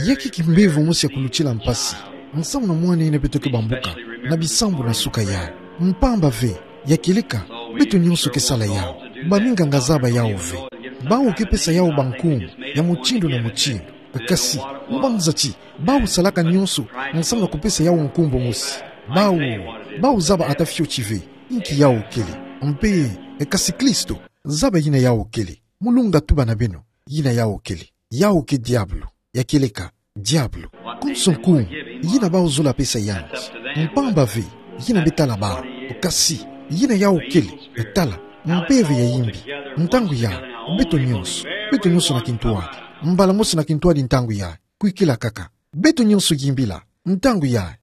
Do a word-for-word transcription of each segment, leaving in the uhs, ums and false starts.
Ya kiki mbevo mosi ya kulutila mpasi, nsamu na mwana ina beto ke bambuka na bisambu na suka yayi. Mpamba ve, ya kieleka, beto nyonso ke sala yawu. Ba minganga zaba yawu ve. Bawu ke pesa yawu bankumbu ya mutindu na mutindu. Kasi, mbanza ti bawu salaka nyonso nsamu na kupesa yawu nkumbu mosi? Bawu, bawu zaba ata fioti ve, inki yawu kele. Mpe, e, kasi Kristo zaba yina yawu kele. Mu lunga tuba na beno yina yawu kele. Yawu ke diabulu. Ya kieleka, diabulu. Konso nkumbu yina bawu zola pesa yandi. Mpamba ve, yina bê tala bawu. Kasi, yina yawu kele, e tala, mpeve ya yimbi. Ntangu yayi, beto nyonso, beto nyonso na kintwadi. Mbala mosi na kintwadi ntangu yayi. Kwikila kaka. Beto nyonso yimbila ntangu yayi.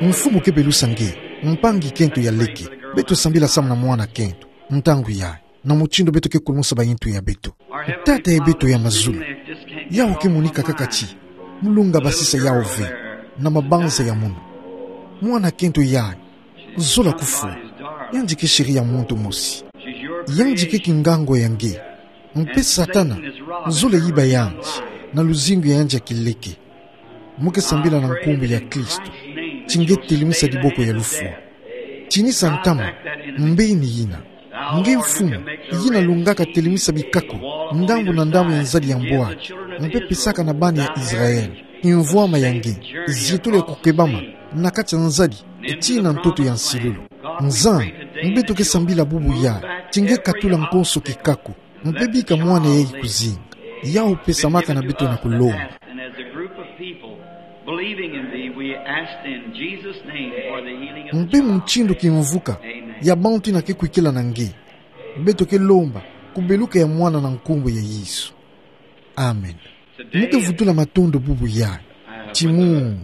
Mfumu ke belusa nge, mpangi-kento ya leke, beto sambila samu na mwana-kento ntangu yayi, na mutindu beto ke kulumusa bayintu ya beto. Tata ya beto ya mazulu, yawu ke monika kaka ti mu lunga basisa yawu ve na mabanza ya munu. Mwana-kento yayi zola kufwa. Yandi ke siri ya muntu mosi. Yandi ke kingangwa ya nge. Mpe Satana zola yiba yandi na luzingu ya yandi ya kileke. Mu ke sambila na nkumbu ya Kristo, ti nge telemisa diboko ya lufwa. Tinisa ntama mbeni yina. Nge mfumu yina lungaka telemisa bikako ndambu na ndambu ya nzadi ya mbwaki, mpe pesaka na bana ya Israël kimvwama ya nge, zietolo ya kukebama na kati ya nzadi, e tii na ntoto ya nsilulu. Nzambi, beto ke sambila bubu yayi, ti nge katula nkonso kikako, mpe bika mwana yayi kuzinga. Yawu pesamaka na beto na kulomba. And as a group of people believing in thee, we ask in Jesus' name for the healing of the child. Mpe mutindu kimvuka ya bantu ina ke kwikila na nge, beto ke lomba kubeluka ya mwana na nkumbu ya Yesu. Amen. Mu ke vutula matondo bubu yayi. Ti mu,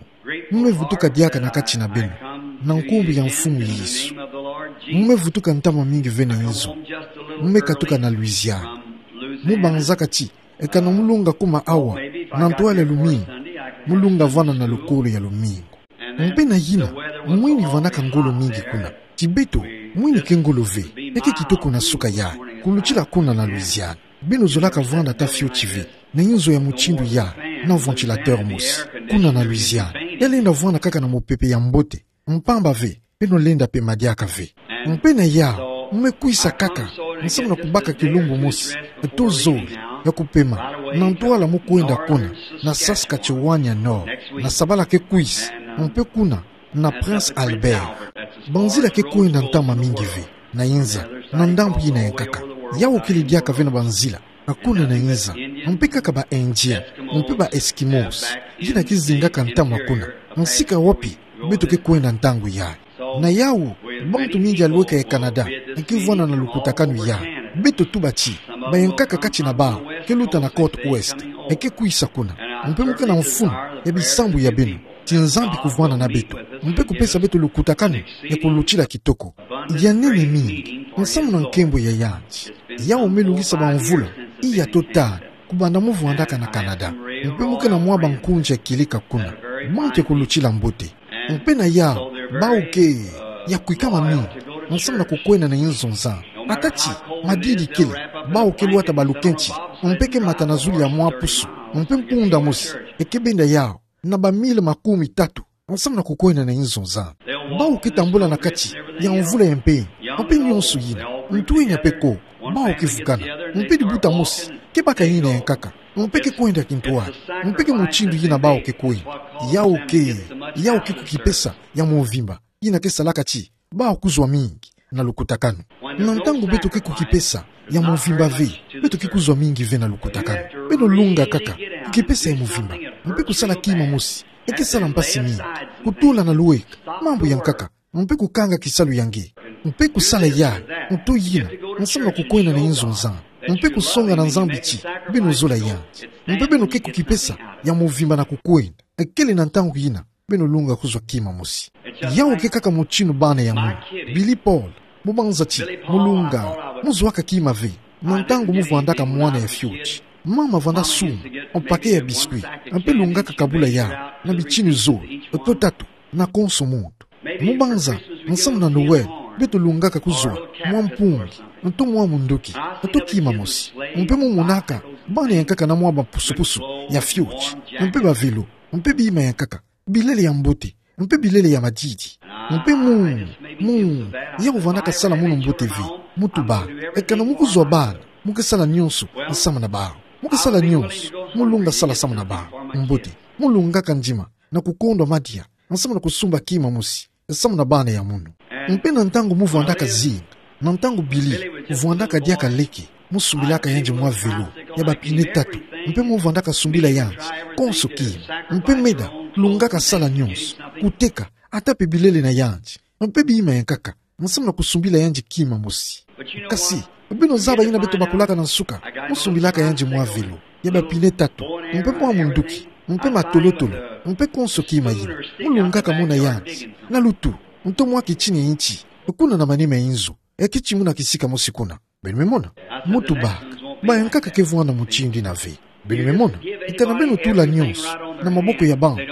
mu me vutuka diaka na kati na beno, na nkumbu ya Mfumu Yesu. Mu me vutuka ntama mingi ve na inzo. Mu me katuka na Louisiane. Mu banzaka ti, eka na mu lunga kuma awa na ntwala ya lumingu, mu lunga vwanda na lukolo ya lumingu. Mpe na yina, mwini vwandaka ngolo mingi kuna. Ti beto, mwini ke ngolo ve, e ke kitoko na suka yayi, kulutila kuna na Louisiane. Beno zolaka vwanda ata fioti ve na inzo ya mutindu yayi, na ventilateur mosi, kuna na Louisiane. Ya lenda vwanda kaka na mupepe ya mbote, mpamba ve beno lenda pema diaka ve. Mpe na yawu, mu me kwisa kaka, nsamu na kubaka kilumbu mosi, e to zole, ya kupema, na ntwala mu kwenda kuna na Saskatchewan ya Nord, na sabala ke kwisa, mpe kuna na Prince Albert. Banzila ke kwenda ntama mingi ve na inza, na ndambu yina ya nkaka. Yawu kele diaka ve na banzila, a kuna na inza, mpe kaka ba Indiens, mpe ba Eskimos, yina ke zingaka ntama kuna, nsika wapi beto ke kwenda ntangu yayi. Na yawu, bantu mingi ya lweka ya Canada, e ke vwanda na lukutakanu yayi. Beto tuba ti, ba ya nkaka kati na bawu ke luta na côte ouest, e ke kwisa kuna. Mpe mu ke na mfunu ya bisambu ya beno, ti Nzambi kuvwanda na beto, mpe kupesa beto lukutakanu ya kulutila kitoko. Ya nene mingi, nsamu na nkembo ya yandi. Yawu me lungisa bamvula iya to tanu, kubanda mu vwandaka na Canada. Mpe mu ke na mwa bankunzi ya kieleka kuna, bantu ya kulutila mbote. Mpe na yawu, bawu ke ya kwikama mingi, nsamu na kukwenda na inzo nza. Ata ti madidi kele, bawu ke lwata balukenti, mpe ke mata na zulu ya mwa pusu, mpe mpunda mosi e ke benda yawu na ba mille makumi tatu, nsamu na kukwenda na inzo nza. Bawu ke tambula na kati ya mvula ya mpemba, mpe nyonso yina, ntwenya mpe ko, bawu ke vukana, mpe dibuta mosi ke baka yina ya nkaka, mpe ke kwenda kintwadi, mpe ke mutindu yina bawu ke kwenda. Yawu ke, yawu ke kukipesa ya mvimba, yina ke salaka ti bawu kuzwa mingi na lukutakanu. Na ntangu beto ke kukipesa ya mvimba ve, beto ke kuzwa mingi ve na lukutakanu. Beno lunga kaka kukipesa ya mvimba, mpe kusala kima mosi, E ke sala mpasi mingi. Kutula na luweka mambu ya nkaka, mpe kukanga kisalu ya nge, mpe kusala yayi, nto yina, nsamu na kukwenda na inzo Nzambi, mpe kusonga na Nzambi ti beno zola yandi. Mpe beno ke kukipesa ya movimba na kukwenda. Ekele na ntangu yina beno lunga kuzwa kima mosi. Yawu ke kaka mutindu bana ya munu. Billy Paul, mubanza ti mu lunga, muzwaka kima ve. Na ntangu muvwandaka mwana ya fioti, mama vwanda sumba mpake ya biscuit, mpe lungaka kabula yawu na bitini zole to tatu na konso muntu. Mubanza, nsamu na Noël, beto lungaka kuzwa mwa mpungi, nto mwa munduki, nto kima mosi. Mpe mumonaka bana ya nkaka na mwa bapusupusu ya fioti, mpe ba vélo, mpe bima ya nkaka, bilele ya mbote, mpe bilele ya madidi. Mpe mu, mu, yawu vwandaka sala munu mbote ve. Mutuba, ekana mu kuzwa bana, mu ke sala nionso nsamu na bawu. Mu ke sala nionso, mu lunga sala samu na bawu. Mbote, mu lungaka ndima na kukondwa madia nsamu na kusumba kima mosi nsamu na bana ya munu. Mpe na ntangu muvwandaka zinga, na ntangu Billy vwandaka diaka leke, musumbilaka yandi mwa vélo ya ba pine tatu, mpe muvwandaka sumbila yandi konso kima. Mpe meda lungaka sala nionso, kuteka, ata mpe bilele na yandi, mpe bima ya nkaka, nsamu na kusumbila yandi kima mosi. Kasi beno zaba yina beto bakulaka na nsuka, musumbilaka yandi mwa vélo ya ba pine tatu, mpe mwa munduki, mpe matolotolo, mpe konso kima yina. Mu lungaka mona yandi na lutu, nto mwa kitini ya nti, kuna na manima ya inzo, e kiti muna kisika mosi kuna. Beno me mona? Mutuba, baya nkaka ke vwanda mutindu yina ve. Beno me mona? Ekana beno tula nionso na maboko ya bantu,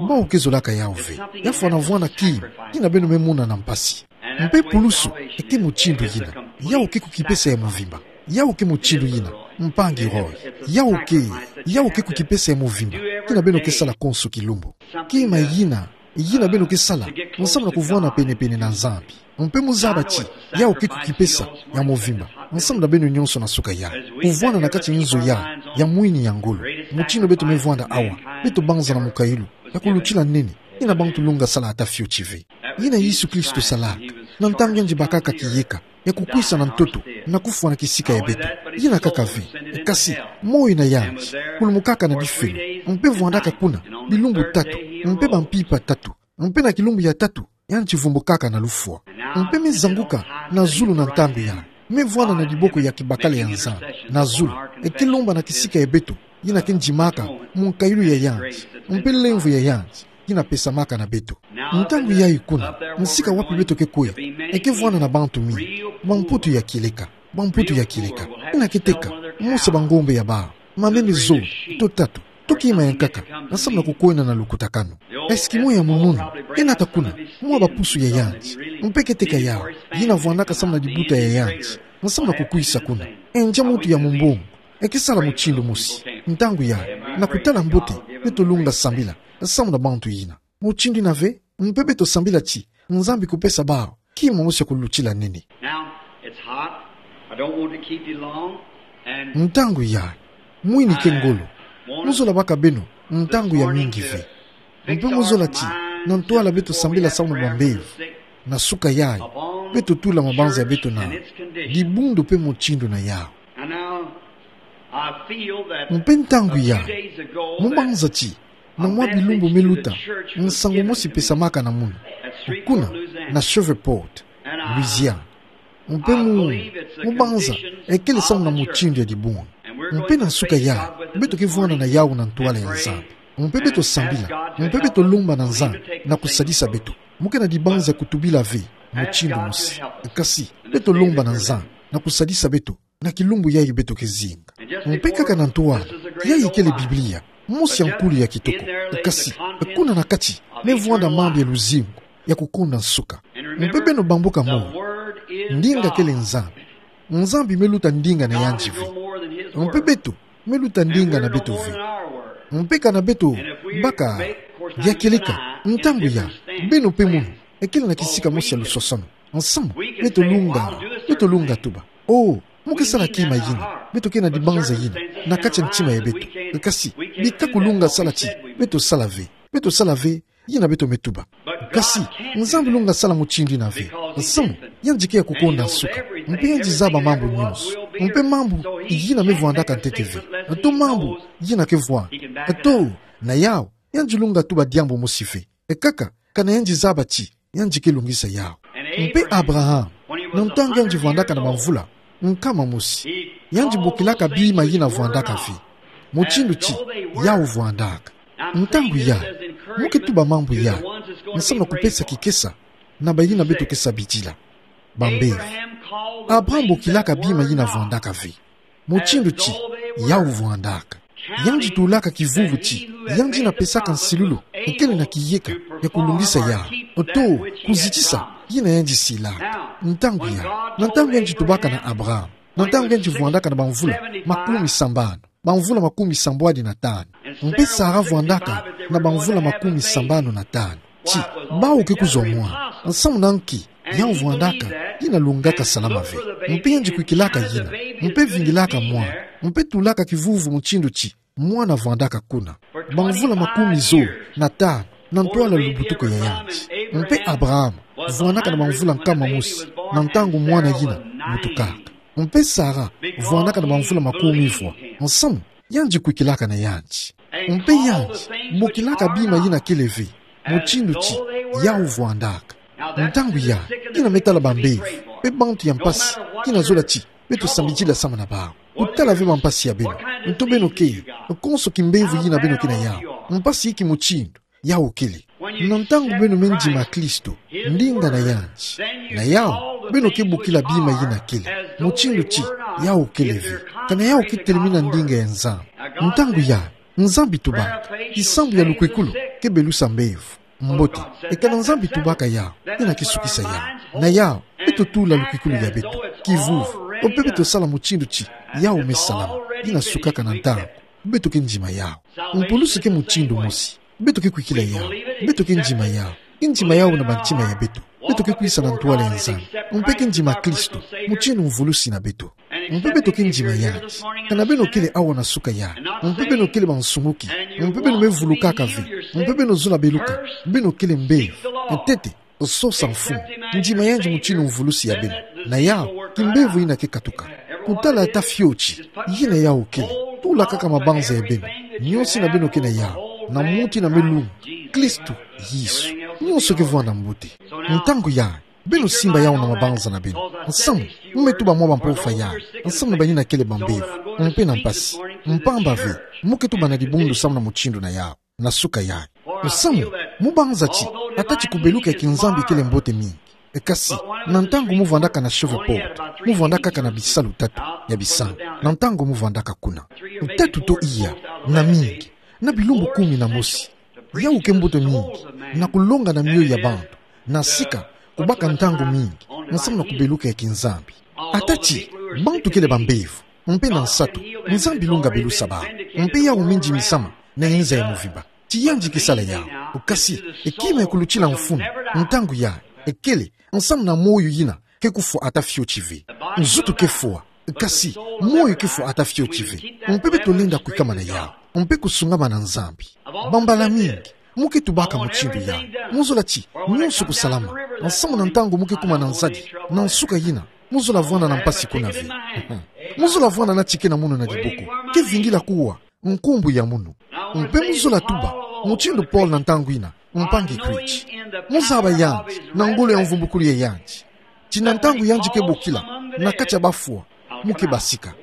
bawu ke zolaka yawu ve. Ya fwana vwanda kima yina beno me mona na mpasi. Mpe pulusu, e ke mutindu yina. Yawu ke kukipesa ya movimba. Yawu ke mutindu yina, mpangi Roy. Yawu ke, yawu ke kukipesa ya movimba kina beno ke sala konso kilumbu. Kima yina, yina beno ke sala nsamu na kuvwanda penepene na Nzambi. Mpe muzaba ti yawu ke kukipesa ya movimba nsamu na beno nionso na nsuka yayi. Kuvwanda na kati inzo yayi ya mwini ya ngolo, mutindu beto me vwanda awa, beto banza na mukayulu ya kulutila nene, yina bantu lunga sala ata fioti ve. Yina Yesu Kristo salaka na ntangu yandi bakaka kiyeka ya kukwisa na ntoto na kufwa na kisika ya beto. Yina kaka ve, kasi moyo na yandi kulumukaka na difelo, mpe vwandaka kuna bilumbu tatu, mpe bampimpa tatu, mpe na kilumbu ya tatu yandi vumbukaka na lufwa. Mpe me zanguka na zulu na ntangu yayi, me vwanda na diboko ya kibakala ya Nzambi na zulu, e ke lomba na kisika ya beto yina ke ndimaka mukayulu ya yandi, mpe lemvo ya yandi yina pesamaka na beto. Ntangu yayi kuna, nsika wapi beto ke kwe, e ke vwanda na bantu mingi, bamputu ya kileka, bamputu ya kileka, yina ke teka mosi bangombe ya bawu, mameme zole to tatu, to kima ya nkaka, nsamu na kukwenda na lukutakanu. Eskimo ya mununu ke nata kuna mwa bapusu ya yandi, mpe ke teka yawu, yina vwandaka samu na dibuta ya yandi nsamu na kukwisa kuna. Endia muntu ya mumbongo e ke sala mutindu mosi. Ntangu yayi, na kutala mbote, beto lunga sambila samu na bantu yina mutindu yina ve, mpe beto sambila ti Nzambi kupesa bawu kima mosi ya kulutila nene. Now, it's hot. I don't want to keep you long. And ntangu yayi, mwini ke ngolo. Muzola baka beno ntangu ya mingi ve. Mpe muzola ti na ntwala beto sambila samu na bambevo, na nsuka yayi, beto tula mabanza ya beto na dibundu mpe mutindu na yawu. And now, I feel that mpe ntangu yayi, mubanza ti na mwa bilumbu me luta, nsangu mosi pesamaka na munu kuna na Shreveport, Louisiane. Mpe mu, mubanza e kele samu na mutindu ya dibundu. Mpe na nsuka yayi, beto ke vwanda na yawu na ntwala ya Nzambi. Mpe beto sambila, mpe beto lomba na Nzambi na kusadisa beto. Mu ke na dibanza ya kutubila ve mutindu mosi, kasi beto lomba na Nzambi na kusadisa beto na kilumbu yayi beto ke zinga. Mpe kaka na ntwala, yayi kele Biblia mosi ya nkulu ya kitoko. Kasi kuna na kati me vwanda mambu ya luzingu ya kukonda nsuka. Mpe beno bambuka moyo, ndinga kele Nzambi. Nzambi me luta ndinga na yandi ve. Mpe beto me luta ndinga na beto ve. Mpe kana beto baka ya kieleka, ntangu yayi, beno mpe munu, e kele na kisika mosi ya lusosono. Nsamu, beto lunga, beto lunga tuba: Oh, mu ke sala kima yina. Beto ke na dibanza yina na kati ya ntima ya beto. Kasi bika kulunga sala ti beto sala ve. Beto sala ve yina beto me tuba. Kasi Nzambi lunga sala mutindu yina ve. Nsamu, yandi ke ya kukonda nsuka. Mpe yandi zaba mambu nyonso. Mpe mambu yina me vwandaka ntete ve, to mambu yina ke vwanda, to na yawu Yandi lunga tuba diambu mosi ve. Ekaka, kana yandi zaba ti, yandi ke lungisa yau. Mpe Abraham, na ntangu yandi vwandaka na bamvula nkama mosi, yandi bokilaka bima yina vwandaka ve, mutindu ti yau vwandaka. Ntangu ya, mo ke tuba mambu ya, nsamu na kupesa kikesa na bayina beto ke sabidila. Bambevo. Abraham bokilaka bima yina vwandaka ve, mutindu ti yau vwandaka. Yandi tulaka kivuvu ti yandi na pesaka nsilulu, ekele na kiyeka ya kulungisa yau, oto kuzitisa yina yandi silaka. Ntangu ya, na ntangu yandi tubaka na Abraham, na ntangu yandi vwandaka na bamvula makumi sambanu, bamvula makumi sambwadi na tanu. Mpe Sara vwandaka na bamvula makumi sambanu na tanu. Ti, bau ke kuzwa mwana, nsamu na nki yau vwandaka yina lungaka salama ve. Mpe yandi kwikilaka yina, mpe vingilaka mwana, mpe tulaka kivuvu mutindu ti mwana vwandaka kuna. Bamvula makumi zo na tanu na ntwala lubutuku ya yandi. Mpe Abraham vwandaka na bamvula nkama mosi na ntangu mwana yina butukaka. Mpe Sara vwandaka na bamvula makumi vwa, nsamu yandi kwikilaka na yandi. Mpe yandi bokilaka bima yina kele ve, mutindu ti yau vwandaka. Ntangu ya, yina me tala bambevo, mpe bantu ya mpasi, yina zola ti beto sambidila samu na bau. Kutala ve bampasi ya beno, nto beno ke, konso kimbevo yina beno ke na yau, mpasi iki mutindu yau kele. Na ntangu beno me ndima Kristo, ndinga na yandi, na yau beno ke bokila bima yina kele, mutindu ti yau kele ve. Kana yau ke telemina ndinga ya Nzambi. Ntangu ya, Nzambi tubaka, kisambu ya lukwikulu ke belusa mbevo. Mbote, ekana Nzambi tubaka yau, yina ke sukisa yau. Na yau, beto tula lukwikulu ya beto, kivuvu, mpe beto sala mutindu ti yau me salama, yina sukaka na ntangu beto ke ndima yau. Mpulusi ke mutindu mosi. Beto ke kwikila yau, beto ke ndima yau, ke ndima yau na bantima ya beto. Beto ke kwisa na ntwala ya Nzambi, mpe ke ndima Kristo mutindu mvulusi na beto. Mpe beto ke ndima yandi. Kana beno kele awa na suka yai, mpe beno kele bansunguki, mpe beno me vulukaka ve, mpe beno zola beluka, beno kele mbevo. Ntete, sosa mfumu. Ndima yandi mutindu mvulusi ya beno. Na yau, kimbevo yina ke katuka. Kutala ata fioti yina yau kele. Tula kaka mabanza ya beno, nionso yina beno ke na yau, na muntu yina me lunga, Kristo Yesu, nionso ke vwanda mbote. Ntangu yai, beno simba yau na mabanza na beno. Nsamu, mo me tuba mwa bampova yai, nsamu na bayina kele bambevo, mpe na mpasi. Mpamba ve, mo ke tuba na dibundu samu na mutindu na yau na suka yai. Nsamu, mo banza ti, ata ti kubeluka ya kinzambi kele mbote mingi, kasi na ntangu mo vwandaka na Shreveport, mo vwandaka kaka na bisalu tatu ya bisambu, na ntangu mo vwandaka kuna. Tatu to iya, na mingi, na bilumbu kumi na mosi. Yau ke mbote mingi na kulonga na mioyo ya bantu, na sika kubaka ntangu mingi nsamu na kubeluka ya kinzambi. Ata ti bantu kele bambevo, mpe na nsatu, Nzambi lunga belusa bau, mpe yau me ndimi samu na inza ya mvimba. Ti yandi ke sala yau. Kasi, e kima ya kulutila mfunu, ntangu yai, e kele nsamu na moyo yina ke kufwa ata fioti ve. Nzutu ke fwa, kasi moyo ke fwa ata fioti ve. Mpe beto lenda kwikama na yau, mpe kusungama na Nzambi. Bambala mingi, mo ke tubaka mutindu yau. Mo zola ti nionso kusalama, nsamu na ntangu mo ke kuma na nzadi, na nsuka yina, mo zola vwanda na mpasi kuna ve. Mo zola vwanda na ti ke na munu na diboko, ke vingila kuwa nkumbu ya munu. Mpe mo zola tuba mutindu Paul na ntangu yina, mpangi Kristo. Mo zaba yandi na ngolo ya mvumbukulu ya yandi. Ti na ntangu yandi ke bokila na kati ya bafwa, mo ke basika.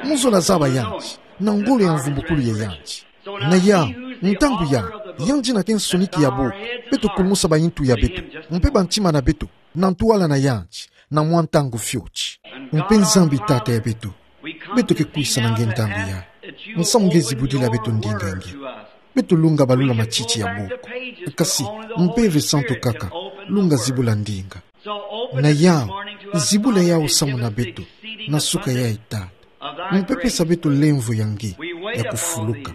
Mo zola zaba yandi na ngolo ya mvumbukulu ya yandi. Na yau, ntangu yai, yandi yina ke nsoniki ya boko, beto kulumusa bayintu ya beto, mpe bantima na beto, na ntwala na yandi, na mwa ntangu fioti. Mpe Nzambi Tata ya beto, beto ke kwisa na nge ntangu yai, nsamu nge zibudila beto ndinga nge. Beto lunga balula matiti ya boko. Kasi, Mpeve Santu kaka lunga zibula ndinga. Na yau, zibula yau samu na beto, na suka yai Tata. Mpe pesa beto lemvo ya nge ya kufuluka.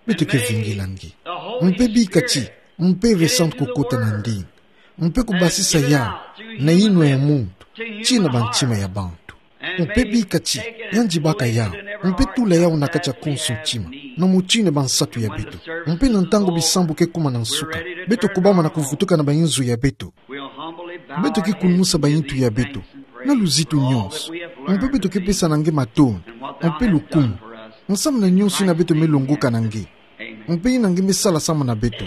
Beto ke vingila nge. Mpe bika ti Mpeve Santu kukota na ndinga, mpe kubasisa yau na inwa ya muntu, tii na bantima ya bantu. Mpe bika ti yandi baka yau, mpe tula yau na kati ya konso ntima, na mutindu ya bansatu ya beto. Mpe na ntangu bisambu ke kuma na nsuka, beto kubama na kuvutuka na bayinzo ya beto, beto ke kulumusa bayintu ya beto na luzitu nionso. Mpe beto ke pesa na nge matondo mpe lukumu, nsamu na nionso yina beto me longoka na nge. Mpe yina nge me sala samu na beto.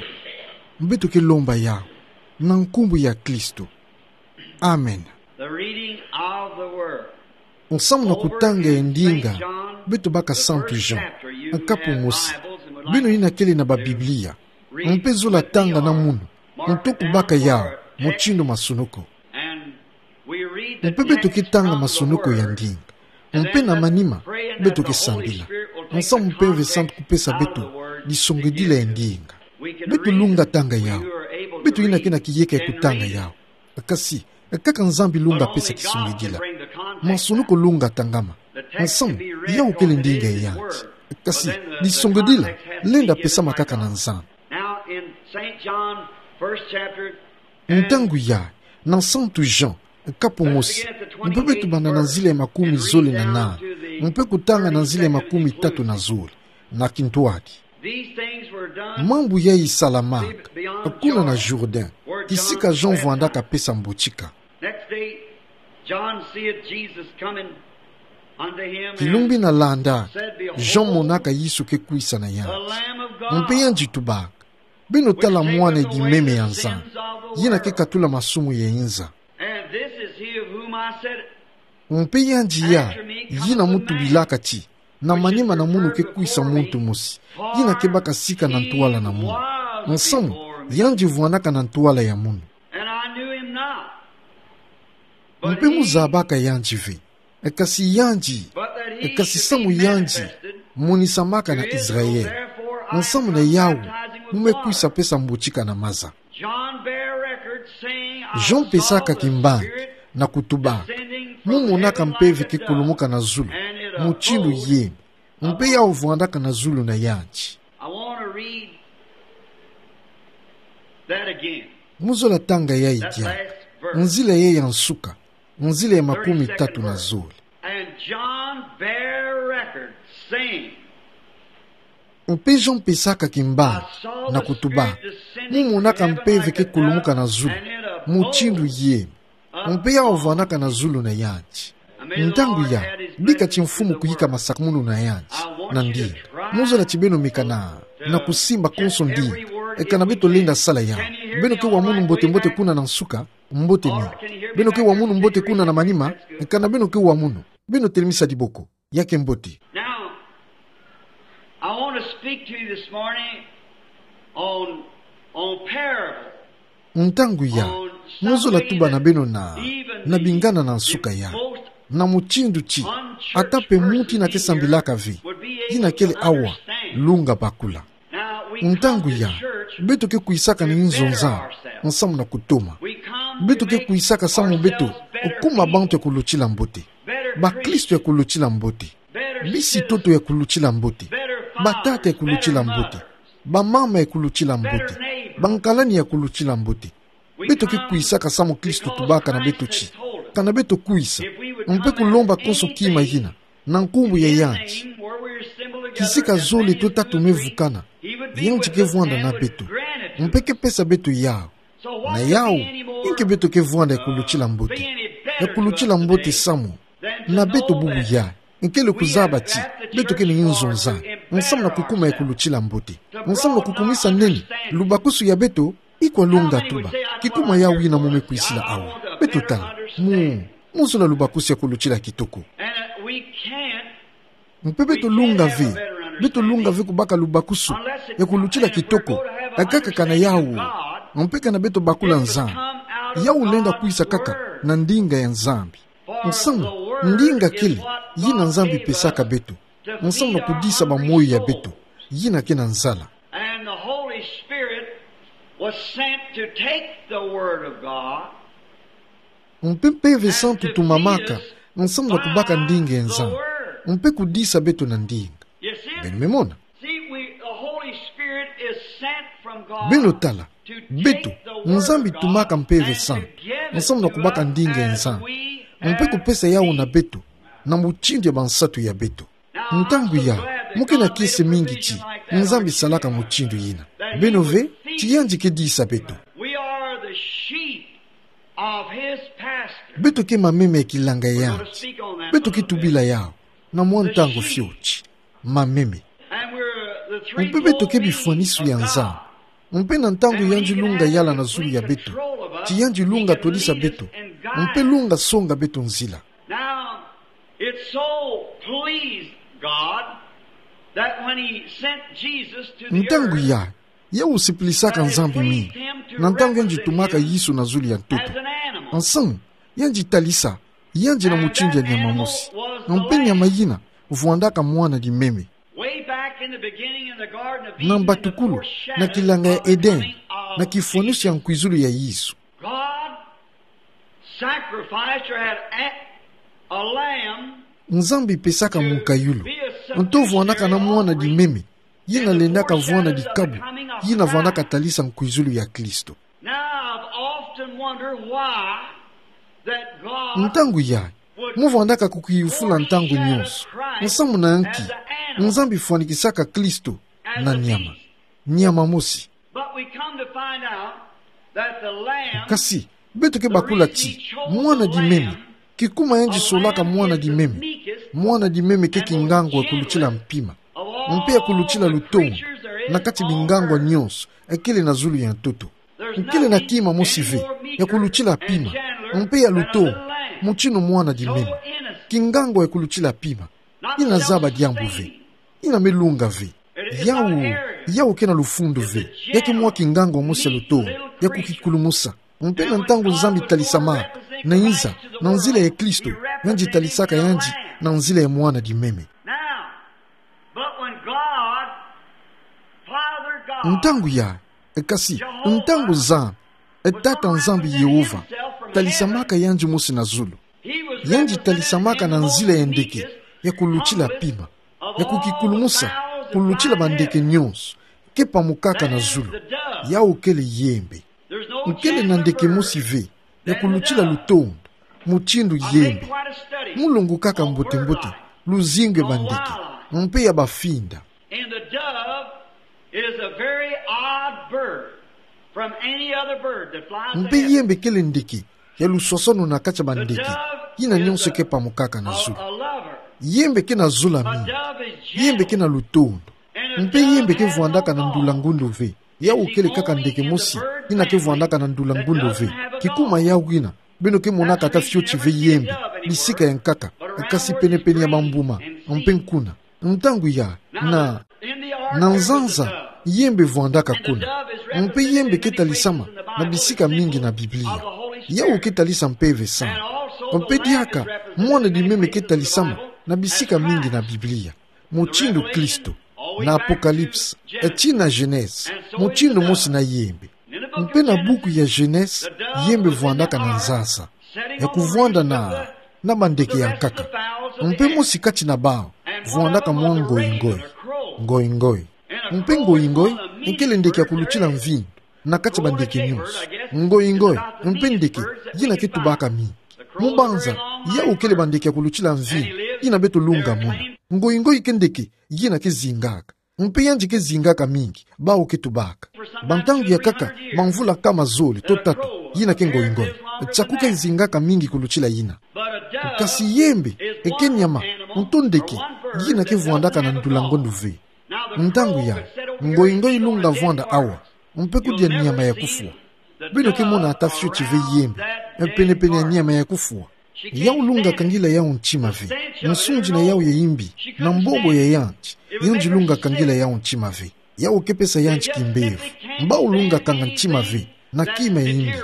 Beto ke lomba yau na nkumbu ya Kristo. Amen. The reading of the word. Nsamu na kutanga ya ndinga, beto baka Santu Jean, nkapu mosi. Beno yina kele na ba Biblia, mpe zola tanga na munu, nto kubaka yau mutindu masunuku. Mpe beto ke tanga masunuku ya ndinga. Mpe na manima, beto ke sambila. Nsamu Mpeve Santu kupesa beto disongedila ya ndinga. Beto lunga tanga yau. Beto yina ke na kiyeka ya kutanga yau. Kasi, kaka Nzambi lunga pesa kisongedila. Masunuku lunga tangama. Nsamu, yau kele ndinga ya yanti. Kasi, disongedila lenda pesama kaka na Nzambi. Now in Saint John, first chapter, Ntangu ya, na Santu Jean, nkapu mosi, mpe beto banda na nzila ya makumi zole na nani, mpe kutanga na nzila ya makumi tatu na zole, na kintwadi. These things were done. Mambu yayi salamaka, kuna na Jourdain, kisika Jean vwandaka pesa mbotika. Next day, John seeth Jesus coming unto him. Kilumbu ina landa, Jean monaka Yesu ke kwisa na yanti. Mpe yandi tubaka: Beno tala mwana edi meme ya Nzambi, yina ke katula masumu ya inza. And this is he of whom I said, Mpe yandi ya, yina mutubilaka ti, na manima na munu ke kwisa muntu mosi, yina ke baka sika na ntwala na munu. Nsamu, yandi vwandaka na ntwala ya munu. And I knew him not. Mpe muzabaka yandi ve. Kasi yandi, kasi samu yandi monisamaka na Israel. Nsamu na yau, mu me kwisa pesa mbotika na maza. John bare record, saying, Jean pesaka kimbangi na kutuba: Mu monaka Mpeve ke kulumuka na zulu mutindu yeme, mpe yau vwandaka na zulu na yandi. I want to read that again. Mu zola tanga yayi diaka. Nzila yayi ya nsuka, nzila ya makumi tatu na zole. And John bare record, saying, Mpe Jean pesaka kimbangi na kutuba: Mu monaka Mpeve ke kulumuka na zulu mutindu yeme, mpe yau vwandaka na zulu na yandi. Ntangu ya, bika ti mfumu kuyika masakumunu na yandi, na ndinga. Mu zola ti beno meka na, na kusimba konso ndinga, kana beto lenda sala yau. Beno ke wa munu mbote-mbote kuna na nsuka, mbote mingi. Beno ke wa munu mbote kuna na manima, kana beno ke wa munu. Beno telemisa diboko. Ya ke mbote. Now, I want to speak to you this morning on, on parable. Ntangu ya, mu zola tuba na beno na, na bingana na nsuka ya, na mutindu ti, ata mpe muntu yina ke sambilaka ve, yina kele awa, lunga bakula. Ntangu ya, beto ke kwisaka na inzo Nzambi, nsamu na kutoma. Beto ke kwisaka samu beto kuma bantu ya kulutila mbote, bakristo ya kulutila mbote, bisi-ntoto ya kulutila mbote, batata ya kulutila mbote, bamama ya kulutila mbote, bankalani ya kulutila mbote. Beto ke kwisaka samu Kristo tubaka na beto ti, kana beto kwisa, mpe kulomba konso kima yina, na nkumbu ya yandi. Kisika zole to tatu me vukana, yandi ke vwanda na beto, mpe ke pesa beto yau. Na yau, inki beto ke vwanda ya kulutila mbote, ya kulutila mbote samu na beto bubu ya, nkele kuzaba ti, beto ke na inzo Nzambi, nsamu na kukuma ya kulutila mbote, nsamu na kukumisa nene, lubakusu ya beto, ikwa lunga tuba, kikuma yau yina mu me kwisila awa. Beto tala, mu, mu zola lubakusu ya kulutila kitoko. And, uh, we can't Mpe beto lunga ve, beto lunga ve kubaka lubakusu ya kulutila kitoko, akaka kana yau, mpe kana beto bakula Nzambi, yau lenda kwisa kaka na ndinga ya Nzambi. Nsamu, ndinga kele yina Nzambi pesaka beto, nsamu na kudisa bamoyo ya beto yina ke na nzala. And the Holy Spirit was sent to take the Word of God. Mpe Mpeve Santu tumamaka, nsamu na kubaka ndinga ya Nzambi, mpe kudisa beto na ndinga. Beno me mona? See, we, the Holy Spirit is sent from God. Beno tala, beto, Nzambi tumaka Mpeve Santu, nsamu na kubaka ndinga ya Nzambi, mpe kupesa yau na beto, na mutindu ya bansatu ya beto. Ntangu ya, mu ke na kiese mingi ti Nzambi salaka mutindu yina. Beno ve ti yandi ke disa beto. We are the sheep of his pasture. Beto ke mameme ya kilanga ya yandi. Beto ke tubila yau na mwa ntangu fioti. Mameme. And we're the Mpe beto ke bifwanisu ya Nzambi. Mpe na ntangu yandi lunga yala na zulu ya beto, ti yandi lunga twadisa beto, mpe lunga songa beto nzila. Now, it so pleased God that when he sent Jesus to the Ntangu earth, ya, ya usipilisaka Nzambi mingi, na ntangu yandi tumaka Yesu na zulu ya ntoto. As an animal. Nsamu, yandi talisa yandi na mutindu ya nyama mosi. Mpe nyama yina vwandaka mwana di meme. Way back in the beginning in the Garden of Eden, Na mbatukulu, na kilanga ya Edeni, na kifwanisu ya nkwizulu ya Yesu. God sacrificed or had a, a lamb. Nzambi pesaka munkayulu. Nto vwandaka na mwana di meme, yina lendaka vwanda dikabu, yina vwandaka talisa nkwizulu ya Kristo. Now, I've often wondered why that God Ntangu ya, mu vwandaka kukiyufula ntangu nyonso. Nsamu na nki Nzambi fwanikisaka Kristo na nyama. Nyama mosi. But we come to find out that the lamb Kasi, beto ke bakula ti, mwana di meme, kikuma yandi solaka mwana di meme. Mwana di meme ke kingangwa ya kulutila mpima. Mpe ya kulutila lutondo, na kati bingangwa nyonso, ekele na zulu ya ntoto. Nkele na kima mosi ve, ya kulutila pima, mpe ya lutondo, mutindu mwana di meme. Kingangwa ya kulutila pima. Yina zaba diambu ve. Yina me lunga ve. Yawu, yawu ke na lufundu ve. Ya ke mwa kingangwa mosi ya lutondo, ya kukikulumusa. Mpe na ntangu Nzambi talisamaka, na iza, na nzila ya Kristo, yandi talisaka yandi, na nzila ya mwana di meme. Now, but when God, Father God, Ntangu ya, e kasi, ntangu Nzambi, e Tata Nzambi Yehova, talisamaka yandi mosi na zulu. Yandi talisamaka na nzila ya ndeke, ya kulutila pima, ya kukikulumusa, kulutila bandeke nyonso, ke pamukaka na zulu, yawu kele yembe. Nkele na ndeke mosi ve, ya kulutila lutondo, mutindu yembe. Mu longokaka mbote-mbote, luzingu ya bandeke, mpe ya bafinda. And the dove is a very odd bird from any other bird that flies in heaven. Mpe yembe kele ndeke ya luswaswanu na kati ya bandeke yina nyonso ke pamukaka na zulu. Yembe ke na zola mingi. Yembe ke na lutondo. Mpe yembe ke vwandaka na ndula ngundu ve. Yawu kele kaka ndeke mosi yina ke vwandaka na ndula ngundu ve. Kikuma yawu yina, beno ke monaka ata fioti ve yembe, bisika ya nkaka, kasi pene-pene ya mambuma, mpe nkuna. Ntangu ya, na, na nzanza, yembe vwandaka kuna. Mpe yembe ke talisama na bisika mingi na Biblia. Yawu ke talisa Mpeve Santu. Mpe diaka, mwana di meme ke talisama na bisika mingi na Biblia. Mutindu Kristo, na Apocalypse, e tii na Genèse, mutindu mosi na yembe. Mpe na buku ya Genèse, yembe vwandaka na nzanza, ya kuvwanda na, na bandeke ya nkaka. Mpe mosi kati na bawu, vwandaka mwa ngoingoi. Ngoingoi. Mpe ngoingoi, nkele ndeke ya kulutila mvindu, na kati bandeke nyonso. Ngoingoi, mpe ndeke, yina ke tubaka mingi. Mu banza, yawu kele bandeke ya kulutila mvindu, yina beto lunga mona. Ngoingoi ke ndeke, yina ke zingaka. Mpe yandi ke zingaka mingi, bawu ke tubaka. Bantangu ya nkaka, bamvula nkama zole, to tatu, yina ke ngoingoi. Tiaku ke zingaka mingi kulutila yina. Kasi yembe, eke nyama, nto ndeke, yina ke vwandaka na ndula ngundu ve. Ntangu ya, ngoingoi lunga vwanda awa, mpe kudia nyama ya kufwa. Beno ke mona ata fioti ve yembe, pene-pene ya nyama ya kufwa. Yawu lunga kangila yawu ntima ve. Nsundi na yawu ya imbi, na mbombo ya yandi, yandi lunga kangila yawu ntima ve. Yawu ke pesa yandi kimbevo. Bawu lunga kanga ntima ve, na kima ya imbi,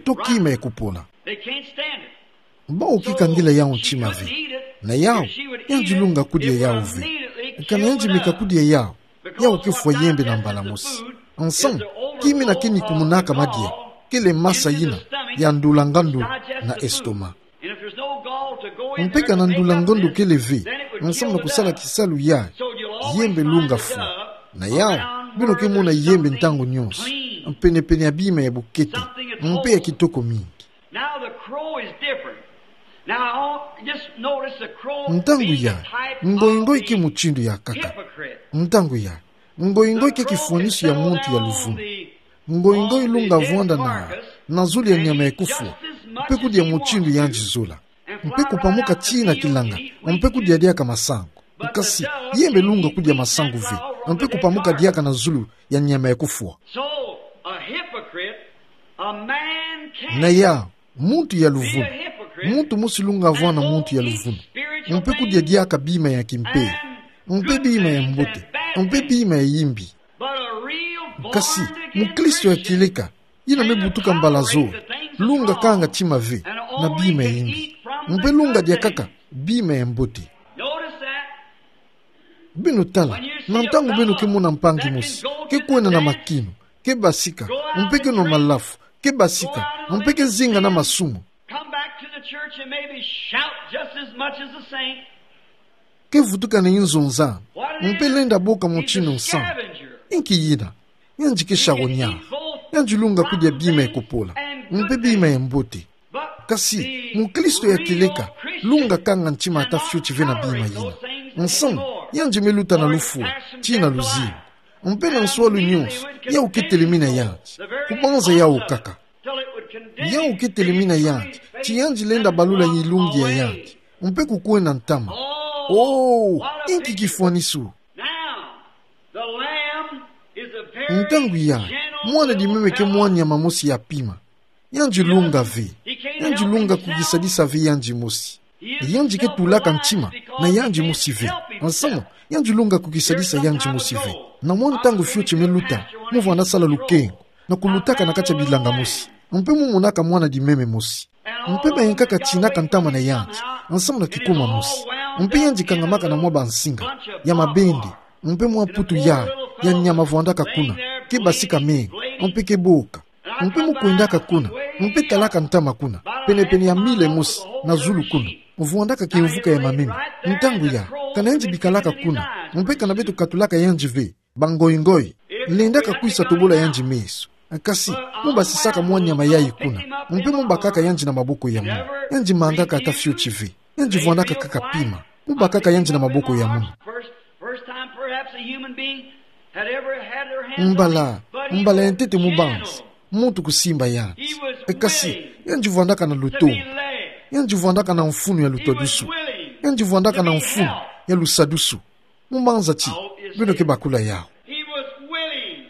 to kima ya kupola. They can't stand it. Bawu ke kangila yawu ntima ve. Na yawu, yandi lunga kudia yawu ve. Kana yandi meka kudia yawu, yawu ke fwa yembe na mbala mosi. Nsamu, kima yina ke nikumunaka madia, kele masa yina ya ndula ngundu na estomac. Mpe kana ndula ngundu kele ve, nsamu na kusala kisalu yayi, yembe lunga fwa. Na yawu, beno ke mona yembe ntangu nyonso, pene-pene ya bima ya bukete, mpe ya kitoko mingi. Now the crow is different. Now, just notice the crow being a type of the hypocrite. Ntangu ya, ngoingoi ke mutindu ya nkaka. Ntangu ya, ngoingoi ke kifwaniso ya muntu ya luvunu. Ngoingoi lunga vwanda na, na zulu ya nyama ya kufwa, mpe kudia mutindu yandi zola. Mpe kupamuka tii na kilanga, mpe kudia diaka masangu. Kasi, yembe lunga kudia masangu ve. Mpe kupamuka diaka na zulu ya nyama ya kufwa. So, a hypocrite, a man can't Na ya, muntu ya luvunu. Muntu mosi lunga avwani na muntu ya luvunu. Mpe kudia diaka bima ya kimpeve. Mpe bima ya mbote. Mpe bima ya yimbi. Kasi, mukristo ya kieleka, yina me butuka mbala zola, lunga kanga tima ve na bima ya yimbi. Mpe lunga diakaka bima ya mbote. Beno tala, na ntangu beno ke mona mpangi mosi ke kwenda na makinu, ke basika, mpe ke nwa malafu, ke basika, mpe ke zinga na masumu. Come back to the church and maybe shout just as much as the saint. Ke vutuka na inzo nzanu, mpe lenda boka mutinu nsamu. Inki yina? Yandi ke shawonyala. Yandi lunga kudia bima ya kupola, mpe bima ya mbote. Kasi, mukristo ya kieleka, lunga kanga ntima ata fioti ve na bima yina. Nsamu, yandi me luta na lufwa, tii na luzingu. Mpe na nswalu nyonso, yau ke telemina yandi. Kubanza yau kaka. Yau ke telemina yandi, ti yandi lenda balula yilungi ya yandi. Mpe kukwenda ntama. Oh, inki kifwanisu! Now, the lamb is a very Ntangu ya, mwana dimeme ke mwa nyama mosi ya pima. Yandi lunga ve. Yandi lunga kukisadisa ve yandi mosi. Yandi ke tulaka ntima na yandi mosi ve. Nsamu, yandi lunga kukisadisa yandi mosi ve. Na mwa ntangu fioti me luta, mu vwanda sala lukengo, na kulutaka na kati ya bilanga mosi. Mpe mu monaka mwana dimeme mosi. Mpe bayankaka tinaka ntama na yandi, nsamu na kikuma mosi. Mpe yandi kangamaka na mwa bansinga ya mabende, mpe mwa putu ya, ya nyama vwandaka kuna, ke basika mengo, mpe ke boka. Mpe mu kwendaka kuna, mpe talaka ntama kuna, pene-pene ya mile mosi na zulu kuna, vwandaka kimvuka ya mameme. Ntangu ya, kana yandi bikalaka kuna, mpe kana beto katulaka yandi ve, bangoingoi, lendaka kwisa tobola yandi meso. Kasi, mu basisaka mwa nyama yayi kuna, mpe mu bakaka yandi na maboko ya munu. Yandi mangaka ata fioti ve. Yandi vwandaka kaka pima. Mu bakaka yandi na maboko ya munu. First, first time perhaps a human being had ever had their hands on Mbala, him, but he mbala ya ntete mu banza, gentle. Muntu kusimba yandi. He was E kasi, willing yandi vwandaka na to luto. Be led. Yandi vwandaka na mfunu ya He was lutwadusu. Willing Yandi vwandaka to na be mfunu helped. Ya lusadusu. Mu banza ti, I hope you beno see ke that. Bakula yau. He was willing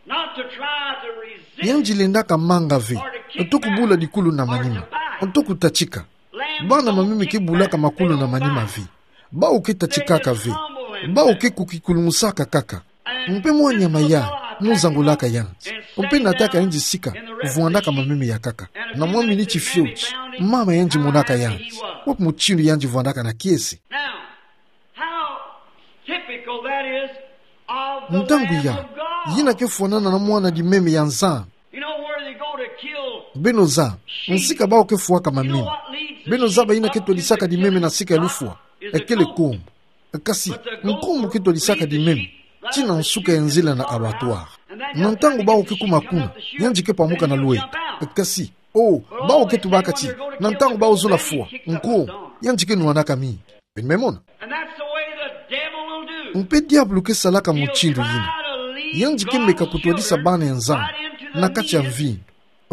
not to try to resist Yandi lendaka manga ve, or to kick nto kubula back dikulu na or manima, to back. Nto kutatika. Bana mameme ke bulaka makulu na manima ve. Bau ke tatikaka ve. Bau ke kukikulungusaka kaka. Mpe mwa nyama ya, mu zangulaka yandi. Mpe nataka yandi sika, vwandaka mameme ya kaka. Na mwa miniti fioti, mama yandi monaka yandi. Wapi mutindu yandi vwandaka na kiese. Now, how typical that is of the Lamb of God. Ntangu ya, yina ke fwanana na mwana dimeme ya Nzambi. You know where they go to kill Beno zaba, nsika bau ke fwaka mameme. Beno zaba yina ke twadisaka dimeme na sika ya lufwa. Ekele nkombo. Kasi, nkombo ke twadisaka dimeme, tii na nsuka ya nzila na abattoir. Na ntangu bau ke kuma kuna, yandi ke pamuka na lweta. Kasi, oh, bau ke tubaka ti, na ntangu bau zola fwa, nkombo, yandi ke nwanaka mi. Beno me mona. And that's the way the devil will do. Mpe diabulu ke salaka mutindu yina. He'll try to lead Yandi ke meka kutwadisa bana ya Nzambi na kati ya mvinyo.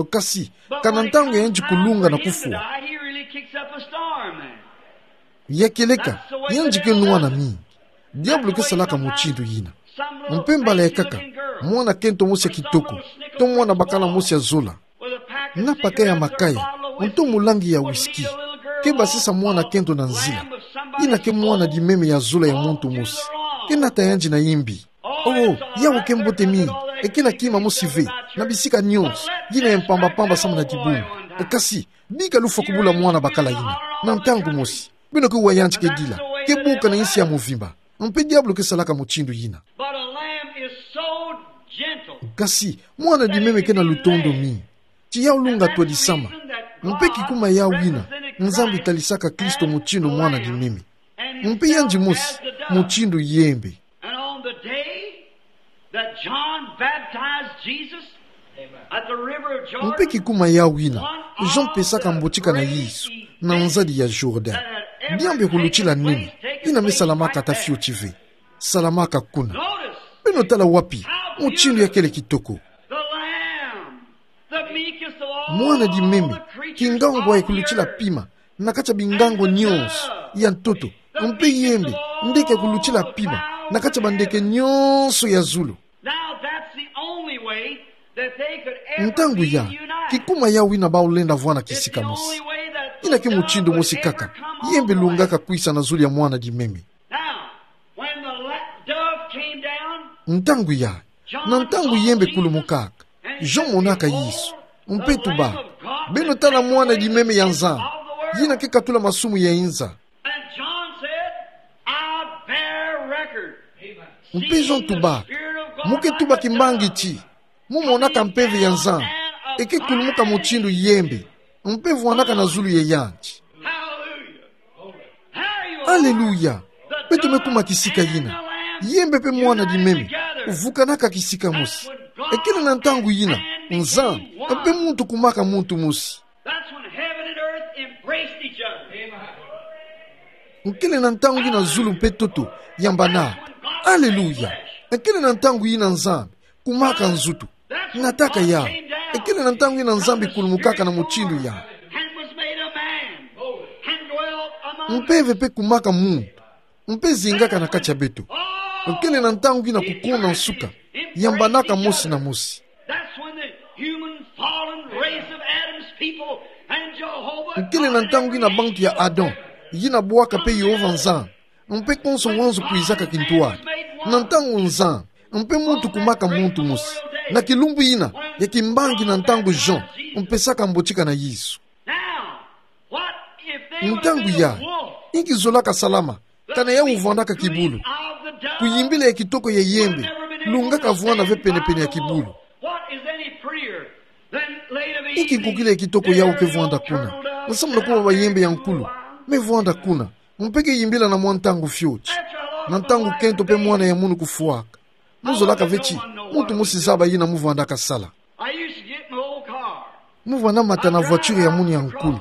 Kasi, kana ntangu ya yandi kulunga na kufwa, ya kieleka, yandi ke nwana mingi. Diabulu ke salaka mutindu yina. Mpe mbala ya nkaka, mwana kento mosi ya kitoko, to mwana bakala mosi ya zola, na paquet ya makaya, nto mulangi ya whisky, ke basisa mwana kento na nzila. Yina ke mwana dimeme ya zola ya muntu mosi. Ke nata yandi na yimbi. Oh, yau ke mbote mingi, e ke na kima mosi ve, na bisika nyonso, yina ya mpamba-mpamba samu na dibungu. Kasi, bika lufwa kubula mwana bakala yina, na ntangu mosi. Beno ke wa yandi ke dila, ke buka na insi ya mvimba. Mpe diabulu ke salaka mutindu yina. But a lamb is so gentle. Kasi, mwana dimeme ke na lutondo mingi. Ti yau lunga twadisama. Mpe kikuma yau yina, Nzambi talisaka Kristo mutindu mwana dimeme. Mpe yandi mosi, mutindu yembe. And on the day that John baptized Jesus at the river of Jordan, Mpe kikuma yau yina, Jean pesaka mbotika na Yesu, na nzadi ya Jordan. Diambu ya kulutila nene, yina me salamaka ata fioti ve. Salamaka kuna. Beno tala wapi, mutindu ya kele kitoko. The Lamb, the meekest of all the creatures on the earth. Mwana dimeme, kingangu ya kulutila pima, na kati ya bingangu nyonso ya ntoto, mpe yembe, ndeke ya kulutila pima, na kati ya bandeke nyonso ya zulu. Now, that's the only way that they could ever Ntangu ya, reunite. Kikuma yau ina bau lenda vwana kisika mosi. It's the only way that Ina ke mutindu mosi kaka yembe lungaka kwisa na zulu ya mwana-dimeme. Now, when the la-, dove came down, Ntangu ya, na ntangu yembe kulumukaka, Jean monaka Yesu, mpe tuba: Beno tala Mwana-dimeme ya Nzambi, yina ke katula masumu ya inza. And John said, "I bear record." Mpe Jean tuba: Mo ke tuba kimbangi ti mo monaka Mpeve ya Nzambi, e ke kulumuka mutindu yembe, mpe vwanaka na zulu ya yandi. Hallelujah. Aleluya! Beto me kuma kisika yina. Yembe mpe Mwana-dimeme vukanaka kisika mosi. Ekele na ntangu yina, Nzambi mpe muntu kumaka muntu mosi. That's when heaven and earth embraced each other. Nkele na ntangu yina zulu mpe ntoto yambanaka. Aleluya! Nkele na ntangu yina Nzambi kumaka nzutu. Nataka ya. Ekele na ntangu yina Nzambi kulumukaka na mutindu ya. And was made a man. And dwelt among us. Mpeve mpe kumaka muntu. Mpe zingaka na kati ya beto. Nkele na ntangu yina kukonda nsuka yambanaka mosi na mosi. That's when the human fallen race of Adam's people and Jehovah Nkele na ntangu yina bantu ya Adam, yina bwaka mpe Yehova Nzambi, mpe konso wanzu kwizaka kintwadi. Na ntangu Nzambi mpe muntu kumaka muntu mosi. Na kilumbu yina ya kimbangi na ntangu Jean mpesaka mbotika na Yesu. Now, what if they would have Ntangu been ya, a wolf? Inki zolaka salama, kana yau vwandaka kibulu. Kuyimbila ya kitoko ya yembe lungaka vwana ve penepene ya kibulu. What is any prettier than laid of Inki nkukila ya kitoko yau ke vwanda kuna, nsamu na kuwa bayembe ya nkulu me vwanda kuna, mpe ke yimbila na mwa ntangu fioti. Na ntangu kento mpe mwana ya munu kufwaka. Mu zolaka ve ti muntu mosi zaba yina mu vwandaka sala. I used to get my old car. Mu vwanda mata na voiture ya munu ya nkulu.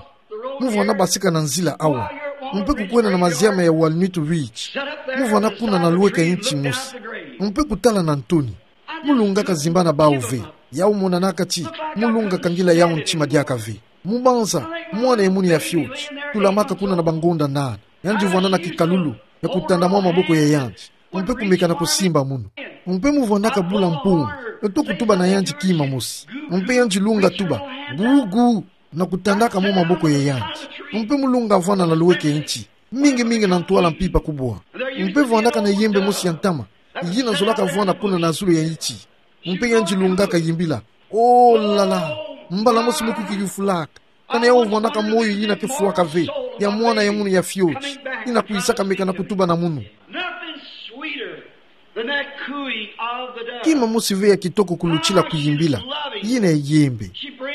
Mu vwanda basika na nzila awa, mpe kukwenda na maziama ya Walnut Ridge. Mu vwanda kuna na lweka inti mosi, mpe kutala na ntoni. Mu lungaka zimbana bau ve. Yau monanaka ti mu lungaka ngila yau ntima diaka ve. Mu banza, mwana ya munu ya fioti tulamaka kuna na bangonda nana. Yandi vwanda na kikalulu ya kutanda mwa maboko ya yandi, mpe kumeka na kusimba munu. Mpe mu vwandaka bula mpungu, eto kutuba na yandi kima mosi. Mpe yandi lunga tuba: "Gugu," na kutandaka mwa maboko ya yandi. Mpe mu lunga vwanda na lweka inti, mingi mingi na ntwala mpimpa kubwa. Mpe vwandaka na yembe mosi ya ntama, yina zolaka vwanda kuna na zulu ya inti. Mpe yandi lungaka yimbila: "Oh la la, mbala mosi mu ke kuyufulaka, kana yau vwandaka moyo yina ke fwaka ve, ya mwana ya munu ya fioti, yina kwizaka meka na kutuba na munu." Nothing sweeter than that cooing of the dove. Kima mosi ve ya kitoko kulutila kuyimbila yina ya yembe.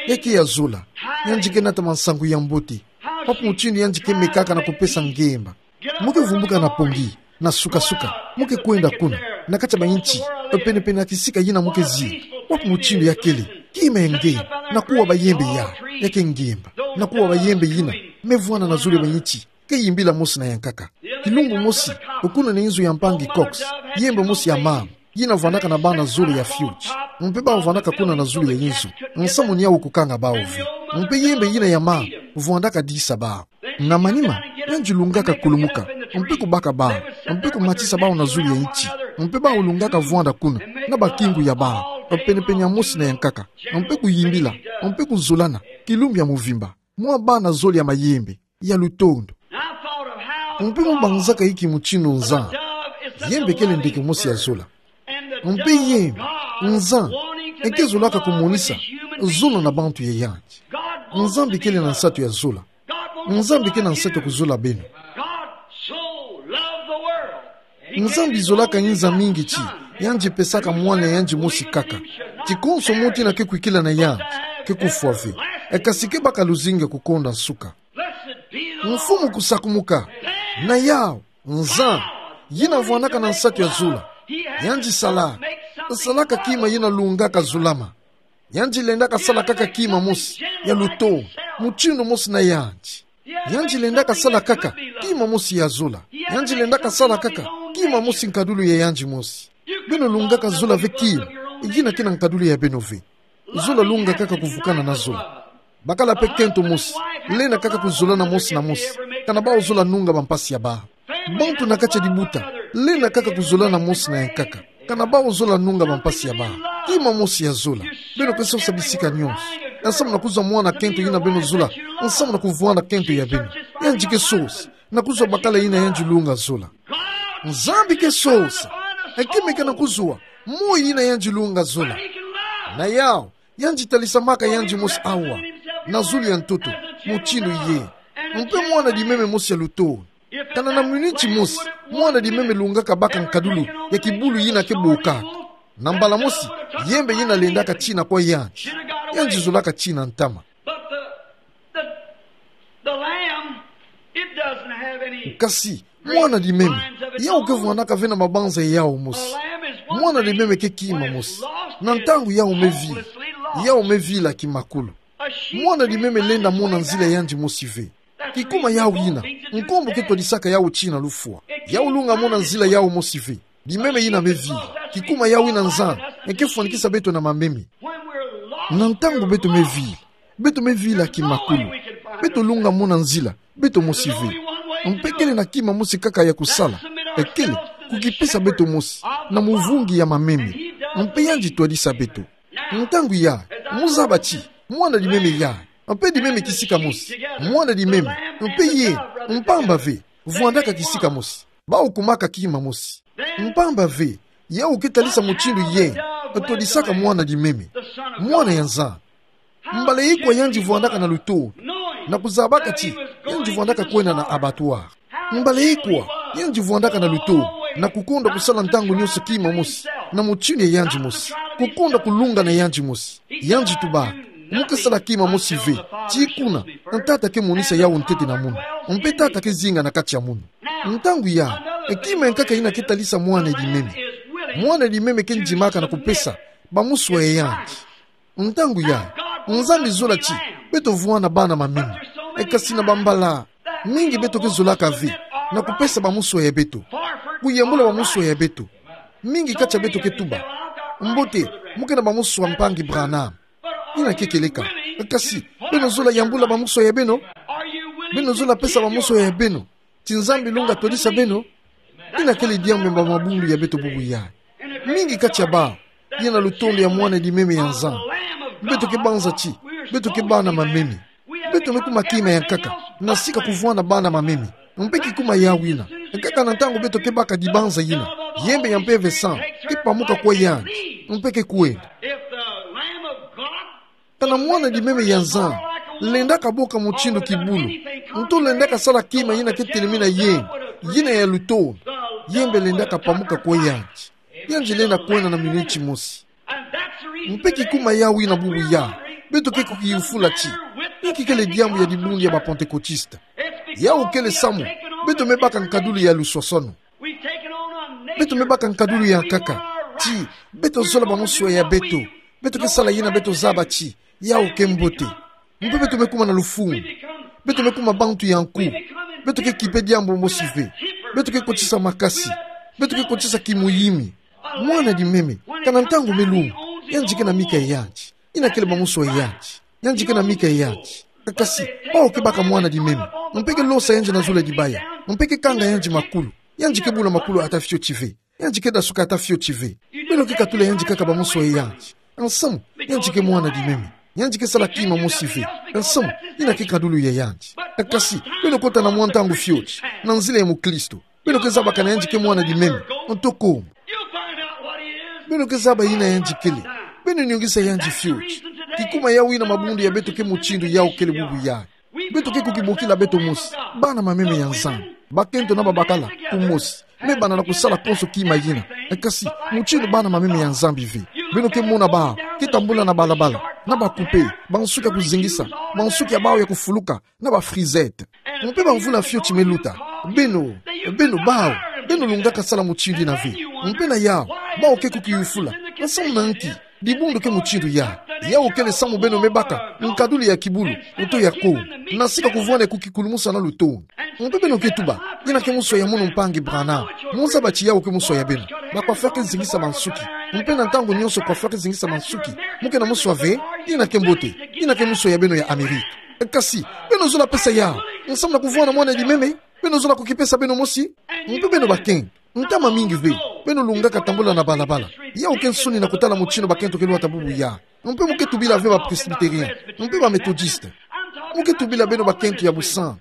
Ya ke ya zola, yandi ke nata mansangu ya mbote. Wapi mutindu yandi ke mekaka na kupesa ngemba. Mu ke vumbuka na pongi, na suka-suka, mu ke kwenda kuna, na kati ya bainti, penepene na kisika yina mu ke zinga. Wapi mutindu ya kele, kima ya ngemba, na kuwa bayembe ya, ya ke ngemba, na kuwa bayembe yina me vwanda na zulu ya bainti ke yimbila mosi na yankaka. Kilumbu mosi, kuna na inzo ya mpangi Cox, yembe mosi ya mama yina vwandaka na bana zole ya fioti. Mpe bau vwandaka kuna na zulu ya inzo, nsamu ni yau kukanga bau ve. Mpe yembe yina ya mama vwandaka disa bau. Na manima, yandi lungaka kulumuka, mpe kubaka bau, mpe kumatisa bau na zulu ya inti. Mpe bau lungaka vwanda kuna na bakingu ya bau, penepene ya mosi na yankaka, mpe kuyimbila, mpe kuzolana kilumbu ya muvimba mwa bana zole ya mayembe ya lutondo. Mpe mu banzaka inki mutindu Nzambi, yembe kele ndeke mosi ya zola. Mpe yembe, Nzambi, eke zolaka kumonisa zono na bantu ya yandi. Nzambi kele na nsatu ya zola. Nzambi ke na nsatu ya kuzola beno. Nzambi zolaka inza mingi ti yandi pesaka mwana yandi mosi kaka, ti konso muntu yina ke kwikila na yandi ke kufwa ve, e kasi ke baka luzingu ya kukonda nsuka. Mfumu kusakumuka. Na yau, Nzambi, yina vwandaka na nsatu ya zola, yandi sala, salaka kima yina lungaka zolama. Yandi lendaka sala kaka kima mosi ya lutondo, mutindu mosi na yandi. Yandi lendaka sala kaka kima mosi ya zola. Yandi lendaka sala kaka kima mosi nkadulu ya yandi mosi. Beno lungaka zola ve kima yina ke na nkadulu ya beno ve. Zola lunga kaka kuvukana na zola. Bakala mpe kento mosi, lenda kaka kuzolana mosi na mosi, kana bau zola nunga bampasi ya bau. Bantu na kati ya libuta, Lenda kaka kuzola na mosi na yankaka. Kana bau zola nunga ba mpasi ya bau. Kima mosi ya zola. Beno ke sosa bisika nyonso. Nsamu na kuzwa mwana kento ina beno zola. Nsamu na kuvwanda kento ya beno. Yandi ke sosa. Na kuzwa bakala ina yandi lunga zola. Nzambi ke sosa. Ekimeke na kuzwa. Moyo ina yandi lunga zola. Na yau. Yandi talisamaka yandi mosi awa, na zulu ya ntoto, mutindu ye. Mpe mwana dimeme mosi ya lutolo. Kana na miniti mosi, mwana dimeme lungaka baka nkadulu ya kibulu yina ke bokaka. Na mbala mosi, yembe yina lendaka tina kwa yandi. Yandi zolaka tina ntama. But the, the, the lamb, it doesn't have any Kasi, mwana dimeme, yau ke vwandaka ve na mabanza ya yau mosi. Mwana dimeme ke kima mosi. Na ntangu yau me vila, yau me vila kimakulu. Mwana dimeme lenda mona nzila yandi mosi ve. Kikuma yau ina, nkombo ke twadisaka yau tina lufwa. Yau lunga mona nzila yau mosi ve. Dimeme ina me vila. Kikuma yau ina Nzambi, e ke fwanikisa beto na mameme. Na ntangu beto me vila, beto me vila kimakulu. Beto lunga mona nzila, beto mosi ve. Mpe kele na kima mosi kaka ya kusala. Ekele, kukipesa beto mosi na muvungi ya mameme. Mpe yandi twadisa beto. Ntangu ya, mu zaba ti, mwana dimeme ya. Mpe dimeme kisika mosi. Mwana dimeme, mpe ye, mpamba ve, vwandaka kisika mosi. Bau kumaka kima mosi. Mpamba ve, yau ke talisa mutindu ye, twadisaka mwana dimeme. Mwana ya Nzambi. Mbala ikwa yandi vwandaka na lutolo. Na kuzabaka ti, yandi vwandaka kwenda na abattoir. Mbala ikwa, yandi vwandaka na lutolo. Na kukonda kusala ntangu nyonso kima mosi. Na mutindu ya yandi mosi. Kukonda kulunga na yandi mosi. Yandi tuba, mu ke sala kima mosi ve. Ti kuna, Tata ke monisa yau ntete na munu. Mpe Tata ke zinga na kati ya munu. Ntangu ya, kima ya nkaka ina ke talisa mwana dimeme. Mwana dimeme ke ndimaka na kupesa, ba muswa ya yandi. Ntangu ya, Nzambi zola ti, beto vwanda bana mameme. E kasi na bambala, mingi beto ke zolaka ve, na kupesa ba muswa ya beto. Kuyambula ba muswa ya beto. Mingi kati ya beto ke tuba. Mbote, mu ke na ba muswa mpangi Branham. Ina ke kieleka. Kasi, beno zola yambula ba muswa ya beno? Beno zola pesa ba muswa ya beno? Ti Nzambi lunga twadisa beno? Ina kele diambu ya mabundu ya beto bubu ya. Mingi kati ya bau, ye na lutondo ya mwana dimeme ya Nzambi. Beto ke banza ti, beto ke bana mameme. Beto me kuma kima ya nkaka, na sika kuvwanda bana mameme. Mpe kikuma yau ina. Nkaka na ntangu beto ke baka dibanza ina. Yembe ya Mpeve Santu, ke pamuka kwa yandi. Mpe ke kwenda. If the Lamb of God Kana mwana dimeme ya Nzambi, lendaka boka mutindu kibulu. Nto lendaka sala kima yina ke telemena yembe, yina ya lutondo. Yembe lendaka pamuka kwa yandi. Yandi lenda kwenda na miniti mosi. Mpe kikuma yau ina bubu ya, beto ke kukiyufula ti, inki kele diambu ya dibundu ya ba Pantekotiste. Yau kele samu, beto me baka nkadulu ya luswaswanu. Beto me baka nkadulu ya nkaka. Ti, beto zola ba muswa ya beto. Beto ke sala yina beto zaba ti, yau ke mbote. Mpe beto me kuma na lufungu. Beto me kuma bantu ya nku. Beto ke kipe diambu mosi ve. Beto ke kotisa makasi. Beto ke kotisa kimuyimi. Mwana dimeme, kana ntangu me lunga, yandi ke na mika ya yandi. Ina kele ba muswa ya yandi. Yandi ke na mika ya yandi. Kasi, bau ke baka mwana dimeme. Mpe ke losa yandi na zulu ya dibaya. Mpe ke kanga yandi makulu. Yandi ke bula makulu ata fioti ve. Yandi ke dasuka ata fioti ve. Beno ke katula yandi kaka ba muswa ya yandi. Nsamu, yandi ke mwana dimeme. Yandi ke sala kima mosi ve. Nsamu, ina ke nkadulu ya yandi. Kasi, beno kota na mwa ntangu fioti. Na nzila ya mukristu. Beno ke zabakana yandi ke mwana dimeme, ntoko. Beno ke zaba yina yandi kele. Beno nungisa yandi fioti. Kikuma yau ina mabundu ya beto ke mutindu yau kele bubu ya. Beto ke kukibokila beto mosi. Bana mameme ya Nzambi. Bakento na babakala, kumosi. Me bana na kusala konso kima yina. Kasi, mutindu bana mameme ya Nzambi ve. Beno ke mona bau, ke tambula na balabala. Na ba kupe, ba nsuki ya kuzengisa. Ba nsuki ya bau ya kufuluka. Na ba frisette. Mpe ba mvula fioti me luta. Beno, beno bau, beno lungaka sala mutindu yina ve. Mpe na yau, bau ke kukiyufula. Nsamu na nki, dibundu ke mutindu ya. Yau kele samu beno me baka, nkadulu ya kibulu, nto ya ko. Na sika kuvwanda kukikulumusa na luto. Mpe beno ke tuba, yina ke muswa ya mono mpangi Branham. Mu zaba ti yau ke muswa ya beno. Ba coiffeur ke zengisa ba nsuki. Mpe na ntangu nyonso coiffeur ke zengisa ba nsuki. Mu ke na muswa ve, yina ke mbote. Yina ke muswa ya beno ya Amerika. Kasi, beno zola pesa yau. Nsamu na kuvwanda mwana dimeme, beno zola kukipesa beno mosi. Mpe beno bakento. Ntama mingi ve, beno lungaka tambula na balabala. Yau ke nsoni na kutala motino bakento ke luata bubu ya. Mpe mo ke tubila ve ba Presbytérien, mpe ba Méthodiste. Mo ke tubila beno bakento ya busan.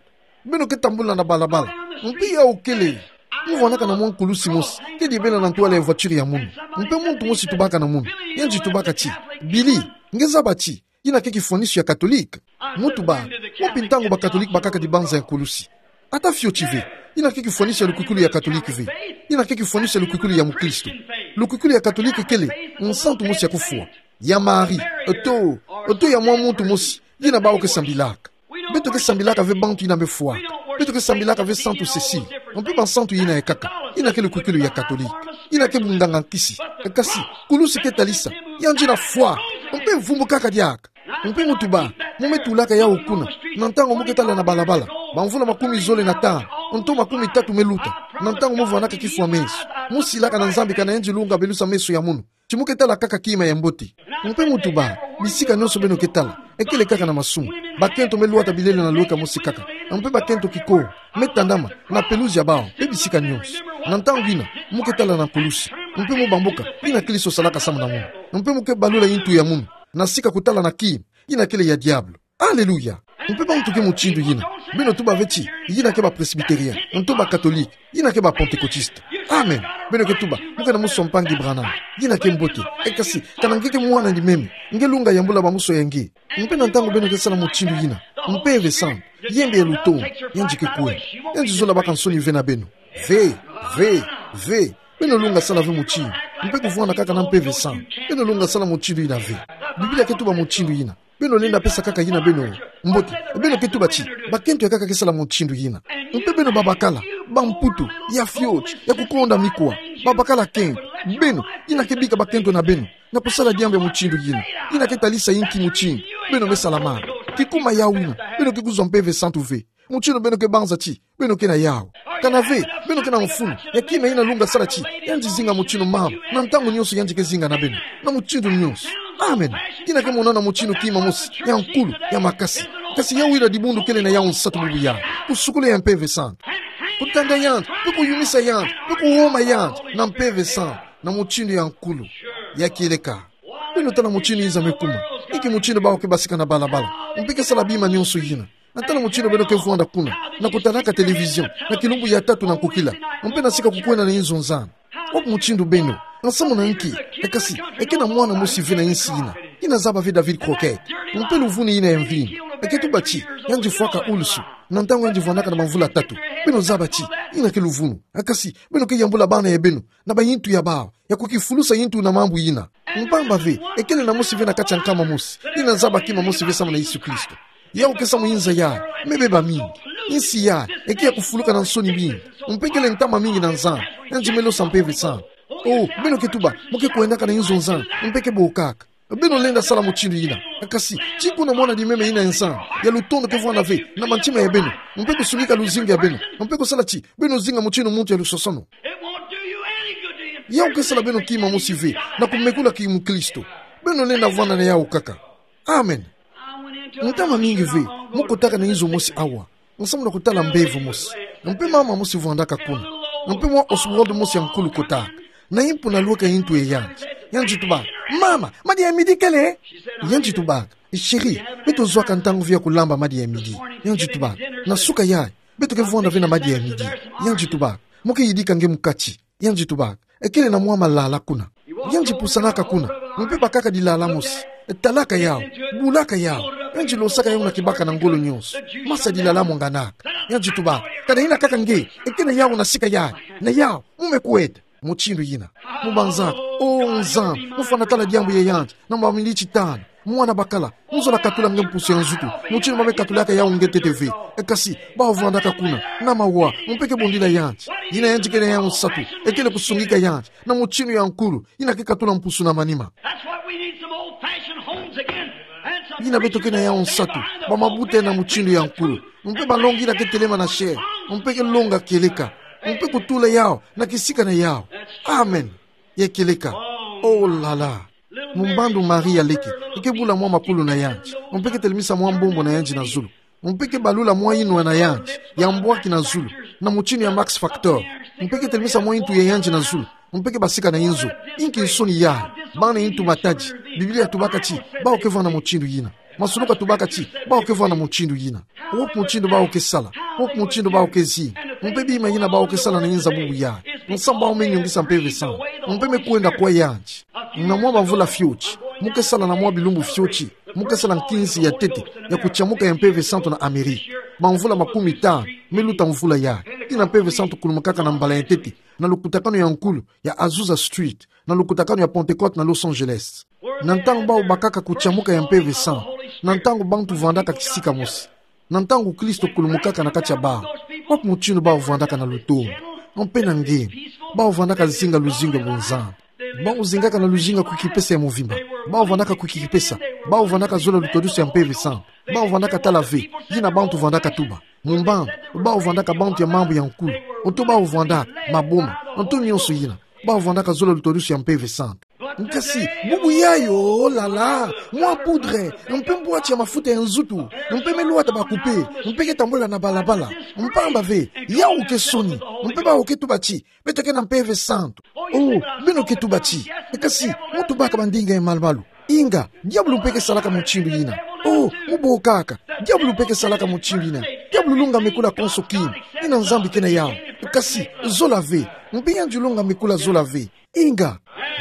Beno ke tambula na balabala. Mpe yau kele, mo vanaka na mwa nkulusi mosi ke dibela na ntwala ya voiture ya mono. Mpe muntu mosi tubaka na mono. Yandi tubaka ti: "Billy, nge zaba ti yina ke kifwaniso ya Katolike?" Mo tuba: "Wapi ntangu ba Katolike bakaka dibanza ya nkulusi? Ata fioti ve. Yina ke kifwaniso ya lukwikilu ya Katolike ve. Yina ke kifwaniso ya lukwikilu ya mukristo. Lukwikilu ya Katolike kele nsantu mosi ya kufwa, ya Marie, oto, oto ya mwa muntu mosi yina bawu ke sambilaka. Beto ke sambilaka ve bantu yina me fwaka. Beto ke sambilaka ve Santu Cécile, mpe ba nsantu yina ya nkaka. Yina ke lukwikilu ya Katolike. Yina ke bunganga nkisi. Kasi, nkulusi ke talisa: Yandi na fwa. Mpe vumbukaka diaka." Mpe mo tuba: "Mo me tulaka yau kuna na ntangu mo ke tala na balabala, ba mvula makumi zole na tanu, nto makumi tatu me luta, na ntangu mo vanaka kifwa meso, mo silaka na Nzambi kana yandi lunga belusa meso ya mono, ti mo ke tala kaka kima ya mbote." Mpe mo tuba: "Bisika nionso beno ke tala, ekele kaka na masumu. Bakento me luata bilele na lweka mosi kaka. Mpe bakento kiko me tandama na peluzi ya bawu, mpe bisika nionso. Na ntangu yina, mo ke tala na nkulusi. Mpe mo bamboka yina Kristo salaka samu na mono. Mpe mo ke balula yintu ya mono na sika kutala na kima yina kele ya diabolo." Aleluya! Mpe bantu ke motindo yina, beno tuba ve ti yina ke ba Presbytérien, nto ba Katolike, yina ke ba Pentecôtiste. Amen. Beno ke tuba: "Mo ke na musu a mpangi Branham. Yina ke mbote. E kasi, kana nge ke mwana ni meme, nge lunga yambula ba musu ya nge." Mpe na ntangu beno ke sala motindo yina, Mpeve Santu, yembe ya lutondo, yandi ke kwenda. Yandi zola baka nsoni ve na beno. Ve, ve, ve. Beno lunga sala ve motindo. Mpe kuvwanda kaka na Mpeve Santu, beno lunga sala motindo yina ve. Biblia ke tuba motindo yina. Beno lenda pesa kaka yina beno. Mbote, beno ke tuba ti bakento ya nkaka ke sala motindo yina. Mpe beno babakala, bamputu, ya fioti, ya kukonda mikwa, babakala kento. Beno, yina ke bika bakento na beno na kusala diambu ya motindo yina. Yina ke talisa inki motindo beno me salamana. Kikuma yau yina, beno ke kuzwa Mpeve Santu ve. Motindo beno ke banza ti beno ke na yau. Kana ve beno ke na mfunu ya kima yina lunga sala ti yandi zinga motindo mama, na ntangu nionso yandi ke zinga na beno, na motindo nionso. Amen. Yina ke monana motindo kima mosi ya nkulu, ya makasi. Kasi yau yina dibundu kele na yau nsatu bubu ya: kusukula ya Mpeve Santu, kutanda yandi, mpe kuyumisa yandi, mpe kuhoma yandi na Mpeve Santu, na motindo ya nkulu, ya kieleka. Beno tala motindo inza me kuma. Inki motindo bawu ke basika na balabala, mpe ke sala bima nionso yina. Na tala motindo beno ke vwanda kuna, na kutadaka télévision na kilumbu ya tatu na nkokila, mpe na sika kukwenda na inzo nzani. Wapi motindo beno? Nsamu na nki? E kasi, e ke na mwana mosi ve na insi yina, yina zaba ve David Crockett. Mpe luvunu yina ya mvinyo, e ke tuba ti yandi fwaka ulusu na ntangu yandi vwandaka na bamvula tatu. Beno zaba ti yina ke luvunu. E kasi, beno ke yambula bana ya beno na bayintu ya bawu ya kukifulusa yintu na mambu yina. Mpamba ve, e kele na mosi ve na kati ya nkama mosi yina zaba kima mosi ve samu na Yesu Kristo. Yau ke samu inza yayi, me beba mingi. Insi yayi e ke ya kufuluka na nsoni mingi, mpe kele ntama mingi na nzani. Yandi me losa Mpeve Santu. Oh, beno ke tuba: "Mo ke kwendaka na inzo nzani, mpe ke bokaka." Beno lenda sala motindo yina. Kasi, ti kuna mwana di meme yina ya nzani ya lutondo ke vwanda ve na mantima ya beno, mpe kusungika luzingu ya beno, mpe kusala ti beno zinga motindo muntu ya lusosono. It won't do you any good to impress. Yau ke sala beno kima mosi ve na kumekula kimukristo. Beno lenda vwanda na yau kaka. Amen. Ntama mingi ve, mo kotaka na inzo mosi awa, nsamu na kutala mbevo mosi. Mpe mama mosi vwandaka kuna. Mpe mwa Oswald mosi ya nkulu kotaka. Na impu na lweka yintu ya yandi, yandi tuba: "Mama, madi ya midi kele?" Yandi tubaka: "Chérie, beto zwaka ntangu ve ya kulamba madi ya midi." Yandi tubaka: "Na suka yayi, beto ke vwanda ve na madi ya midi." Yandi tubaka: "Mo ke yidika nge mukati." Yandi tubaka: "E kele na mwa malala kuna." Yandi pusanaka kuna, mpe bakaka dilala mosi. Talaka yau, bulaka yau. Yandi losaka yau na kibaka na ngolo nionso. Masa dilala mwanganaka. Yandi tubaka: "Kana yina kaka nge, e ke na yau na sika yayi. Na yau, mo me kwenda." Motindo yina. Mo banzaka: "Oh Nzambi, mo fwana tala diambu ya yandi na maminiti tanu. Mwana bakala, mo zola katula nge mpusu ya nzutu motindo ba me katulaka yau nge ntete ve." E kasi, bau vwandaka kuna na mawa, mpe ke bondila yandi. Yina yandi ke na yau nsatu, e kele kusungika yandi na motindo ya nkulu, yina ke katula mpusu na manima. That's what we need, some old-fashioned homes again. And some... Yina beto ke na yau nsatu, ba mabuta na motindo ya nkulu, mpe balongi yina ke telema na chair, mpe ke longa kieleka, mpe kutula yau na kisika na yau. Amen. Ya kieleka. Oh là là. Mumbandu Maria leke, e ke bula mwa makulu na yandi, mpe ke telemisa mwa mbombo na yandi na zulu, mpe ke balula mwa inwa na yandi ya mbwaki na zulu, na mutindu ya Max Factor. Mpe ke telemisa mwa ntu ya yandi na zulu. Mpe ke basika na inzo. Inki nsoni yayi? Bana ntu matadi. Biblia tubaka ti bawu ke vwanda mutindu yina. Masuluka tubaka ti bawu ke vwanda mutindu yina. Wapi mutindu bawu ke sala? Wapi mutindu bawu ke zinga? Mpe bima yina bawu ke sala na inza bubu yayi. Nsamu bawu me nyungisa mpeve santu. Mpe me kwenda kwa yandi. Na mwa bamvula fioti, mu ke sala na mwa bilumbu fioti, mu ke sala nkinzi ya ntete ya kutiamuka ya mpeve santu na Amerika. Bamvula makumi tanu me luta mvula yayi. Tina mpeve santu kulumukaka na mbala ya ntete na lukutakanu ya nkulu ya Azusa Street, na lukutakanu ya Pentecote na Los Angeles. Na ntangu bawu bakaka kutiamuka ya mpeve santu, na ntangu bantu vwandaka kisika mosi, na ntangu Kristo kulumukaka na kati ya bawu, wapi mutindu bawu vwandaka na lutondo? Mpe na nge, bawu vwandaka zinga luzingu ya bunzambi. Bawu zingaka na luzingu ya kuikipesa ya mvimba. Bawu vwandaka kuikipesa. Bawu vwandaka zola lutwadusu ya mpeve santu. Bawu vwandaka tala ve yina bantu vwandaka tuba. Mumbamba, bawu vwandaka bantu ya mambu ya nkulu. Nto bawu vwandaka maboma, nto nyonso yina. Bawu vwandaka zola lutwadusu ya mpeve santu. Nkasi, bubu yayi, oh là là, mwa poudre, mpe mbwati ya mafuta ya nzutu, mpe me lwata ba poupée, mpe ke tambula na balabala. Mpamba ve, yawu ke nsoni. Mpe bawu ke tuba ti beto ke na mpeve santu. Oh, beno ke tuba ti. Nkasi, mu tubaka bandinga ya malu-malu. Inga, diabulu mpe ke salaka mutindu yina. Oh, mu bokaka. Diabulu mpe ke salaka mutindu yina. Diabulu lunga mekula konso kima. Yina Nzambi ke na yawu. Nkasi, zola ve. Mpe yandi lunga mekula zola ve. Inga.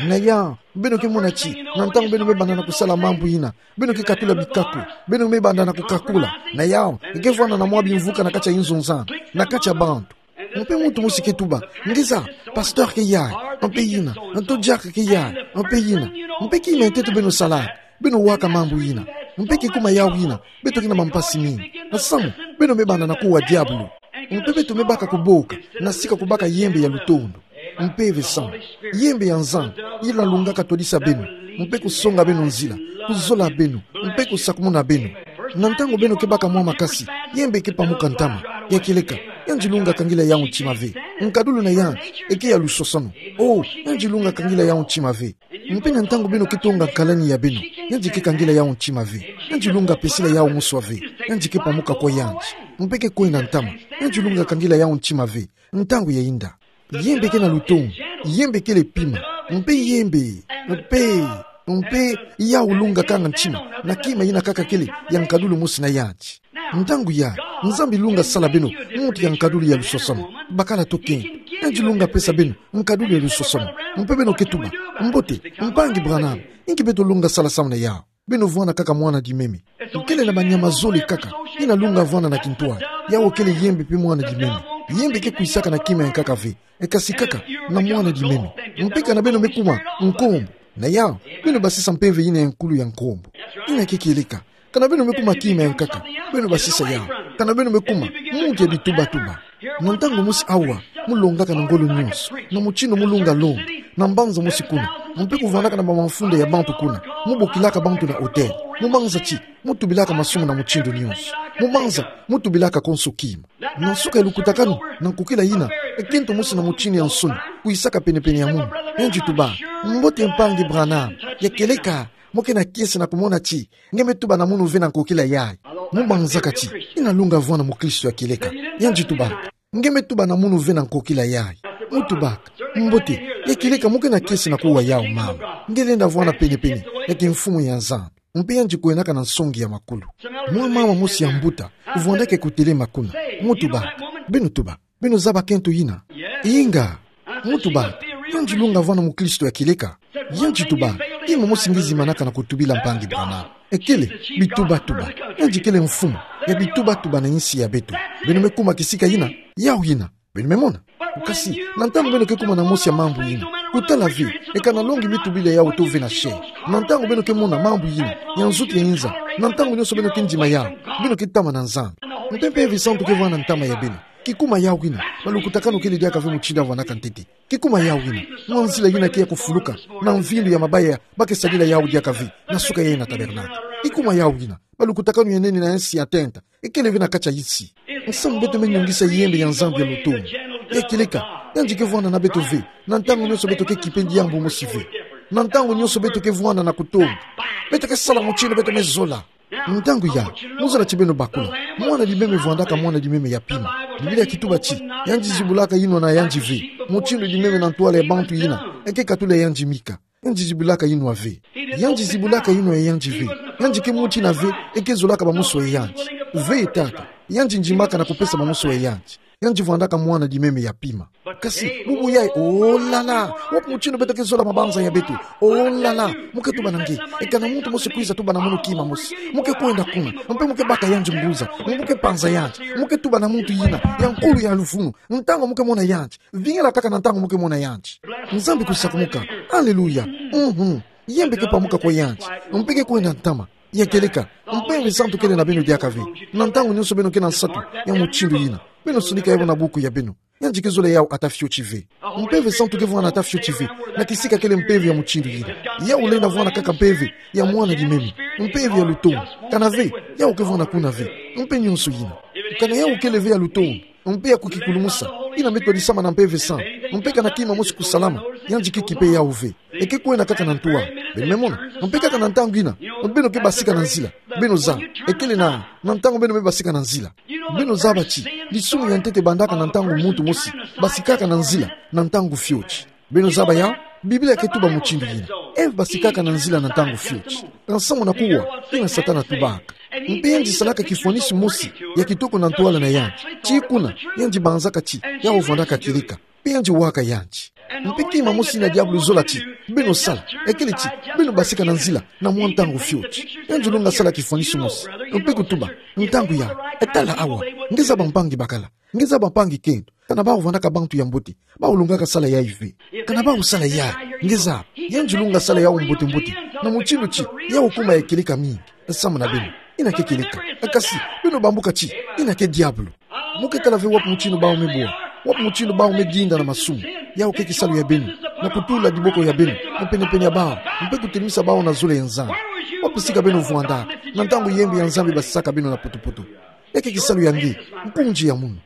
Na yawu, beno ke mona ti na ntangu beno me banda na kusala mambu yina, beno ke katula bikaku. Beno me banda na kukakula. Na yawu, ke vwanda na mwa bimvuka na kati ya inzo nzana, na kati ya bantu. Mpe muntu mosi ke tuba: Ngeza, pasteur ke yayi, mpe yina, nto diacre ke yayi, mpe yina. Mpe kima ya ntete beno salaka? Beno waka mambu yina. Mpe kikuma yawu yina, beto ke na mampasi mingi. Nsamu, beno me banda na kuwa diabulu. Mpe beto me baka kuboka, na sika kubaka yembe ya lutondo. Mpeve santu, yembe ya Nzambi, yina lungaka twadisa beno, mpe kusonga beno nzila, kuzola beno, mpe kusakumuna beno. Na ntangu beno ke baka mwa makasi, yembe ke pamuka ntama. Ya kieleka, yandi lunga kangila yawu ntima ve. Nkadulu na yandi eke ya lusosono. Oh, yandi lunga kangila yawu ntima ve. Mpe na ntangu beno ke tonga nkalani ya beno, yandi ke kangila yawu ntima ve. Yandi lunga pesila yawu moswa ve. Yandi ke pamuka kwa yandi. Mpe ke kwenda ntama. Yandi lunga kangila yawu ntima ve. Ntangu ya inda. Yembe ke na lutondo, yembe kele pima, mpe yembe, mpe, mpe yawu lunga kanga ntima na kima yina kaka kele ya nkadulu mosi na yandi. Ntangu yayi, Nzambi lunga sala beno muntu ya nkadulu ya lusosono. Bakala tokeno, yandi lunga pesa beno nkadulu ya lusosono. Mpe beno ke tuba: Mbote, mpangi Branham, inki beto lunga sala samu na yawu? Beno vwanda kaka mwana dimeme. Kele na banyama zole kaka yina lunga vwanda na kintwadi. Yawu kele yembe mpe mwana dimeme. Yembe ke kwisaka na kima ya nkaka ve, e kasi kaka na mwana dimeme. Mpe kana beno me kuma nkombo, na yawu, beno basisa mpeve yina ya nkulu ya nkombo. Yina ke kieleka. Kana beno me kuma kima ya nkaka, beno basisa yawu. Kana beno me kuma muntu ya bitubatuba. Na ntangu mosi awa, mu longaka na ngolo nyonso, na mutindu mu lunga longa, na mbanza mosi kuna, mpe kuvwandaka na bamafunda ya bantu kuna, mu bokilaka bantu na hôtel. Mu manza ti mu tubilaka masumu na mutindu nyonso. Mu manza mu tubilaka konso kima. Na nsuka ya lukutakanu na nkokila yina, e kento mosi na mutindu ya nsoni kwisaka penepene ya munu. Yandi tuba: Mbote mpangi Branham. Ya kieleka, mo ke na kiese na kumona ti nge me tuba na munu ve na nkokila yayi. Mu manzaka ti yina lunga vwanda mukristo ya kieleka. Yandi tuba: Nge me tuba na munu ve na nkokila yayi. Mu tubaka: Mbote, ya kieleka, mo ke na kiese na kuwa yawu mama. Nge lenda vwanda penepene ya kimfumu ya Nzambi. Mpe yandi kwendaka na nsongi ya makulu. Mwa mama mosi ya mbuta vwandaka kutelema kuna. Mu tubaka: Beno tuba, beno zaba kento yina? Inga. Mu tubaka: Yandi lunga vwanda mukristo ya kieleka? Yandi tuba: Kima mosi nge zimanaka na kutubila mpangi Branham. E kele bitubatuba. Yandi kele mfumu ya bitubatuba na insi ya beto. Beno me kuma kisika yina? Yawu yina. Beno me mona? Kasi, na ntangu beno ke kuma na mosi ya mambu yina, kutala ve, e kana longi me tubila yawu to ve na chair. Na ntangu beno ke mona mambu yina ya nzutu ya inza, na ntangu nyonso beno ke ndima yawu, beno ke tama na Nzambi. Mpe Mpeve Santu ke vwanda na ntama ya beno. Kikuma yawu yina, balukutakanu kele diaka ve mutindu ya vwandaka ntete. Kikuma yawu yina, mwa nzila yina ke ya kufuluka na mvindu ya mabaya ba ke sadila yawu diaka ve na suka yayi na tabernakle. Kikuma yawu yina, balukutakanu ya nene na insi ya tenta e kele ve na kati ya insi. Nsamu beto me nyungisa yembe ya Nzambi ya lutondo. Ya kieleka, yandi ke vwanda na beto ve na ntangu nyonso beto ke kipe diambu mosi ve. Na ntangu nyonso beto ke vwanda na kutonda, beto ke sala mutindu beto me zola. Ntangu ya, muzola ti beno bakula. Mwana-a-limeme vwandaka mwana-a-limeme ya pima. Biblia kituba ti, yandi zibulaka inwa na yandi ve. Mutindu-a-limeme na ntwala ya bantu yina, eke katula yandi mika. Yandi zibulaka inwa ve. Yandi zibulaka inwa ya yandi ve. Yandi ke muti na ve, eke zolaka bamusu ya yandi. Ve tata, yandi ndimbaka na kupesa bamusu ya yandi. Yandi vwandaka mwana-a-limeme ya pima. Kasi, bubu yayi, oh là là, wapi mutindu beto ke zola mabanza ya beto? Oh là là, mu ke tuba na nge. Eka na muntu mosi kwiza tuba na munu kima mosi, mu ke kwenda kuna, mpe mu ke baka yandi nguza, mu ke panza yandi, mu ke tuba na muntu yina ya nkulu ya luvunu, ntangu mu ke mona yandi. Vingila kaka na ntangu mu ke mona yandi. Nzambi kusakumuka. Aleluya. Mhm. Yembe ke pamuka kwa yandi. Mpe ke kwenda ntama. Ya kieleka, Mpeve Santu kele na beno diaka ve. Na ntangu nyonso beno ke na nsatu ya mutindu yina, beno sonika yau na buku ya beno. Yandi ke zola yau ata fioti ve. Mpeve Santu ke vwanda ata fioti ve na kisika kele mpeve ya mutindu yina. Yau lenda vwanda kaka mpeve ya mwana-a-limeme, mpeve ya lutonu. Kana ve, yau ke vwanda kuna ve. Mpe nyonso yina. Kana yau kele ve ya lutonu, mpe ya kukikulumusa, yina me twadisama na Mpeve Santu. Mpe kana kima mosi kusalama, yandi ke kipe yau ve. Eke kwenda kaka na ntwala. Beno me mona. Mpe kaka na ntangu yina, beno ke basika na nzila. Beno zaba. Ekele na, na ntangu beno me basika na nzila. Beno zaba ti, disumu ya ntete bandaka na ntangu muntu mosi basikaka na nzila, na ntangu fioti. Beno zaba yau, Biblia ke tuba mutindu yina. Eve basikaka na nzila na ntangu fioti. Kansa mona kuwa, yina Satana tubaka. Mpe yandi salaka kifwanisi mosi ya kitoko na ntwala na yandi. Ti kuna, yandi banzaka ti yau vwandaka kieleka. Mpe yandi waka yandi. Mpe kima mosi yina diabulu zola ti beno sala, ekele ti beno basika na nzila na mwa ntangu fioti. Yandi lunga sala kifwanisi mosi, mpe kutuba, ntangu ya, e tala awa, nge zaba mpangi bakala, nge zaba mpangi kento. Kana bau vwandaka bantu ya mbote, bau lungaka sala yayi ve. Kana bau sala yayi, nge zaba. Yandi lunga sala yau mbote-mbote, na mutindu ti yau kuma ya kieleka mingi samu na beno. Yina ke kieleka. Kasi, beno bambuka ti yina ke diabulu. Mu ke tala ve wapi mutindu bau me bwa, wapi mutindu bau me dinda na masumu. Yau ke kisalu ya beno na kutula diboko ya beno na pene-pene ya bau, mpe kutelimisa bau na zole ya Nzambi. Wapi sika beno vwandaka na ntangu yembi ya Nzambi basisaka beno na poto-poto? Ya ke kisalu ya nge, nkunzi ya munu.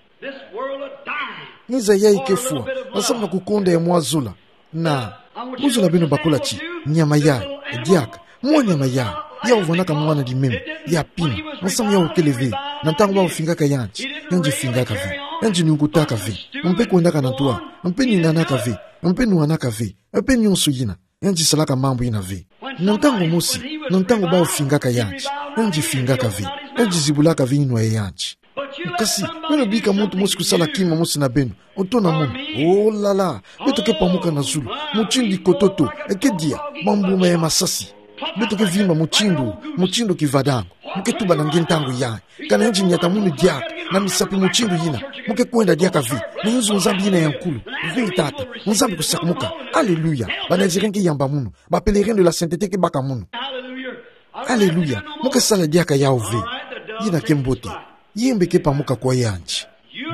Ngiza yayi ke fwa, na samu na kukonda ya mwa zola. Na, muzola beno bakula ti nyama yayi, diaka, mwa nyama yayi, yau vwandaka mwana-a-limeme ya pima, na samu yau kele ve. Na ntangu bau fingaka yandi, yandi fingaka ve. Yandi nungutaka ve. Mpe kwendaka na ntwala, mpe ninganaka ve. Mpe nwanaka ve. Mpe nyonso yina. Yandi salaka mambu yina ve. Na ntangu mosi, na ntangu bau fingaka yandi, yandi fingaka ve. Yandi zibulaka ve inwa ya yandi. Kasi, beno bika muntu mosi kusala kima mosi na beno, oto na munu. Oh là là, beto ke pamuka na zulu mutindu kototo, eke dia bambuma ya masasi. Beto ke vimba mutindu, mutindu kivadango. Mu ke tuba na nge ntangu yayi, kana yandi niata munu diaka na misapi mutindu yina, mu ke kwenda diaka ve na inzo Nzambi yina ya nkulu. Ve tata, Nzambi kusakumuka. Aleluya. Ba Nazirien ke yamba munu. Ba Pèlerins de la Sainteté ke baka munu. Aleluya. Mu ke sala diaka yau ve. Yina ke mbote. Yembe ke pamuka kwa yandi.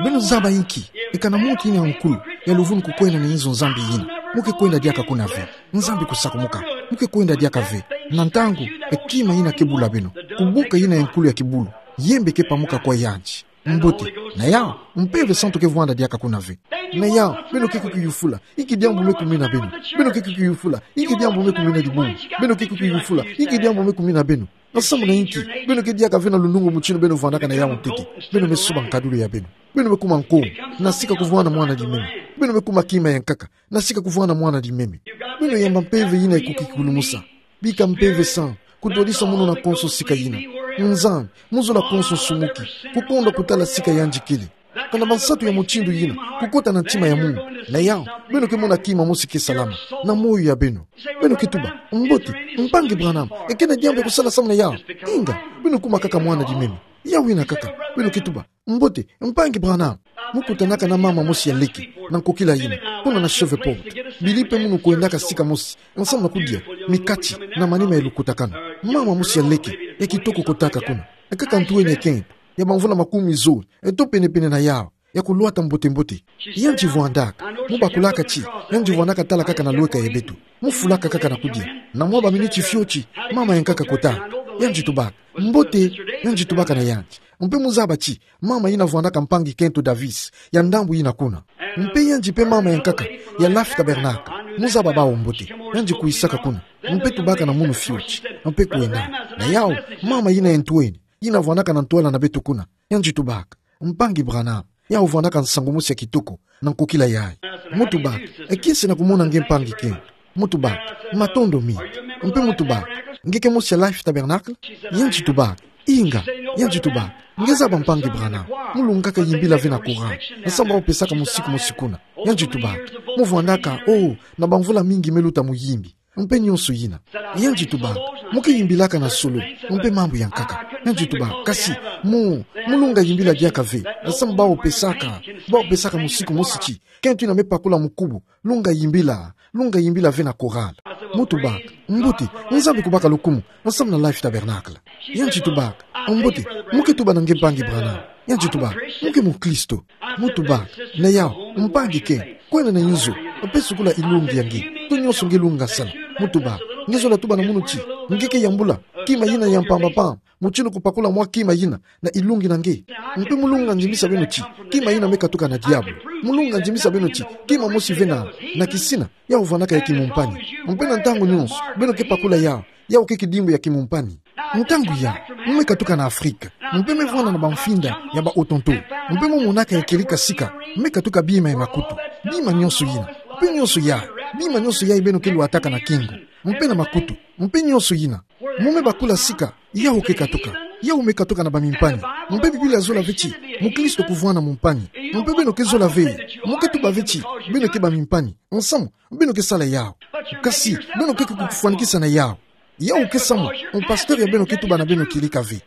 Beno zaba inki? Eka na muntu yina ya nkulu ya luvunu kukwenda na inzo Nzambi yina, mu ke kwenda diaka kuna ve. Nzambi kusakumuka. Mu ke kwenda diaka ve. Na ntangu, e kima yina ke bula beno, kubuka yina ya nkulu ya kibulu, yembe ke pamuka kwa yandi. Mbote. Na yau, Mpeve Santu ke vwanda diaka kuna ve. Na yau, beno ke kukiyufula inki diambu me kumina beno. Beno ke kukiyufula inki diambu me kumina dibungu. Beno ke kukiyufula inki diambu me kumina beno. Na samu na inki beno ke diaka ve na lunungu mutindu beno vwandaka na yau ntete? Beno me suba nkadulu ya beno. Beno me kuma nkongo, na sika kuvwanda mwana-a-limeme. Beno me kuma kima ya nkaka, na sika kuvwanda mwana-a-limeme. Beno yamba mpeve yina ya kukikulumusa. Bika Mpeve Santu kutwadisa munu na konso sika yina. Nzambi, mu zola konso nsumuki, kukonda kutala sika yandi kele. Kana bansatu ya mutindu yina kukota na ntima ya munu, na yau, beno ke mona kima mosi ke salama na moyo ya beno. Beno ke tuba, mbote, mpangi Branham, eke na diambu ya kusala samu na yau? Inga, beno kuma kaka mwana-a-limeme. Yau yina kaka. Beno ke tuba, mbote, mpangi Branham. Mu kutanaka na mama mosi ya leke na nkokila yina, kuna na Shreveport. Bili mpe munu kwendaka sika mosi, samu na kudia mikati na manima ya lukutakanu. Mama mosi ya leke, ya kitoko kotaka kuna. Ekaka ntu eni ya kento, ya bamvula makumi zole, eto pene-pene na yau, ya kulwata mbote-mbote. Yandi vwandaka, mu bakulaka ti yandi vwandaka tala kaka na lweka ya beto. Mu fulaka kaka na kudia. Na mwa baminiti fioti, mama ya nkaka kotaka. Yandi tubaka, mbote. Yandi tubaka na yandi. Mpe mu zaba ti mama yina vwandaka mpangi kento Davis, ya ndambu yina kuna. Mpe yandi mpe mama ya nkaka ya Laff Tabernacle. Mu zaba bawu mbote. Yandi kwisaka kuna. Mpe tubaka na munu fioti. Mpe kwenda. Na yawu, mama yina ya ntweni, yina vwanaka na ntwala na beto kuna. Yandi tubaka: Mpangi Branham, yawu vwanaka nsangu mosi ya kitoko na nkokila yayi. Mu tubaka: E kiese na kumona nge, mpangi Ken. Mu tubaka: Matondo mingi. Mpe mu tubaka: Nge ke mosi ya Life Tabernacle? Yandi tubaka: Inga. Yandi tubaka: Nge zaba, mpangi Branham, mu lungaka yimbila ve na chorale, nsamu bawu pesaka musiku mosi kuna. Yandi tubaka: Mu vwandaka, oh, na bamvula mingi me luta muyimbi, mpe nionso yina. Yandi tubaka: Mu ke yimbilaka na solo, mpe mambu ya nkaka. Yandi tubaka: Kasi mu, mu lunga yimbila diaka ve, nsamu bawu pesaka, bawu pesaka musiku mosi ti kento yina me pakula mukubu, lunga yimbila, lunga yimbila ve na chorale. Mu tubaka: Mbote, Nzambi kubaka lukumu, nsamu na Life Tabernacle. Yandi tubaka: Mbote, mu ke tuba na nge, mpangi Branham? Yandi tubaka: Mu ke mukristo? Mu tubaka: Na yawu, mpangi Ken, kwenda na inzo, mpe sukula ilungi ya nge, to nionso nge lunga sala. Mu tubaka: Nge zola tuba na munu ti nge ke yambula kima yina ya mpamba mpamba, mutindu kupakula mwa kima yina na ilungi na nge? Mpe mu lunga ndimisa beno ti kima yina me katuka na diabulu. Mu lunga ndimisa beno ti kima mosi ve na, na kisina, yawu vwanaka ya kimumpani. Mpe na ntangu nionso beno ke pakula yawu, yawu ke kidimbu ya kimumpani. Ntangu yayi, mu me katuka na Afrika, mpe me vwanda na bamfinda ya ba Hottentots, mpe mu monaka ya kieleka sika me katuka bima ya makutu, bima nionso yina, mpe nionso yayi, bima nionso yayi beno ke lwataka na kingu, mpe na makutu, mpe nionso yina. Mu me bakula sika, yawu ke katuka, yawu me katuka na bamimpani. Mpe Biblia zola ve ti mukristo kuvwanda mumpani. Mpe beno ke zola ve, mu ke tuba ve ti beno ke bamimpani, nsamu beno ke sala yawu. Kasi beno ke kukufwanikisa na yawu. Yawu ke samu mpasteur ya beno ke tuba na beno kieleka ve.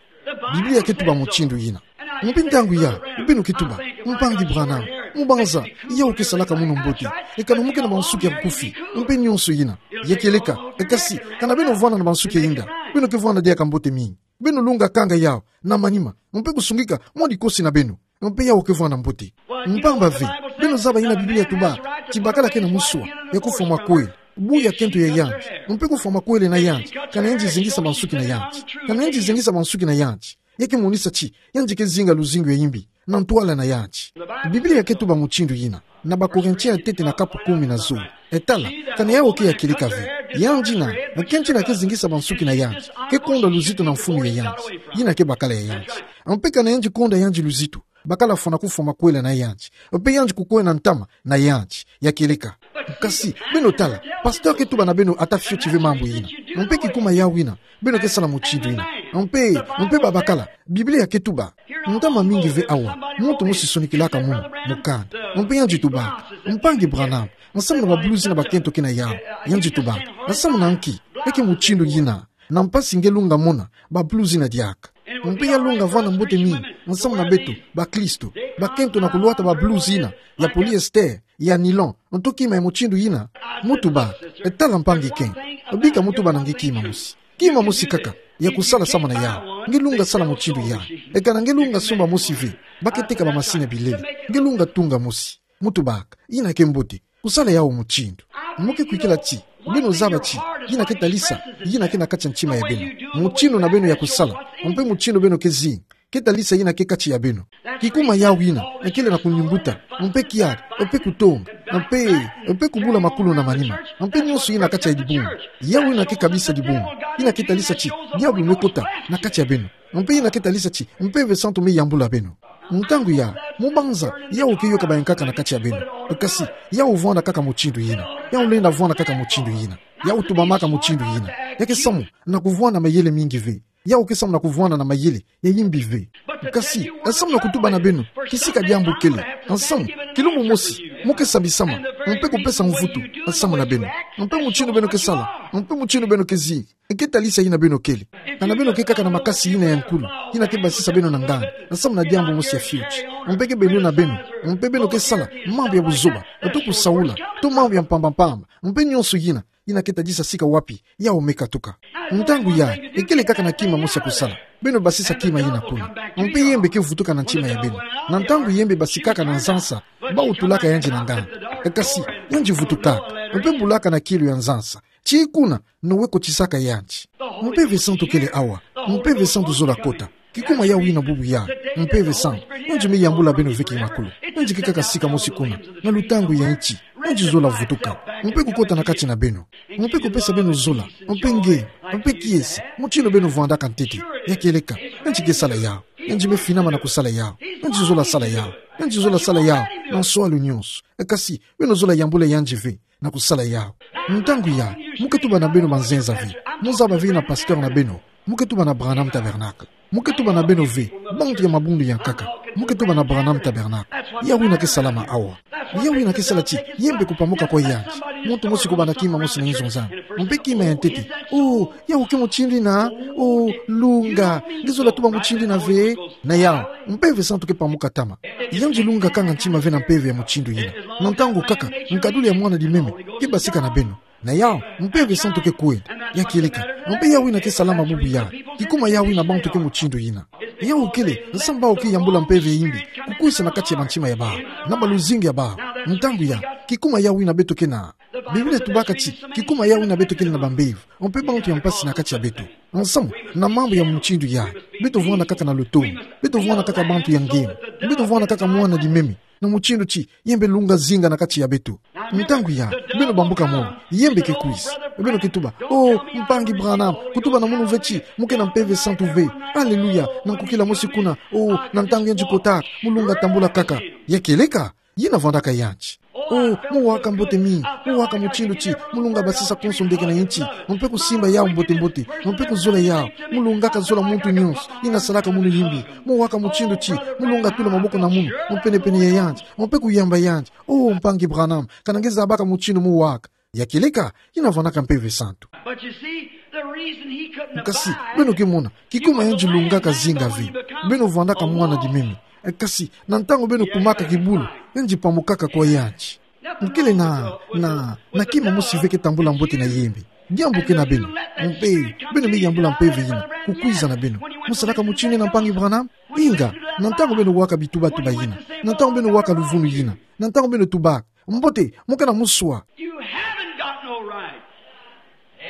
Biblia ke tuba mutindu yina. Mpe ntangu yayi, beno ke tuba: Mpangi Branham, mu banza, yawu ke salaka munu mbote, ekana mu ke na bansuki ya nkufi, mpe nionso yina, ya kieleka. Kasi kana beno vwanda na bansuki ya inda, beno ke vwanda diaka mbote mingi. Beno lunga kanga yawu na manima, mpe kusungika mwa dikosi na beno, mpe yawu ke vwanda mbote. Mpamba ve, beno zaba yina Biblia tuba ti bakala ke na muswa ya kufwa makwele, bu ya kento ya yandi, mpe kufwa makwele na yandi kana yandi zingisa bansuki na yandi. Kana yandi zingisa bansuki na yandi, ya ke monisa ti yandi ke zinga luzingu ya imbi na ntwala na yandi. Biblia ke tuba mutindu yina na Bakorintien ya tete na kapu kumi na zole: E tala, kana yawu ke ya kieleka ve, yandi yina, kento yina ke zingisa bansuki na yandi, ke konda luzitu na mfunu ya yandi, yina ke bakala ya yandi. Mpe kana yandi konda yandi luzitu, bakala fwana kufwa makwele na yandi, mpe yandi kukwenda ntama na yandi, ya kieleka. Kasi beno tala, pasteur ke tuba na beno ata fioti ve mambu yina. Mpe kikuma yawu yina, beno ke sala mutindu yina. Mpe, mpe babakala, Biblia ke tuba. Ntama mingi ve awa, muntu mosi sonikilaka munu mukanda. Mpe yandi tubaka: Mpangi Branham, nsamu na bablues na bakento ke na yawu? Yandi tubaka: Nsamu na nki? Ya ke mutindu yina. Na mpasi nge lunga mona bablues na diaka. Mpe ya lunga vwanda mbote mingi nsamu na beto bakristo, bakento, na kulwata bablues yina ya polyester, ya nylon, nto kima ya mutindu yina. Mu tubaka: E tala, mpangi Ken, bika mu tuba na nge kima mosi. Kima mosi kaka ya kusala samu na yawu. Nge lunga sala mutindu yawu. Ekana nge lunga sumba mosi ve, ba ke teka bamasini ya bilele, nge lunga tunga mosi. Mu tubaka: Yina ke mbote, kusala yawu mutindu. Mu ke kwikila ti beno zaba ti yina ke talisa yina ke na kati ya ntima ya beno. Mutindu na beno ya kusala, mpe mutindu beno ke zinga, ke talisa yina ke kati ya beno. Kikuma yawu yina, ekele na kuniumbuta, mpe kiadi, mpe kutonga, mpe, mpe kubula makulu na manima, mpe nionso yina kati ya dibungu. Yawu yina ke kabisa dibungu. Yina ke talisa ti diabulu me kota na kati ya beno. Mpe yina ke talisa ti Mpeve Santu me yambula beno. Ntangu yayi, mu banza, yawu ke yoka bayankaka na kati ya beno. Kasi yawu vwanda kaka mutindu yina. Yawu lenda vwanda kaka mutindu yina. Yawu tubamaka mutindu yina. Ya ke samu na kuvwanda mayele mingi ve. Yawu ke samu na kuvwanda na mayele ya imbi ve. Kasi, nsamu na kutuba na beno kisika diambu kele, nsamu, kilumbu mosi, mu ke sabisama, mpe kupesa mvutu nsamu na beno. Mpe mutindu beno ke sala, mpe mutindu beno ke zinga, ke talisa yina beno kele. Kana beno ke kaka na makasi yina ya nkulu, yina ke basisa beno na nganga nsamu na diambu mosi ya fioti, mpe ke beno na beno, mpe beno ke sala mambu ya buzoba, to kusaula, to mambu ya mpamba-mpamba, mpe nionso yina, yina ke talisa sika wapi yawu me katuka. Ntangu yayi, ekele kaka na kima mosi ya kusala. Beno basisa kima yina kuna. Mpe yembe ke vutuka na ntima ya beno. Na ntangu yembe basikaka na nzansa, bawu tulaka yandi na nganga. Kasi, yandi vutukaka, mpe bulaka na kielo ya nzansa. Tii kuna, Noe kotisaka yandi. Mpeve Santu kele awa. Mpeve Santu zola kota. Kikuma yawu yina bubu yayi. Mpeve Santu, yandi me yambula beno ve kimakulu. Yandi ke kaka sika mosi kuna, na lutangu ya nti. Nge ngizola vutuka. Mpe kukota na kati na beno. Mpe kupesa beno zola. Mpe nge. Mpe kiese. Mutindu beno vwandaka ntete. Ya kieleka. Nge ngi ke sala yawu. Nge ngi me finama na kusala yawu. Nge ngizola sala yawu. Nge ngizola sala yawu. Na nswalu nyonso. E kasi, beno zola yambula yandi ve na kusala yawu. Ntangu yayi, muke tuba na beno banzenza ve. Muzaba ve na pasteur na beno. Muke tuba na Branham Tabernacle. Muke tuba na beno ve, bantu ya mabundu ya nkaka. Muke tuba na Branham Tabernacle. Yawu ina ke salama awa. Yawu ina ke sala ti yembe kupamuka kwa yandi. Muntu mosi kubanda kima mosi na inzo nzani. Mpe kima ya ntete. Oh, yawu ke mutindu ina. Oh, lunga. Ngizola tuba mutindu ina ve. Na yawu, Mpeve Santu ke pamuka tama. Yandi lunga kanga ntima ve na mpeve ya mutindu ina. Na ntangu kaka, nkaduli ya Mwana Limeme ke basika na beno. Na yawu, Mpeve Santu ke kwenda. Ya kieleka. Mpe yawu ina ke salama bubu yayi. Kikuma yawu ina bantu ke mutindu ina. Yawu kele, nsambu bawu ke yambula mpeve ya imbi. Kukwisa na kati ya bantima ya bawu. Na baluzingu ya bawu. Ntangu yayi, kikuma yawu ina beto ke na. Biblia etubaka ti, kikuma yawu ina beto kele na bambevo. Mpe bantu ya mpasi na kati ya beto. Nsamu, na mambu ya mutindu yayi. Beto vwanda kaka na lutomo. Beto vwanda kaka bantu ya nge. Beto vwanda kaka Mwana Limeme. Na mutindu ti, yembe lunga zinga na kati ya beto. Ntangu yayi, beno bambuka molo, yembe ke kwisa. Beno ke tuba, oh, mpangi Branham, kutuba na munu ve ti, muke na Mpeve Santu ve. Aleluya, na nkukila mosi kuna, oh, na ntangu yandi kotaka, mu lunga tambula kaka. Ya kieleka, yina vwandaka yandi. Oh, mu waka mbote mingi, mu waka mutindu ti, mu lunga basisa konso ndeke na inti, mpe kusimba yawu mbote mbote, mpe kuzola yawu, mu lungaka zola muntu nyonso, yina salaka munu yimbi, mu waka mutindu ti, mu lunga tula maboko na munu, mu pene-pene ya yandi, mpe kuyamba yandi, oh, mpangi Branham, kana nge zabaka mutindu mu waka. Ya kieleka, yina vwandaka Mpeve Santu. But you see, the reason he couldn't Kasi, abide, beno ke mona, kikuma yandi lungaka zinga ve. Beno vwandaka Mwana Limeme. E kasi, na ntangu beno kumaka kibulu, yandi pamukaka kwa yandi. Mukele na, na, na kima mosi ve ke tambula mbote na yembe. Diambu ke na beno. Mpe, beno me yambula mpeve yina, kukwiza na beno. Mu salaka mutindu yina, mpangi Branham? Inga, na ntangu beno waka bituba-tuba yina. Na ntangu beno waka luvunu yina. Na ntangu beno tubaka. Mbote, mu ke na muswa. You haven't got no right.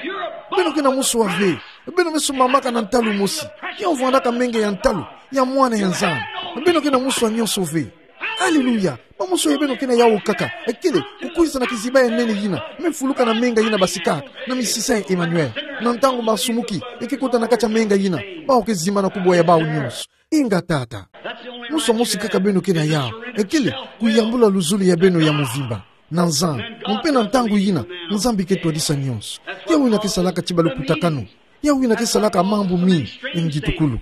You're a Beno ke na muswa ve. Beno me sumbamaka na ntalu mosi. Ya vwandaka menga ya ntalu ya mwana ya Nzambi. Beno ke na muswa nyonso ve. Aleluya. Bamuswa ya beno ke na yawu kaka. Ekele, kukwiza na kiziba ya nene yina. Me fuluka na menga yina basikaka. Na misisa ya Emmanuel. Na ntangu basumuki, e ke kota na kati ya menga yina. Bawu ke zimbana kubwa ya bawu nyonso. Inga, Tata. Muswa mosi kaka beno ke na yawu. Ekele, kuyambula luzolo ya beno ya mvimba na Nzambi. Mpe na ntangu yina, Nzambi ke twadisa nyonso. Yawu yina ke salaka ti balukutakanu. Yawu yina ke salaka mambu mingi, ngitukulu.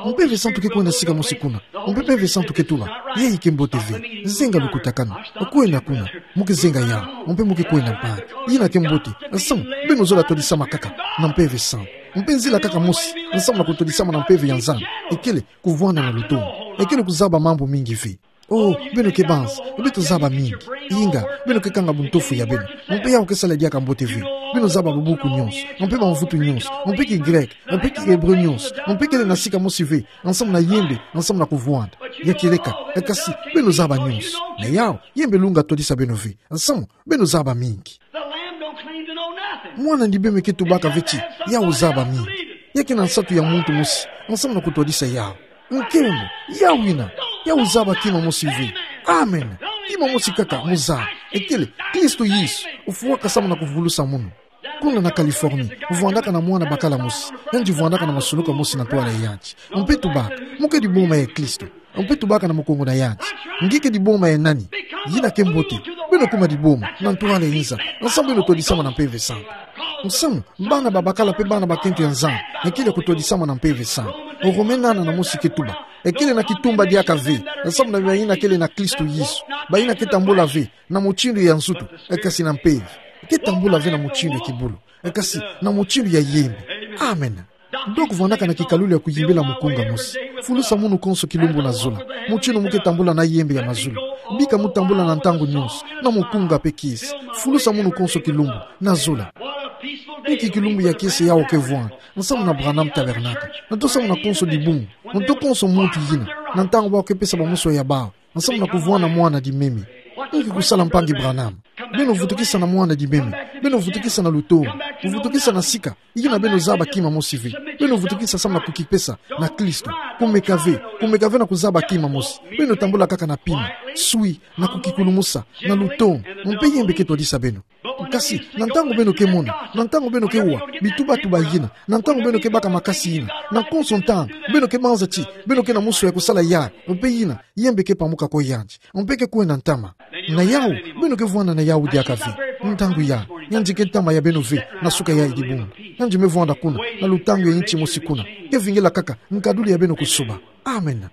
Mpeve Santu ke kwenda sika mosi kuna. Mpe Mpeve Santu ke tuba, yayi ke mbote ve. Zenga lukutakanu. Kwenda kuna. Mu ke zenga yawu. Mpe mu ke kwenda mpaka. Yina ke mbote. Nsamu, beno zola twadisama kaka na Mpeve Santu. Mpe nzila kaka mosi nsamu na kutwadisama na mpeve ya Nzambi, ekele kuvwanda na lutomo. Ekele kuzaba mambu mingi ve. Oh, beno ke banzi, beto zaba mingi. Inga, beno ke kanga buntofu ya beno. Mpe yawu ke sala diaka mbote ve. Beno zaba babuku nyonso, mpe bamvutu nyonso, mpe ki-Grec, mpe ki-Hébreu nyonso, mpe kele na sika mosi ve, nsamu na yembe, nsamu na kuvwanda. Ya kieleka, e kasi, beno zaba nyonso. Na yawu, yembe lunga twadisa beno ve. Nsamu, beno zaba mingi. The lamb don't claim to know nothing. Mwana Limeme ke tubaka ve ti yawu zaba mingi. Ya ke na nsatu ya muntu mosi nsamu na kutwadisa yawu. Nkembo, yawu yina, yawu zaba kima mosi ve. Amen. Kima mosi kaka mu zaba. Ekele, Kristo Yesu, ofwaka nsamu na kuvulusa munu. Kuna na Californie, vwandaka na mwana bakala mosi. Yandi vwandaka na masuluka mosi na ntwala ya yandi. Mpe tubaka, mu ke diboma ya Kristo. Mpe tubaka na mukongo na yandi. Nge ke diboma ya nani? Yina ke mbote. Beno kuma diboma na ntwala ya nza. Nsamu beno twadisama na Mpeve Santu. Nsamu, bana babakala mpe bana bakento ya Nzambi, ekele kutwadisama na Mpeve Santu. Rome nana na mosi ke tuba, ekele na kitumba diaka ve, nsamu na bayina kele na Kristo Yesu. Bayina ke tambula ve na mutindu ya nzutu, e kasi na mpeve. Ke tambula ve na mutindu ya kibulu, e kasi na mutindu ya yembe. Amen. Doc vwandaka na kikalulu ya kuyimbila mukunga mosi. Fulusa munu konso kilumbu na zola. Mutindu mu ke tambula na yembe ya mazulu. Bika mu tambula na ntangu nyonso, na mukunga mpe kiese. Fulusa munu konso kilumbu na zola. Inki kilumbu ya kiese yawu ke vwanda nsamu na Branham Tabernacle. Na nto nsamu na konso dibungu. Na nto konso muntu yina. Na ntangu bawu ke pesa bamuswa ya bawu nsamu na kuvwanda Mwana Limeme. Inki kusala, mpangi Branham? Beno vutukisa na mwana di meme. Beno vutukisa na lutonu. Vutukisa na sika yina beno zaba kima mosi ve. Beno vutukisa samu na kukipesa na Kristo. Kumeka ve. Kumeka ve na kuzaba kima mosi. Beno tambula kaka na pima, swi, na kukikulumusa, na lutonu. Mpe Ye mbe ke twadisa beno. Kasi, na ntangu beno ke mona, na ntangu beno ke wa bitubatuba yina, na ntangu beno ke baka makasi yina, na konso ntangu beno ke banza ti beno ke na muswa ya kusala yayi, mpe yina Ye mbe ke pamuka kwe yandi, mpe ke kwenda ntama. Na yawu, beno ke vwanda na yawu diaka ve. Ntangu yayi, yandi ke ntama ya beno ve na suka yayi dibungu. Yandi me vwanda kuna, na lutangu ya inchi mosi kuna. Ke vingila kaka nkaduli ya beno kusuba. Amen.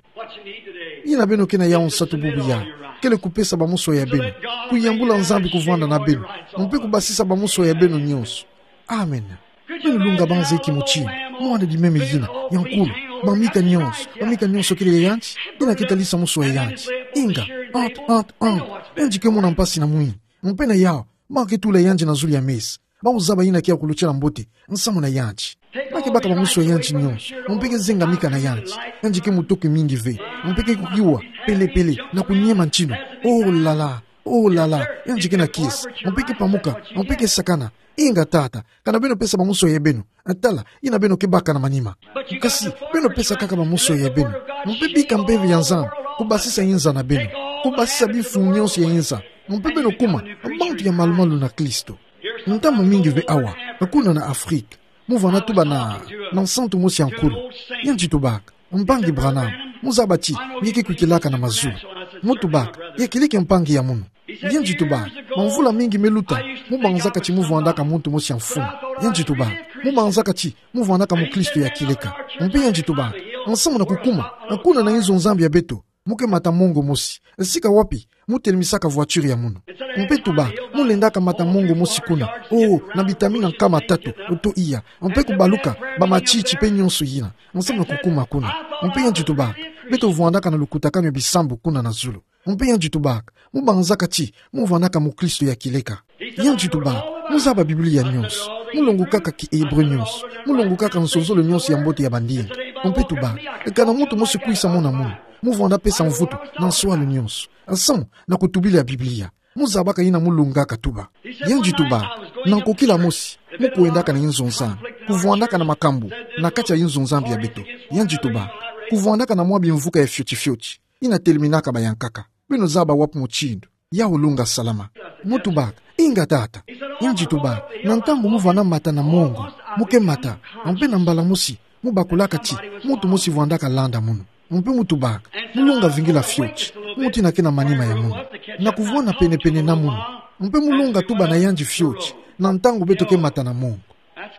Yina beno ke na yawu nsatu bubu yayi kele kupesa bamuswa ya beno, kuyambula Nzambi kuvwanda na beno, mpe kubasisa bamuswa ya beno nyonso. Amen. Beno lunga banza inki mutini, mwana di meme yina ya nkulu, bamika nyonso, bamika nyonso kele ya yandi, yina ke talisa muswa ya yandi. Inga, ant, ant, ant, yandi ke mona mpasi na mwini. Mpe na yawu, ba ke tula yandi na zulu ya mesa. Bau zaba yina ke ya kulutila mbote nsamu na yandi. Ba ke baka bamuswa ya yandi nyonso, mpe ke zenga mika na yandi. Yandi ke mutoki mingi ve, mpe ke kukiwa pele pele na kuniema ntinu. Oh la la, oh la la, yandi ke na kiese, mpe ke pamuka, mpe ke sakana. Inga tata, kana beno pesa bamuswa ya beno. Tala yina beno ke baka na manima. Kasi, beno pesa kaka bamuswa ya beno. Mpe bika mpeve ya Nzambi kubasisa inza na beno, kubasisa bimfumu nyonso ya inza. Mpe beno kuma bantu ya malumalu na Kristo. Ntama mingi ve awa, kuna na Afrika, mu vwanda tuba na, na nsantu mosi ya nkulu. Yandi tubaka: Mpangi Branham, mu zaba ti nge ke kwikilaka na mazulu. Mu tubaka: Ya kileke mpangi ya munu? Yandi tubaka: Bamvula mingi me luta, mu banzaka ti mu vwandaka muntu mosi ya mfumu. Yandi tubaka: Mu banzaka ti mu vwandaka mukristo ya kieleka. Mpe yandi tubaka: Nsamu na kukuma kuna na inzo Nzambi ya beto, mu ke mata mongo mosi. Sika wapi mu telimisaka voiture ya munu? Mpe tubaka: Mu lendaka mata mongo mosi kuna, oh, na bitamina nkama tatu, oto iya, mpe kubaluka bamatiti mpe nyonso yina, nsamu na kukuma kuna. Mpe yandi tubaka: Beto vwandaka na lukutakanu ya bisambu kuna na zulu. Mpe yandi tubaka: Mu banzaka ti mu vwandaka mukristo ya kieleka? Yandi tubaka: Mu zaba Biblia nyonso, mu longokaka ki-Hébreu nyonso, mu longokaka nsonzolo nyonso ya mbote ya bandinga. Mpe tubaka: Kana muntu mosi kwisa mona munu, mu vwanda pesa mvutu na nswalu nyonso, nsamu na kutubila Biblia. Mu zabaka yina mu longaka tuba. Yandi tubaka: Na nkokila mosi, mu kwendaka na inzo Nzambi, kuvwandaka na makambu na kati ya inzo Nzambi ya beto. Yandi tubaka: Kuvwandaka na mwa bimvuka ya fioti fioti yina teliminaka bayankaka. Beno zaba wapi mutindu yawu lunga salama? Mu tubaka: Inga tata. Yandi tubaka: Na ntangu mu vwanda mata na mongo, mu ke mata, mpe na mbala mosi mu bakulaka ti muntu mosi vwandaka landa munu. Mpe mu tubaka: Mu lunga vingila fioti muntu yina ke na manima ya munu, na kuvwanda penepene na munu. Mpe mu lunga tuba na yandi fioti na ntangu beto ke mata na mongo.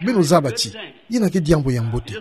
Beno zaba ti yina ke diambu ya mbote.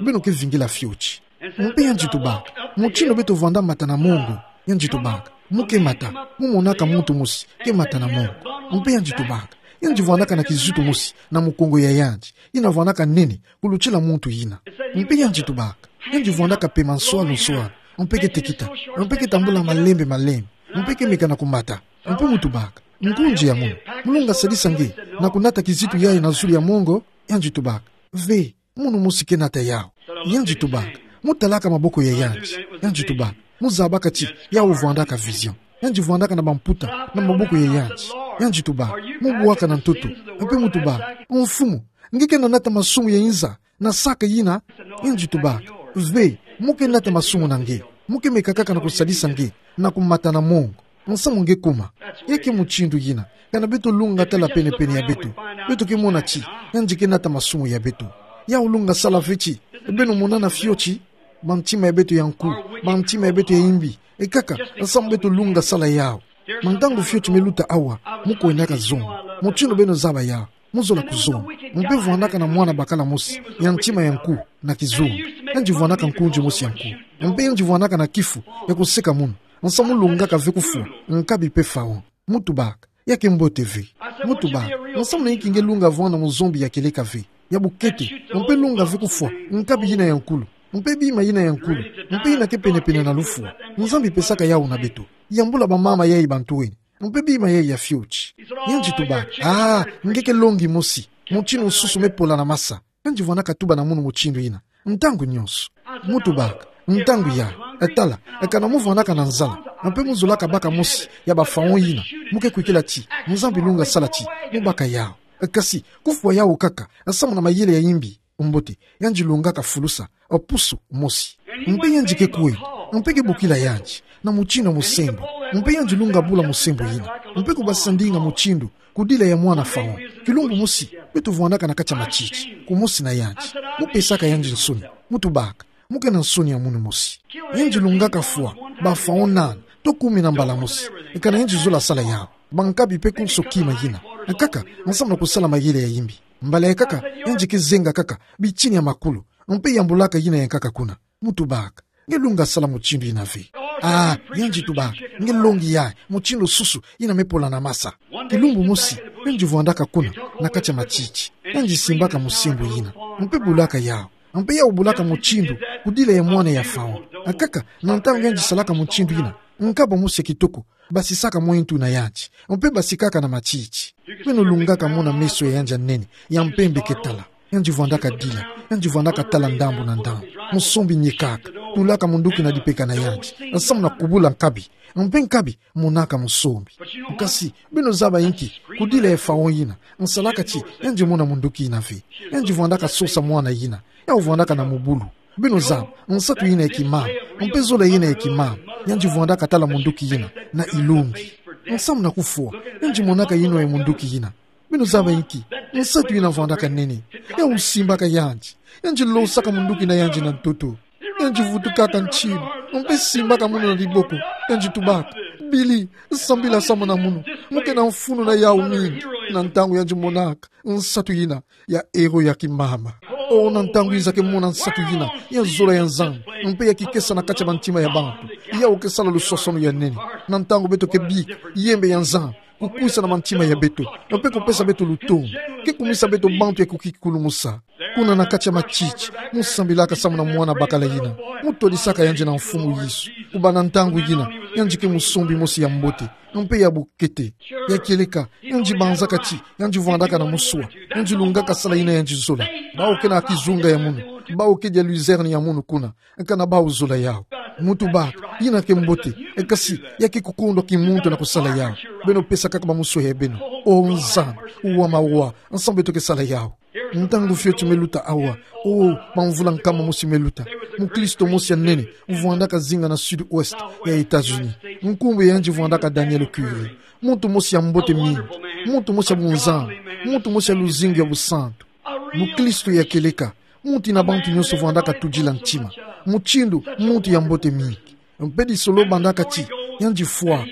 Beno ke vingila fioti. Mpe yandi tubaka: Mutindu beto vwanda mata na mongo. Yandi tubaka: Mu ke mata, mu monaka muntu mosi ke mata na mongo. Mpe yandi tubaka: Yandi vwandaka na kizitu mosi na mukongo ya yandi, yina vwandaka nene kulutila muntu yina. Mpe yandi tubaka: Yandi vwandaka pema nswalu nswalu, mpe ke tekita, mpe ke tambula malembe malembe, mpe ke meka na kumata. Mpe mu tubaka: Ngunzi ya munu, mu lunga sadisa nge na kunata kizitu yayi na zulu ya mongo? Yandi tubaka: Ve, munu mosi ke nata yawu. Yandi tubaka: Mu talaka maboko ya yandi. Yandi tubaka: Mu zabaka ti yawu vwandaka vision. Yandi vwandaka na bamputa na maboko ya yandi. Yandi tubaka: Mu bwaka na ntoto. Mpe mu tubaka: Mfumu, nge ke na nata masumu ya inza na sac yina? Yandi tubaka: Ve, mu ke nata masumu na nge. Mu ke meka kaka na kusadisa nge na kumata na mongo, nsamu nge kuma. Ya ke mutindu yina, kana beto lunga tala penepene ya beto, beto ke mona ti yandi ke nata masumu ya beto. Yawu lunga sala ve ti beno monana fioti bantima ya beto ya nku, bantima ya beto ya imbi, e kaka nsamu beto lunga sala yawu. Mantangu fioti me luta awa, mu kwendaka zonga. Mutindu beno zaba yawu, mu zola kuzonga. Mpe vwandaka na mwana bakala mosi ya ntima ya nku na kizunga. Yandi vwandaka nkunzi mosi ya nku. Mpe yandi vwandaka na kifu ya kuseka munu, nsamu lungaka ve kufwa nkabi mpe faon. Mu tubaka: Ya ke mbote ve. Mu tubaka: Nsamu na inki nge lunga vwanda muzombi ya kieleka ve, ya bukete, mpe lunga ve kufwa nkabi yina ya nkulu, mpe bima yina ya nkulu, mpe yina ke penepene na lufwa? Nzambi pesaka yawu na beto. Yambula bamama yayi bantwenia, mpe bima yayi ya fioti. Yandi tubaka: Ah, nge ke longi mosi. Mutindu nsusu me pola na masa. Yandi vwandaka tuba na munu mutindu yina ntangu nyonso. Mu tubaka: Ntangu ya, e tala, e kana mu vwandaka na nzala, mpe mu zolaka baka mosi ya ba pharaon yina, mu ke kwikila ti Nzambi lunga sala ti mu baka yau. Kasi, kufwa yau kaka, samu na mayele ya imbi, mbote, yandi lungaka fulusa, e pusu, mosi. Mpe yandi ke kwe, mpe ke bokila yandi, na mutindu musembo, mpe yandi lunga bula musembo yina, mpe kubasa ndinga mutindu, kudila ya mwana pharaon. Kilumbu mosi, beto vwandaka na kati ya matiti, kumosi na yandi, mu pesaka yandi nsoni, mu tubaka, mu ke na nsoni ya munu mosi. Yandi lungaka fwa ba pharaon nana, to kumi na mbala mosi, e kana yandi zola sala yau. Bankabi mpe konso kima yina, e kaka, samu na kusala mayele ya imbi. Mbala ya kaka, yandi ke zenga kaka bitini ya makulu, mpe yambulaka yina ya nkaka kuna. Mu tubaka, nge lunga sala mutindu yina ve. Ah, yandi tubaka, nge longi ya, mutindu susu yina me pola na masa. Kilumbu mosi, yandi vwandaka kuna, na kati ya matiti, yandi simbaka musembo yina, mpe bulaka yau, mpe yau bulaka mutindu, kudila ya mwana ya pharaon. E kaka, na ntangu yandi salaka mutindu yina, nkaba mosi ya kitoko, basisaka mwintu na yandi, mpe basikaka na matiti. Beno lungaka mona meso ya yandi ya nene, ya mpembe ke tala. Yandi vwandaka dila, yandi vwandaka tala ndambu na ndambu. Musombi niekaka, tulaka munduki na dipeka na yandi, samu na kubula nkabi, mpe nkabi, monaka musombi. Kasi, beno zaba inki, kudila ya pharaon yina, salaka ti yandi mona munduki yina ve. Yandi vwandaka sosa mwana yina, yau vwandaka na mubulu. Beno zaba, nsatu yina ya kimama, mpe zola yina ya kimama, yandi vwandaka tala munduki yina, na ilongi. Samu na kufwa, yandi monaka yinwa ya munduki yina. Beno zaba inki, nsatu yina vwandaka nene, yau simbaka yandi, yandi losaka munduki na yandi na ntoto. Yandi vutukaka ntinu, mpe simbaka munu na diboko, yandi tubaka, Bili, sambila samu na munu, mu ke na mfunu na yau mingi, na ntangu yandi monaka nsatu yina, ya héros ya kimama. O, na ntangu yiza ke mona nsatu yina, ya zola ya Nzambi, mpe ya kikesa na kati ya bantima ya bantu, yau ke sala lusosono ya nene. Na ntangu beto ke bika yembe ya Nzambi, kukwisa na mantima ya beto, mpe kupesa beto lutondo, ke kumisa beto bantu ya kukikulumusa. Kuna na kati ya matiti, mu sambilaka samu na mwana bakala yina, mu twadisaka yandi na Mfumu Yesu. Kubanda ntangu yina, yandi ke musombi mosi ya mbote, mpe ya bukete. Ya kieleka, yandi banzaka ti yandi vwandaka na muswa, yandi lungaka sala yina yandi zola. Bawu ke na kizunga ya munu, bawu ke dia luzerne ya munu kuna, kana bawu zola yau. Mu tubaka, yina ke mbote, e kasi, ya ke kukondwa kimuntu na kusala yau. Beno pesaka kaka bamuswa ya beno. O Nzambi, wa mawa, nsambu beto ke sala yau. Ntangu fioti me luta awa, o, bamvula nkama mosi me luta, mukristo mosi ya nene, vwandaka zinga na sud-ouest ya États-Unis. Nkumbu ya yandi vwandaka Daniel Curry. Muntu mosi ya mbote mingi, muntu mosi ya bunzambi, muntu mosi ya luzingu ya busantu. Mukristo ya kieleka, muntu yina bantu nyonso vwandaka tudila ntima. Mutindu muntu ya mbote mingi. Mpe disolo bandaka ti yandi fwaka,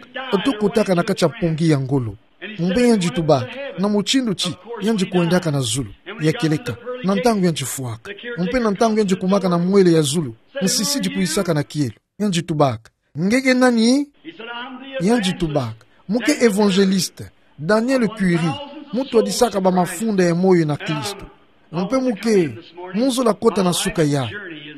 to kotaka na kati ya mpongi ya ngolo. Mpe yandi tubaka, na mutindu ti yandi kwendaka na zulu. Ya kieleka, na ntangu yandi fwaka, mpe na ntangu yandi kumaka na mwele ya zulu, nsisidi kwisaka na kielo. Yandi tubaka, nge ke nani? Yandi tubaka, mu ke évangéliste, Daniel Curry, mu twadisaka bamafunda ya moyo na Kristo. Mpe mu ke, mu zola kota na suka ya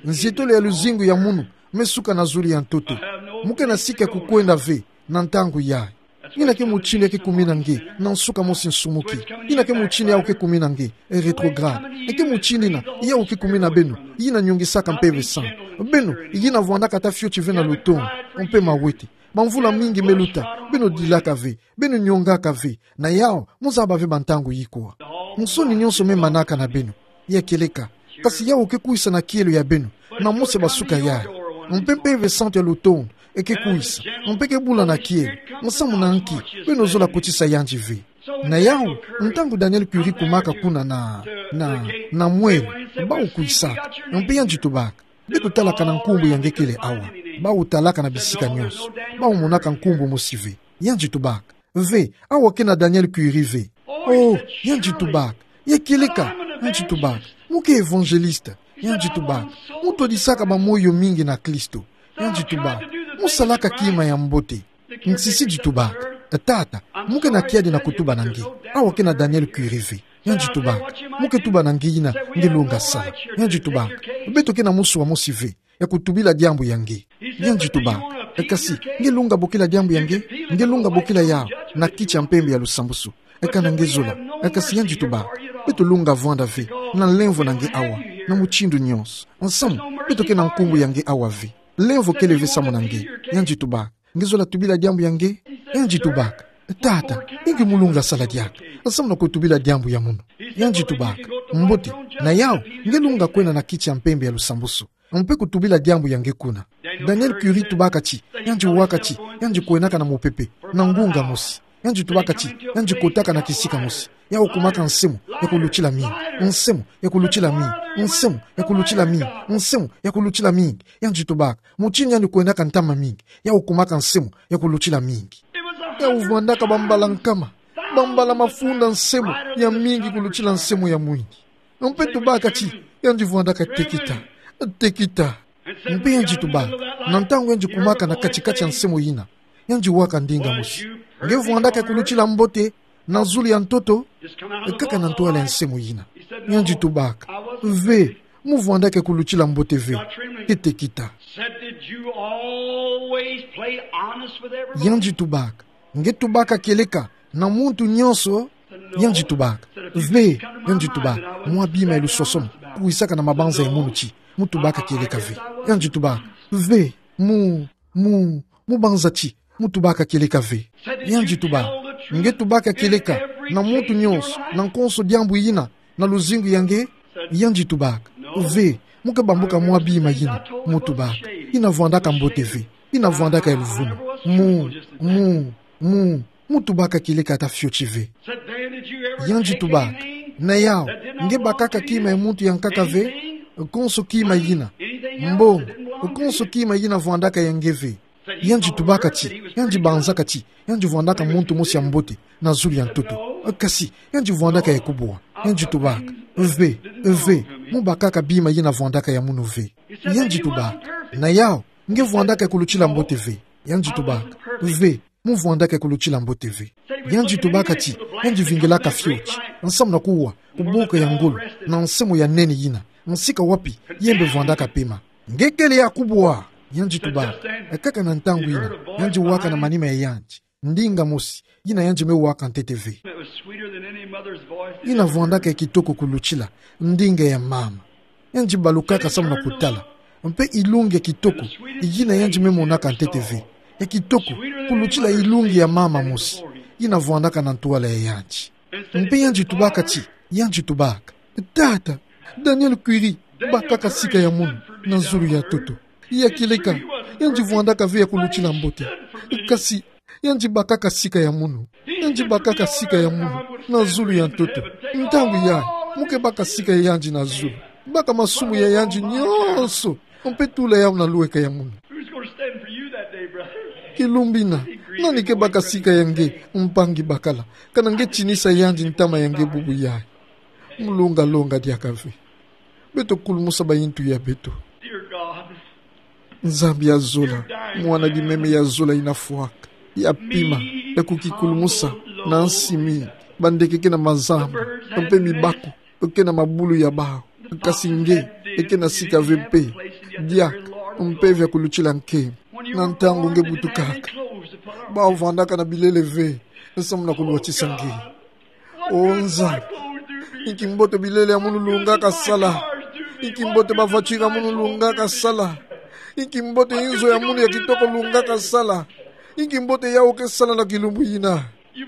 nzietolo ya luzingu ya munu, me suka na zulu ya ntoto. Mu ke na sika ya kukwenda ve, na ntangu yayi. Yina ke mutindu ya ke kumina nge, na nsuka mosi nsumuki. Yina ke mutindu yau ke kumina nge, e rétrograde. E ke mutindu yina yau ke kumina beno, yina nyongisaka Mpeve Santu. Beno, yina vwandaka ata fioti ve na lutondo, mpe mawete. Bamvula mingi me luta, beno dilaka ve, beno nyongaka ve, na yau, mu zaba ve bantangu yikwa. Nsoni nyonso me manaka na beno. Ya kieleka. Kasi yau ke kwisa na kielo ya beno, na mosi ya basuka yayi. Mpe Mpeve Santu ya lutondo, e ke kwisa, mpe ke bula na kielo, nsamu na nki, beno zola kotisa yandi ve. Na yau, ntangu Daniel Curry kumaka kuna na, na, na mwele, bawu kwisaka, mpe yandi tubaka, beto talaka na nkumbu ya nge kele awa, bawu talaka na bisika nyonso, bawu monaka nkumbu mosi ve. Yandi tubaka, ve, awa ke na Daniel Curry ve. Oh, yandi tubaka, ya kieleka, yandi tubaka, mu ke évangéliste, yandi tubaka, mu twadisaka bamoyo mingi na Kristo, yandi tubaka, mu salaka kima ya mbote. Nsisidi tubaka, tata, mu ke na kiadi na kutuba na nge, awa ke na Daniel Curry ve. Yandi tubaka, mu ke tuba na nge yina nge longa sala. Yandi tubaka, beto ke na muswa mosi ve ya kutubila diambu ya nge. Yandi tubaka, e kasi, nge longa bokila diambu ya nge, nge longa bokila yau, na kiti ya mpembe ya lusambusu. E kana nge zola, e kasi yandi tubaka, beto longa vwanda ve, na nlemvo na nge awa, na mutindu nyonso. Nsamu, Beto ke na nkumbu ya nge awa ve. Lemvo kele ve samu na nge. Yandi tubaka: Nge zola tubila diambu ya nge? Yandi tubaka: Tata, inki mu lunga sala diaka samu na kutubila diambu ya munu? Yandi tubaka: Mbote, na yau, nge lunga kwenda na kiti ya mpembe ya lusambusu mpe kutubila diambu ya nge kuna. Daniel Currie tubaka ti, yandi waka ti yandi kwenaka na mopepe, na ngunga mosi. Yandi tubaka ti yandi kotaka na kisika mosi. Yau kumaka nsemo ya kulutila mingi, nsemo ya kulutila mingi, nsemo ya kulutila mingi, nsemo ya kulutila mingi. Yandi tubaka: Mutindu yandi kwenaka ntama mingi, yau kumaka nsemo ya kulutila mingi. Yau vwandaka bambala nkama, bambala mafunda nsemo ya mingi kulutila nsemo ya mwini. Mpe tubaka ti yandi vwandaka tekita, tekita. Mpe yandi tubaka, na ntangu yandi kumaka na kati-kati ya nsemo yina, yandi waka ndinga mosi: Nge vwandaka ya kulutila mbote na zulu ya ntoto? Kaka na ntwala ya nsemo yina. Yandi tubaka: Ve, mu vwandaka ya kulutila mbote ve. Ke tekita. Said, "Did you always play honest with everyone?" Yandi tubaka: Nge tubaka kieleka na muntu nyonso? Yandi tubaka: Ve. Yandi tubaka: Mwa bima ya lusosomo kwisaka na mabanza ya munu ti mu tubaka kieleka ve. Yandi tubaka: Ve, mu, mu, mu banza ti mu tubaka kieleka ve. Yandi tubaka: Nge tubaka kieleka na muntu nyonso na konso diambu yina na luzingu ya nge? Yandi tubaka: Ve, mu ke bambuka mwa bima yina mu tubaka. Yina vwandaka mbote ve. Yina vwandaka ya luvunu. Mu, mu, mu, mu tubaka kieleka ata fioti ve. Yandi tubaka: Na yau, nge bakaka kima ya muntu ya nkaka ve? Konso kima yina. Mbongo, konso kima yina vwandaka ya nge ve. Yandi tubaka ti yandi banzaka ti yandi vwandaka muntu mosi ya mbote na zulu ya ntoto. Kasi yandi vwandaka ya kubwa. Yandi tubaka: Ve, ve, mu bakaka bima yina vwandaka ya munu ve. Yandi tubaka: Na yau, nge vwandaka ya kulutila mbote ve? Yandi tubaka: Ve, mu vwandaka ya kulutila mbote ve. Yandi tubaka ti yandi vingilaka fioti nsamu na kuwa ku boka ya ngolo na nsemo ya nene yina, nsika wapi yembe vwandaka pema. Nge kele ya kubwa. Yandi tubaka: Kaka na ntangu yina, yandi waka na manima ya yandi ndinga mosi yina yandi me waka ntete ve. Yina vwandaka ya kitoko kulutila ndinga ya mama. Yandi balukaka samu na kutala mpe ilungi ya kitoko yina yandi me monaka ntete ve, ya kitoko kulutila ilungi ya mama mosi yina vwandaka na ntwala ya yandi. Mpe yandi tubaka ti, yandi tubaka: Tata, Daniel Currie bakaka sika ya munu na zulu ya ntoto. Ya kieleka, yandi vwandaka ve ya kulutila mbote. Kasi yandi bakaka sika ya munu. Yandi bakaka sika ya munu na zulu ya ntoto. Ntangu yayi, mu ke baka sika ya yandi na zulu. Baka masumu ya yandi nyonso, mpe tula yau na lweka ya munu. Who's gonna stand for you that day, brother? Kilumbu yina, nani ke baka sika ya nge, mpangi bakala, kana nge tinisa yandi ntama ya nge bubu yayi? Mu lunga longa diaka ve. Beto kulumusa bayintu ya beto. Dear God, Nzambi ya zola, mwana di meme ya zola yina fwaka, ya pima, ya kukikulumusa na nsimi, bandeke ke na mazamba, mpe mibaku ke na mabulu ya bawu. Kasi nge ke na sika ve mpe, diaka mpe vya kulutila nkembo. Na ntangu nge butukaka, bawu vwandaka na bilele ve samu na kulwatisa nge. O Nzambi, inki mbote bilele ya munu lungaka sala. Inki mbote ba voiture ya munu lungaka sala. Inki mbote inzo ya munu ya kitoko lungaka sala. Inki mbote yawu ke sala na kilumbu yina.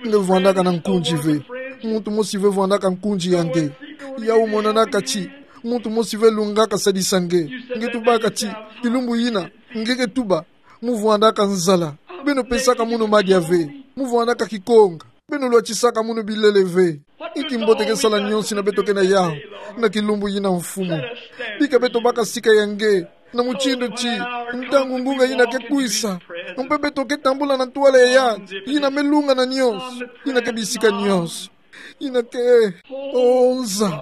Nge vwandaka na nkunzi ve. Muntu mosi ve vwandaka nkunzi ya nge. Yawu monanaka ti muntu mosi ve lungaka sadisa nge. Nge tubaka ti kilumbu yina, nge ke tuba, mu vwandaka nzala. Beno pesaka munu madia ve. Mu vwandaka kikonga. Beno lwatisaka munu bilele ve. Inki mbote ke sala nyonso yina beto ke na yawu na kilumbu yina, Mfumu? Bika beto baka sika ya nge na mutindu ti, ntangu ngunga yina ke kwisa, mpe beto ke tambula na ntwala ya yandi yina me lunga na nyonso, yina ke bisika nyonso, yina ke, o Nzambi,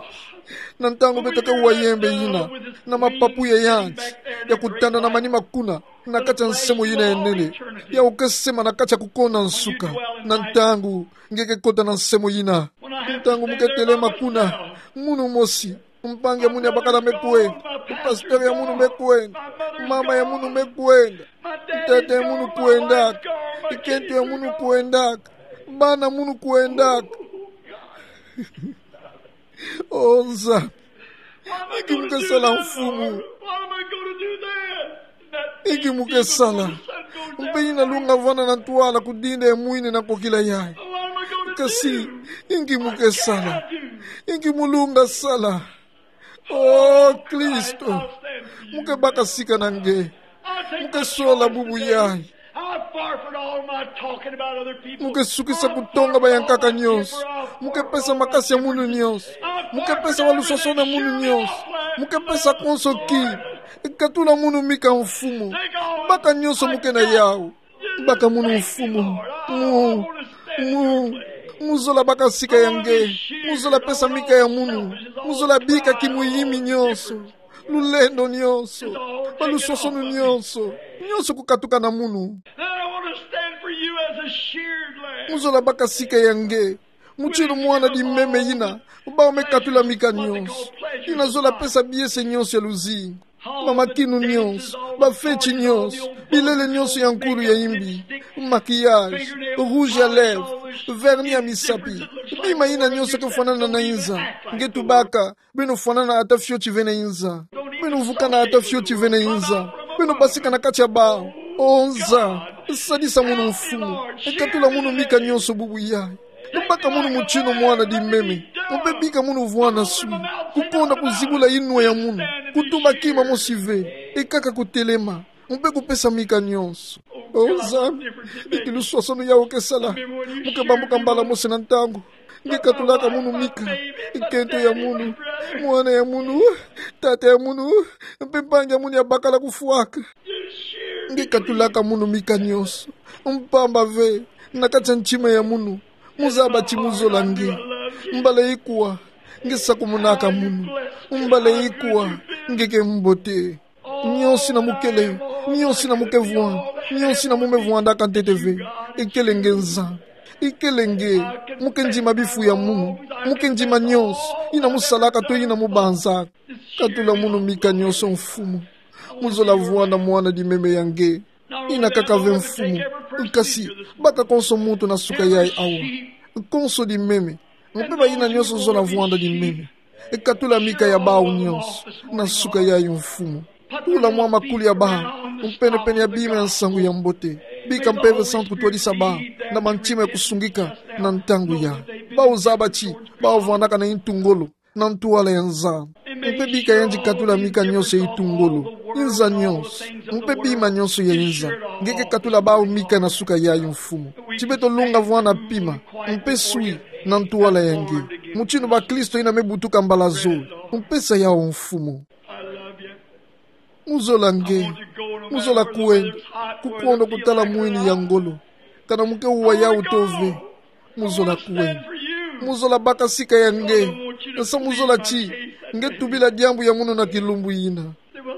na ntangu beto ke wa yembe yina na mapapu ya yandi, ya kutanda na manima kuna, na kati ya nsemo yina ya nene, yawu ke sema na kati ya kukonda nsuka. Na ntangu nge ke kota na nsemo yina, ntangu mu ke telema kuna, munu mosi, mpangi ya munu ya bakala me kwenda, pasteur ya munu me kwenda, mama ya munu me kwenda, ntete ya munu kwendaka, kento ya munu kwendaka, bana munu kwendaka. O Nzambi, inki mu ke sala, Mfumu? Inki mo ke sala? Mpe ina lunga vana na ntwala kudinda mwini na kokila yayi. Kasi, inki mo ke sala? Inki mo lunga sala? O Kristo, mo ke baka sika na nge. Mo ke sola bubu yayi. How far from all my talking about other people. Mo ke sukisa kutonga baya nkaka nyonso. Mo ke pesa makasi ya munu nyonso. Mo ke pesa wa lusosono ya munu nyonso. Mo ke pesa konso ki. Katula munu mika, Mfumu. Baka nyonso mo ke na yawu. Baka munu, Mfumu. Mo, mo, mo zola baka sika ya nge. Mo zola pesa mika ya munu. Mo zola bika kimuyimi nyonso, lulendo nyonso, ba lusosono nyonso, nyonso kukatuka na munu. Then I want to stand for you as a sheared lamb. Mo zola baka sika ya nge, mutinu mwana dimeme yina, bau me katula mika nyonso. Yina zola pesa biese nyonso ya luzingu. Ba makinu nyonso, bafeti nyonso, bilele nyonso ya nkulu ya imbi, maquillage, rouge à lèvres, vernis ya misapi, bima yina nyonso ke fwanana na inza. Nge tubaka, beno fwanana ata fioti ve na inza. Beno vukana ata fioti ve na inza. Beno basika na kati ya bau. O Nza, sadisa munu, Mfumu. Katula munu mika nyonso bubu yayi. Baka munu mutinu mwana dimeme. Mpe bika munu vwanda swi. Kukonda kuzibula inwa ya munu. Kutuba kima mosi ve. Ekaka kutelema. Mpe kupesa mika nyonso. O Nzambi, inki lusosono yawu ke sala? Mo ke bambuka mbala mosi na ntangu. Nge katulaka munu mika. Nkento ya munu, mwana ya munu, tata ya munu, mpe mpangi ya munu ya bakala kufwaka. Nge katulaka munu mika nyonso. Mpamba ve, na kati ya ntima ya munu, mo zaba ti mo zola nge. Mbala ikwa nge sakumunaka munu. Mbala ikwa nge ke mbote. Nyonso yina mo kele, nyonso yina mo ke vwanda, nyonso yina mo me vwandaka ntete ve. Ikele nge Nzambi. Ikele nge, mo ke ndima bifu ya munu. Mo ke ndima nyonso yina mo salaka to yina mo banzaka. Katula munu mika nyonso, Mfumu. Mo zola vwanda mwana dimeme ya nge. Yina kaka ve, Mfumu. Kasi, baka konso muntu na suka yayi awa. Konso dimeme. Mpe bayina nyonso zola vwanda dimeme. Katula mika ya bau nyonso na suka yayi, Mfumu. Tula mwa makuli ya bau, mpenepene ya bima ya nsangu ya mbote. Bika Mpeve Santu kutwadisa bau na mantima ya kusungika na ntangu yayi. Bau zaba ti bau vwandaka na intu ngolo na ntwala ya Nzambi. Mpe bika yandi katula mika nyonso ya intu ngolo, inza nyonso, mpe bima nyonso ya inza. Nge ke katula bau mika na suka yayi, Mfumu. Ti beto lunga vwanda pima mpe swi na ntwala ya nge, mutinu bakristo yina me butuka mbala zole. Mpesa yawu, Mfumu. Mo zola nge. Mo zola kwenda. Kukondo kutala mwini ya ngolo. Kana mo ke wa yawu to ve. Mo zola kwenda. Mo zola baka sika ya nge. Nsa mo zola ti nge tubila diambu ya munu na kilumbu yina.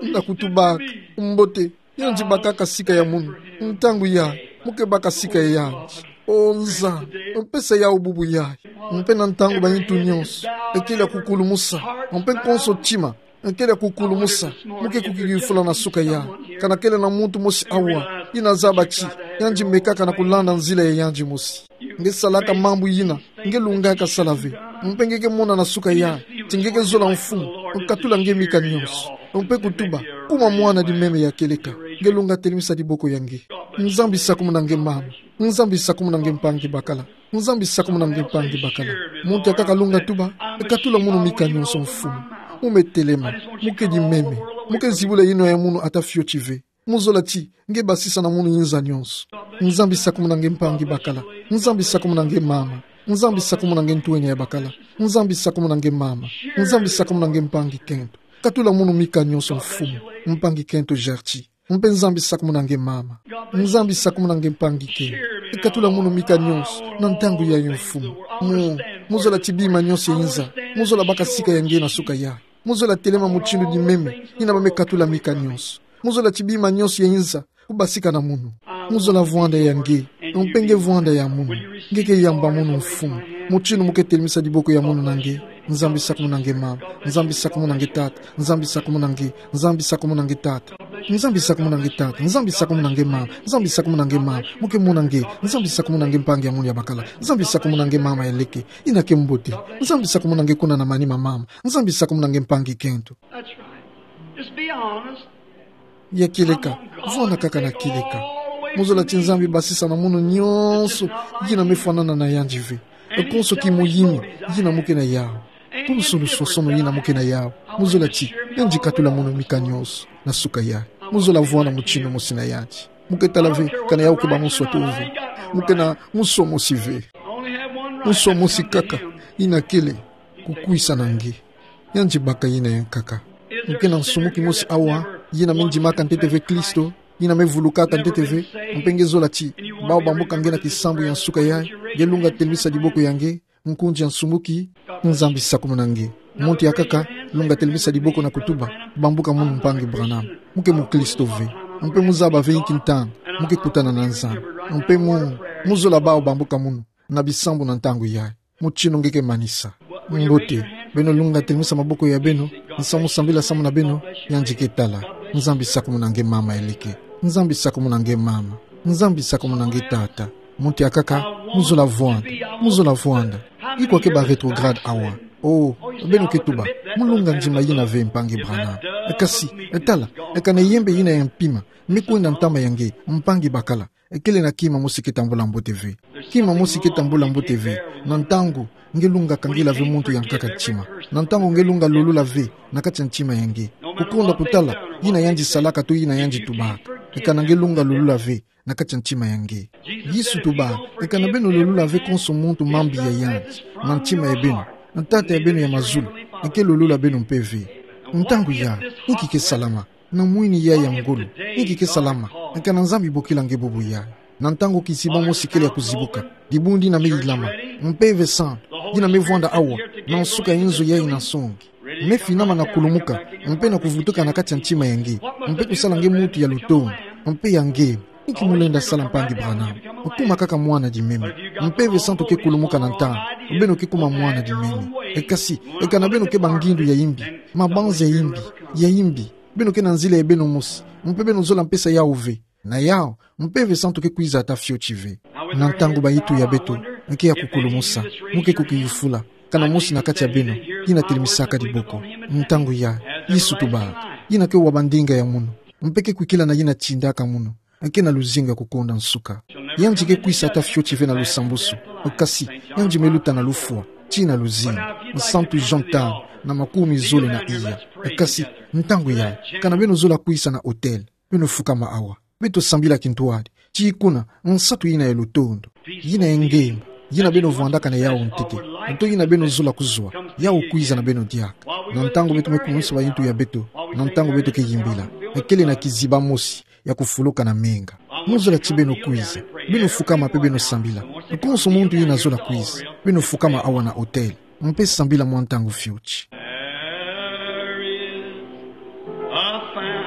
Na kutubaka. Mbote. Yandi bakaka sika ya munu. Ntangu yayi, mo ke baka sika ya yandi. O Nzambi, mpesa yawu bubu yayi. Mpe na ntangu ba intu nyonso, ekele ya kukulumusa, mpe konso tima, ekele ya kukulumusa, mo ke kukikifula na suka yayi. Kana kele na muntu mosi awa yina zaba ti yandi mekaka na kulanda nzila ya yandi mosi. Nge salaka mambu yina nge lungaka sala ve. Mpe nge ke mona na suka yayi ti nge ke zola, Mfumu. Katula nge mika nyonso. Mpe kutuba: Kuma mwana dimeme ya kieleka. Nge lunga telemisa diboko ya nge. Nzambi, sakumuna nge mama. Nzambi, sakumuna nge mpangi bakala. Nzambi, sakumuna nge mpangi bakala. Muntu yakaka lunga tuba: Katula munu mika nyonso, Mfumu. Mo me telema. Mo ke dimeme. Mo ke zibula inwa ya munu ata fioti ve. Mo zola ti nge basisa na munu inza nyonso. Nzambi, sakumuna nge mpangi bakala. Nzambi, sakumuna nge mama. Nzambi, sakumuna nge ntwenya ya bakala. Nzambi, sakumuna nge mama. Nzambi, sakumuna nge mpangi kento. Katula munu mika nyonso, Mfumu. Mpangi kento Gertie. Mpe Nzambi, sakumuna nge mama. Nzambi, sakumuna nge mpangi kento. Katula munu mika nyonso na ntangu yayi, Mfumu. Mo, mo zola ti bima nyonso ya inza. Mo zola baka sika ya nge na suka yayi. Mo zola telema mutindu dimeme yina ba me katula mika nyonso. Mo zola ti bima nyonso ya inza kubasika na munu. Mo zola vwanda ya nge, mpe nge vwanda ya munu. Nge ke yamba munu, Mfumu, mutindu mo ke telemisa diboko ya munu na nge. Nzambi, sakumuna nge mama. Nzambi, sakumuna nge tata. Nzambi, sakumuna nge. Nzambi, sakumuna nge tata. Nzambi, sakumuna nge tata. Nzambi, sakumuna nge mama. Nzambi, sakumuna nge mama. Mo ke mona nge. Nzambi, sakumuna nge mpangi ya munu ya bakala. Nzambi, sakumuna nge mama ya leke yina ke mbote. Nzambi, sakumuna nge kuna na manima mama. Nzambi, sakumuna nge mpangi kento. That's right. Just be honest. Ya kieleka, vwanda kaka na kieleka. Mu zola ti Nzambi basisa na mono nyonso yina mefwanana na yandi ve. Konso ki moyimi, yina mu ke na yau. Pulusu luswasono yina mu ke na yau. Mu zola ti, yandi katula mono mika nyonso, na suka yayi. Mu zola vwanda mutindu mosi na yandi. Mu ke tala ve, kana yau ke ba mu swatu ve. Mu ke na nswa mosi ve. Nswa mosi kaka, yina kele, kukwisa na nge. Yandi baka yina yankaka. Mu ke na nsumuki mosi awa, yina mindimaka ntete ve Kristo, yina mevulukaka ntete ve, mpe nge zola ti, bau bambuka nge na kisambu ya nsuka yayi, nge lunga telemisa diboko ya nge, nkunzi ya nsumuki, Nzambi sakumuna nge. Muntu yakaka, lunga telemisa diboko na kutuba, bambuka munu mpangi Branham. Mu ke mukristo ve. Mpe mu zaba ve inki ntangu, mu ke kutana na Nzambi. Mpe mu, mu zola bau bambuka munu, na bisambu na ntangu yayi. Mutindu nge ke manisa. Mbote, beno lunga telemisa maboko ya beno, nsamu sambila samu na beno, yandi ke tala. Nzambi sakumuna nge mama eleke. Nzambi sakumuna nge mama. Nzambi sakumuna nge tata. Muntu yakaka, mu zola vwanda, mu zola vwanda. Iko ke ba rétrograde awa. Oh, beno ke tuba, mu lunga ndima yina ve mpangi Branham. Kasi, tala, kana yembe yina ya mpima, mekwenda ntama ya nge, mpangi bakala. Kele na kima mosi ke tambula mbote ve. Kima mosi ke tambula mbote ve. Na ntangu, nge lunga kangila ve muntu yankaka ntima. Na ntangu nge lunga lulula ve, na kati ya ntima ya nge. Kukonda kutala, yina yandi salaka to yina yandi tubaka. Kana nge lunga lulula ve, na kati ya ntima ya nge. Yesu tuba, kana beno lulula ve konso muntu mambi ya yandi, na ntima ya beno, na Tata ya beno ya mazulu, ke lulula beno mpe ve. Ntangu yayi, inki ke salama, na mwini yayi ya ngolo, inki ke salama, kana Nzambi bokila nge bubu yayi. Na ntangu kiziba mosi kele ya kuzibuka, dibundu dina meyilama, Mpeve Santu, dina mevwanda awa, na nsuka ya nzo yayi na nsongi. Mefinama na kulumuka, mpe na kuvutuka na kati ya ntima ya nge, mpe kusala nge muntu ya lutondo, mpe ya nge, inki mu lenda sala mpangi Branham, kuma kaka mwana dimeme. Mpeve Santu ke kulumuka na ntangu, beno ke kuma mwana dimeme. Kasi, kana beno ke ba ngindu ya yimbi, mabanza ya yimbi, ya yimbi. Beno ke na nzila ya beno mosi, mpe beno zola mpesa yau ve. Na yau, Mpeve Santu ke kwiza ata fioti ve. Na ntangu ba itu ya beto, ke ya kukulumusa, mu ke kukiyufula, kana mosi na kati ya beno, yina telemisaka diboko. Ntangu yayi, Yesu tubaka, yina ke wa ba ndinga ya munu, mpe ke kwikila na yina tindaka munu, ke na luzingu ya kukonda nsuka. Yandi ke kwiza ata fioti ve na lusambusu, kasi, yandi meluta na lufwa, tii na luzingu. Santu Jean tanu, na makumi zole na iya. Kasi, ntangu yayi, kana beno zola kwiza na autel, beno fukama awa. Beto sambila kintwadi, tii kuna, nsatu yina ya lutondo, yina ya ngemba, yina beno vwandaka na yau ntete, nto yina beno zola kuzwa, yau kwiza na beno diaka. Na ntangu beto me kumusa ba itu ya beto, na ntangu beto ke yimbila, kele na kiziba mosi ya kufuluka na menga. Mu zola ti beno kwiza, beno fukama mpe beno sambila. Konso muntu yina zola kwiza, beno fukama awa na autel, mpe sambila mwa ntangu fioti. There is a fountain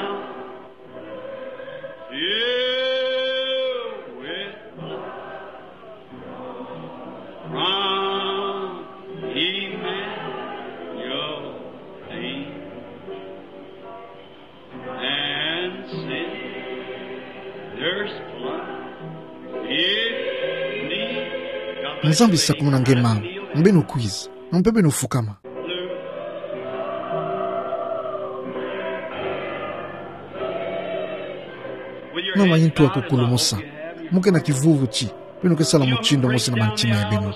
filled with blood from Emmanuel's hand. And sinners plunge beneath the Nzambi sakumuna nge mama, beno kwiza, mpe beno fukama. Na mayindu ya kukulumusa, mu ke na kivuvu ti beno ke sala mutindu mosi na mantima ya beno.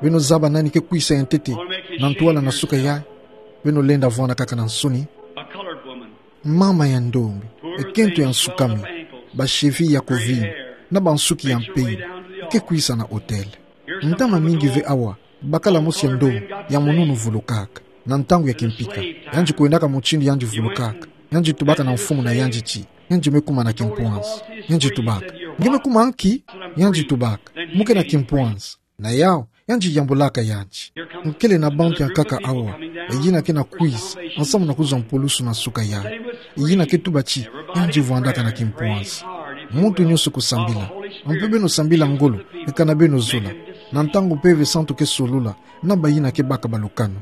Beno zaba nani ke kwiza ya ntete na ntwala na suka yayi. Beno lenda vwanda kaka na nsoni. A colored woman. Mama ya ndombi, ekento ya nsukami, ba cheville ya kuvimba, na bansuki ya mpembe, ke kwiza na autel. Ntama mingi ve awa, bakala mosi ya ndombi, ya mununu vulukaka. Na ntangu ya kimpika, yandi kwendaka mutindu yandi vulukaka. Yandi tubaka na mfumu na yandi ti, yandi me kuma na kimpwanza. Yandi tubaka: Nge me kuma nki? Yandi tubaka: Mu ke na kimpwanza. Na yawu, yandi yambulaka yandi. Kele na bantu ya nkaka awa, yina ke na kwiza, nsamu na kuzwa mpulusu na suka yayi. Yina ke tuba ti, yandi vwandaka na kimpwanza. Muntu nyonso kusambila. Mpe beno sambila ngolo, kana beno zola. Na ntangu Mpeve Santu ke solula na bayina ke baka balukanu,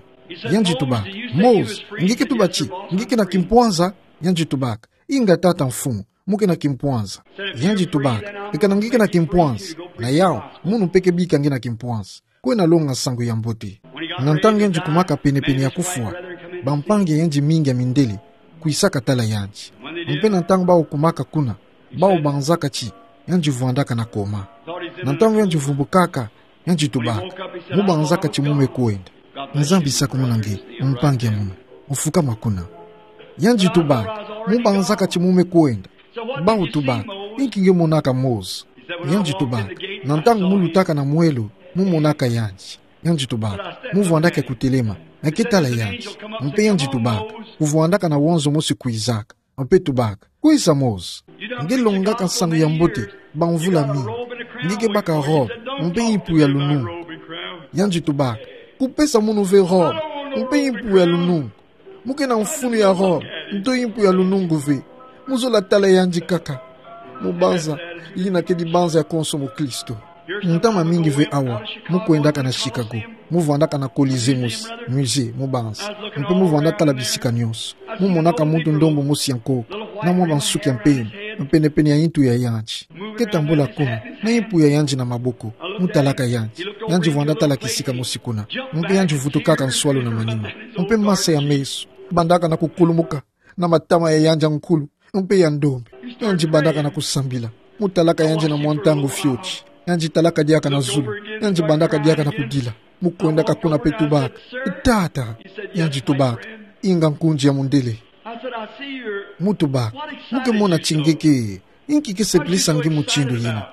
yandi tubaka: Moïse, nge ke tuba ti nge ke na kimpwanza? Yandi tubaka: Inga tata mfumu, mu ke na kimpwanza. Yandi tubaka: Kana nge ke na kimpwanza, na yawu, munu mpe ke bika nge na kimpwanza. Kwenda longa nsangu ya mbote. Na ntangu yandi kumaka penepene ya kufwa, bampangi ya yandi mingi ya mindele kwisaka tala yandi. Mpe na ntangu bawu kumaka kuna, bawu banzaka ti yandi vwandaka na koma. Na ntangu yandi vumbukaka, yandi tubaka: Mu banzaka ti mu me kwenda. Nzambi sakumuna nge, mpangi ya munu, ofukama kuna. Yandi tubaka: Mu banzaka ti mu me kwenda. Bawu tubaka: Inki nge monaka, Mose? Yandi tubaka: Na ntangu mu lutaka na mwelo, mu monaka yandi. Yandi tubaka: Mu vwandaka kutelema, nge ke tala yandi. Mpe yandi tubaka: Ku vwandaka na wonzo mosi kwizaka. Mpe tubaka: Kwiza, Mose. Nge longaka nsangu ya mbote bamvula mingi. Nge ke baka robe mpe impu ya lunungu. Yandi tubaka: Ku pesa munu ve robe mpe impu ya lunungu. Mu ke na mfunu ya robe nto impu ya lunungu ve. Mu zola tala yandi kaka. Mu banza, yina kedi banza ya konso mukristo. Ntama mingi ve awa, mu kwendaka na Chicago, mu vwandaka na Colisée mosi, musée, mu banza. Mpe mu vwanda tala bisika nyonso. Mu monaka muntu ndombo mosi ya nkoko, na mwa bansuki ya mpembe, penepene ya intu ya yandi. Ke tambula kuna, na impu ya yandi na maboko, mu talaka yandi. Yandi vwanda tala kisika mosi kuna. Mpe yandi vutukaka nswalu na manima. Mpe masa ya meso bandaka na kukulumuka na matama ya yandi ya nkulu mpe ya ndombe. Yandi bandaka na kusambila. Mu talaka yandi na mwa ntangu fioti. Yandi talaka diaka na zulu. Yandi bandaka diaka na kudila. Mu kwendaka kuna mpe tubaka: Tata. Yandi tubaka: Inga nkunzi ya mundele. Mu tubaka: Mu ke mona ti nge ke, inki ke sepelisa nge mutindu yina?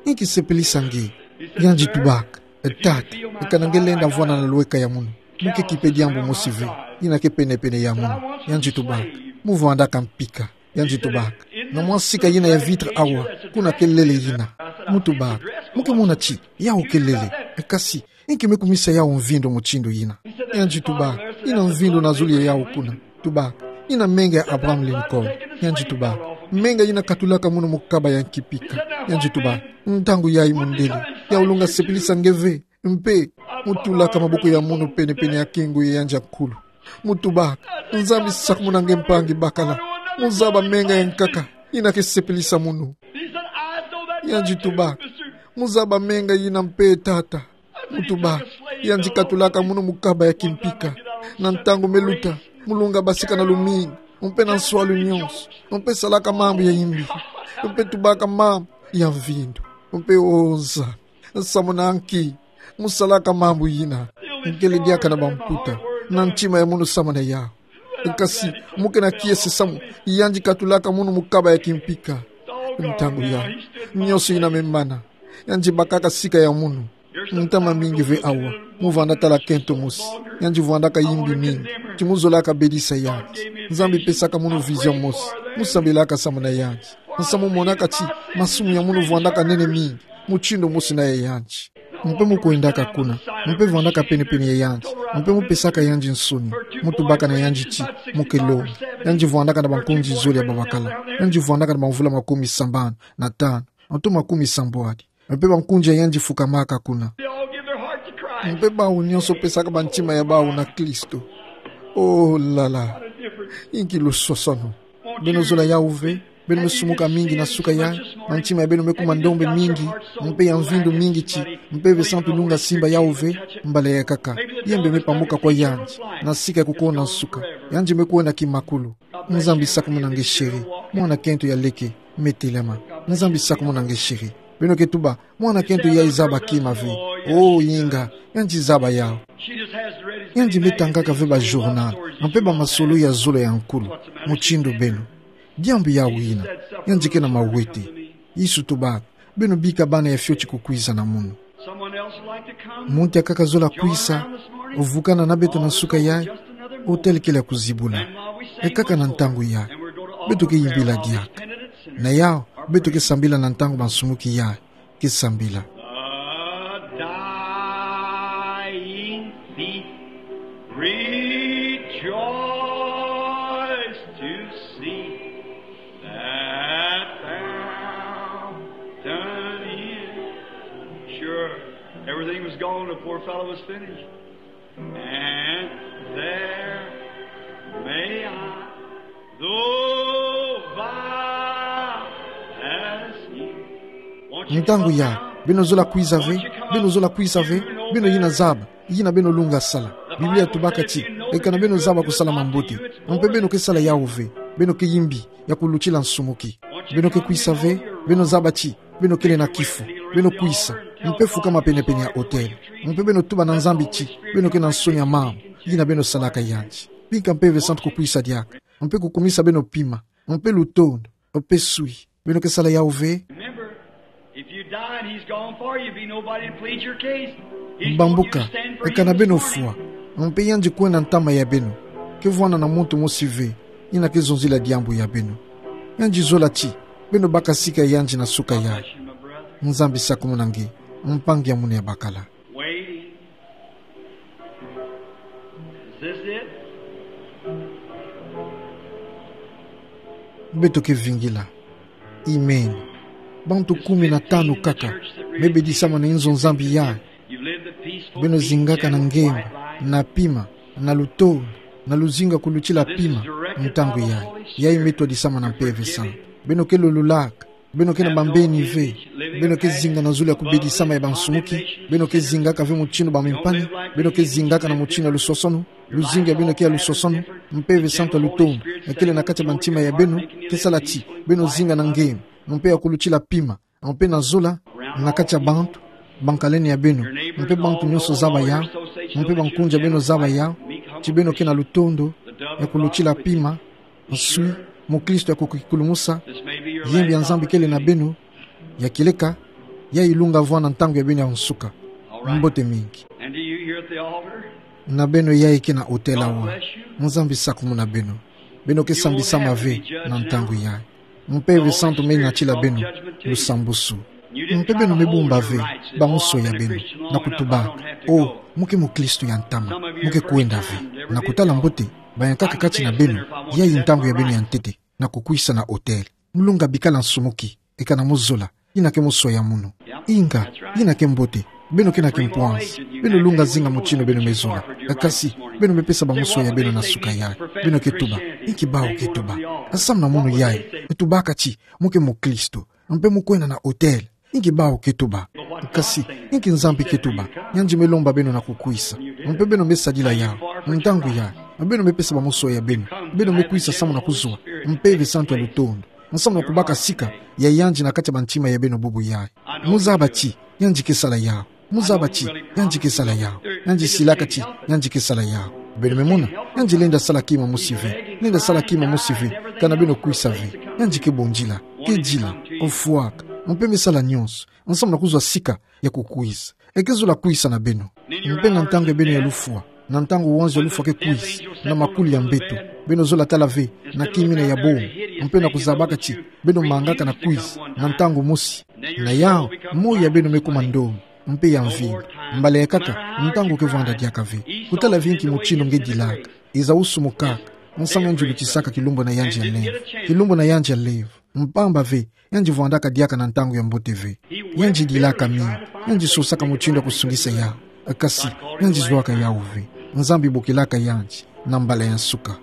Inki sepelisa nge? Yandi tubaka: Tata, kana nge lenda vwanda na lweka ya munu, mu ke kipe diambu mosi ve, yina ke penepene ya munu. Yandi tubaka: Mu vwandaka mpika. Yandi tubaka: Na mwa sika yina ya vitre awa, kuna ke lele yina. Mu tubaka: Mu ke mona ti yau ke lele. Kasi inki me kumisa yau mvindu mutindu yina? Yandi tubaka: Ina mvindu na zulu ya yau kuna. Tubaka: Ina menga ya Abraham Lincoln. Yandi tubaka: Menga yina katulaka munu mu kaba ya kimpika. Yandi tubaka: Ntangu yayi mundele, yau lunga sepelisa nge ve. Mpe mu tulaka maboko ya munu penepene ya kingu ya yandi ya nkulu. Mu tubaka: Nzambi sakumuna nge, mpangi bakala. Mu zaba menga ya nkaka yina ke sepelisa munu. Yandi tubaka: Mu zaba menga yina mpe, tata. Mu tubaka: Yandi katulaka munu mu kaba ya kimpika. Na ntangu me luta, mu lunga basika na lumingu, mpe na nswalu nyonso, mpe salaka mambu ya imbi, mpe tubaka mambu ya mvindu, mpe onza. Samunaki, mu salaka mambu yina. Nkele diaka na bamputa, na ntima ya munu samuna yau. Kasi mu ke na kiese samu yandi katulaka munu mu kaba ya kimpika. Ntangu yayi, nyonso yina me mana. Yandi bakaka sika ya munu. Ntama mingi ve awa, mu vwanda tala kento mosi. Yandi vwandaka imbi mingi, ti mu zolaka bedisa yandi. Nzambi pesaka munu vision mosi. Mu sambilaka samuna yandi. Nsa mu monaka ti masumu ya munu vwandaka nene mingi, mutindu mosi na ya yandi. Mpe mu kwendaka kuna, mpe vwandaka penepene ya yandi, mpe mu pesaka yandi nsoni. Mu tubaka na yandi ti mu ke longa. Yandi vwandaka na bankunzi zole ya babakala. Yandi vwandaka na bamvula makumi sambanu na tanu, nto makumi sambwadi. Mpe bankunzi ya yandi fukamaka kuna. Mpe bawu nyonso pesaka bantima ya bawu na Kristo. Oh là là. Inki luswaswanu! Beno zola yau ve? Beno me sumuka mingi na suka yayi, na ntima ya beno me kuma ndombe mingi, mpe ya mvindu mingi ti mpe ve santu lunga simba yau ve? Mbala ya kaka, yembe me pamuka kwa yandi, na sika ya kukonda nsuka, yandi me kwenda kimakulu. Nzambi sakumuna nge, chéri. Mwana kento ya leke, me telama. Nzambi sakumuna nge, chéri. Beno ke tuba: Mwana kento yayi zaba kima ve. Oh, inga, yandi zaba yau. Yandi me tangaka ve bajournal, mpe bamasolo ya zolo ya nkulu. Mutindu beno, diambu yawu yina. Yandi ke na mawete. Yesu tubaka: Beno bika bana ya fioti kukwiza na munu. Muntu akaka zola kwiza, vukana na beto na suka yayi, hôtel kele ya kuzibula. Ekaka na ntangu yayi, beto ke yimbila diaka. Na yau, beto ke sambila na ntangu bansumuki yayi ke sambila. The dying thief rejoiced to see that fountain in. Sure, everything was gone. The poor fellow was finished. And there may I, though by as he. Won't you come down? Ntangu yayi, beno zola kwiza ve? Beno zola kwiza ve? Beno yina zaba yina beno lunga sala. Biblia tubaka ti: Ekana beno zaba kusala mambote, mpe beno ke sala yau ve. Beno ke yimbi ya kulutila nsumuki. Beno ke kwisa ve, beno zaba ti beno kele na kifu. Beno kwisa, mpe fukama penepene ya otele. Mpe beno tuba na Nzambi ti beno ke na nsoni ya mama yina beno salaka yandi. Bika Mpeve Santu kukwisa diaka, mpe kukumisa beno pima, mpe lutondo, mpe sui. Beno ke sala yawu ve? Remember, if you died, he's gone for you. Be nobody to plead your case. He's gone, you stand for you this morning. Bambuka, e kana beno fwa, mpe yandi kwenda ntama ya beno, ke vwanda na muntu mosi ve yina ke zonzila diambu ya beno. Yandi zola ti beno baka sika yandi na suka yayi. Nzambi sakumuna nge, mpangi ya munu ya bakala. Waiting. Is this it? Beto ke vingila. Amen. Bantu kumi na tanu kaka me bedisama na inzo Nzambi yayi. Beno zingaka na ngemba, na pima, na lutondo, na luzingu ya kulutila pima, ntangu yayi. Yayi me twadisama na Mpeve Santu. Beno ke lolulaka. Beno ke na bambeni ve. Beno ke zinga na zulu ya kubedisama ya bansumuki. Beno ke zingaka ve mutindu bamimpani. Beno ke zingaka na mutindu ya lusosonu. Luzingu ya beno ke ya lusosonu. Mpeve Santu ya lutondo, e kele na kati ya bantima ya beno, ke sala ti beno zinga na ngemba, mpe ya kulutila pima, mpe na zola na kati ya bantu bankalene ya beno, mpe bantu nyonso zaba yawu, mpe bankunzi ya beno zaba yawu, ti beno ke na lutondo ya kulutila pima, nsui, mukristu ya kukikulumusa. Yembi ya Nzambi kele na beno, ya kieleka, ya ilunga vwanda ntangu ya beno ya nsuka. Mbote mingi. And do you here at the altar? Na beno yayi ke na otele awa, Nzambi sakumuna beno. Beno ke sambisama ve na ntangu yayi. Mpeve Santu me natila beno lusambusu. Mpe beno me bumba ve bamusoya beno na kutubaka: "O, mu ke mukristu ya ntama, mu ke kwenda ve." Na kutala mbote, bayankaka kati na beno, yayi ntangu ya beno ya ntete na kukwisa na otele. Mulunga bikala nsumuki, e kana muzola, yina ke musoya munu. Inga, yina ke mbote. Beno ke na kimpwansi. Beno lunga zinga mutindu beno me zola. Kasi beno me pesa bamusoya beno na suka yayi. Beno ke tuba: "Inki bawu ke tuba?" Asamu na munu yayi e tubaka ti mu ke mukristu, mpe mu kwenda na otele. Inki bawu ke tuba? Kasi inki Nzambi ke tuba? Yandi me lomba beno na kukwisa. Mpe beno me sadila yawu. Ntangu yayi beno me pesa bamusoya beno. Beno me kwisa samu na kuzwa Mpeve Santu ya lutondo, samu na kubaka sika ya yandi na kati ya bantima ya beno bubu yayi. Muzaba ti yandi ke sala yawu. Muzaba ti yandi ke sala yawu. Yandi silaka ti yandi ke sala yawu. Beno me mona, yandi lenda sala kima mosi ve. Lenda sala kima mosi ve kana beno kwisa ve. Yandi ke bondila, ke dila, ofwaka, mpe me sala nyonso samu na kuzwa sika ya kukwisa. E ke zola kwisa na beno. Mpe na ntangu ya beno ya lufwa, na ntangu wanzu ya lufwa ke kwisa na makuli ya mbeto, beno zola tala ve na kimina ya bomo, mpe na kuzabaka ti beno mangaka na kwisa na ntangu mosi. Na yawu, moyo ya beno me kuma ndombi, mpe ya mvimba. Mbala ya nkaka, ntangu ke vwanda diaka ve. Kutala ve inki mutindu nge dilaka. Iza usumukaka, samu yandi lutisaka kilumbu na yandi ya levo. Kilumbu na yandi ya levo. Mpamba ve, yandi vwandaka diaka na ntangu ya mbote ve. Yandi dilaka mingi, yandi sosaka mutindu ya kusungisa yawu. Kasi yandi zwaka yawu ve. Nzambi bokilaka yandi na mbala ya nsuka.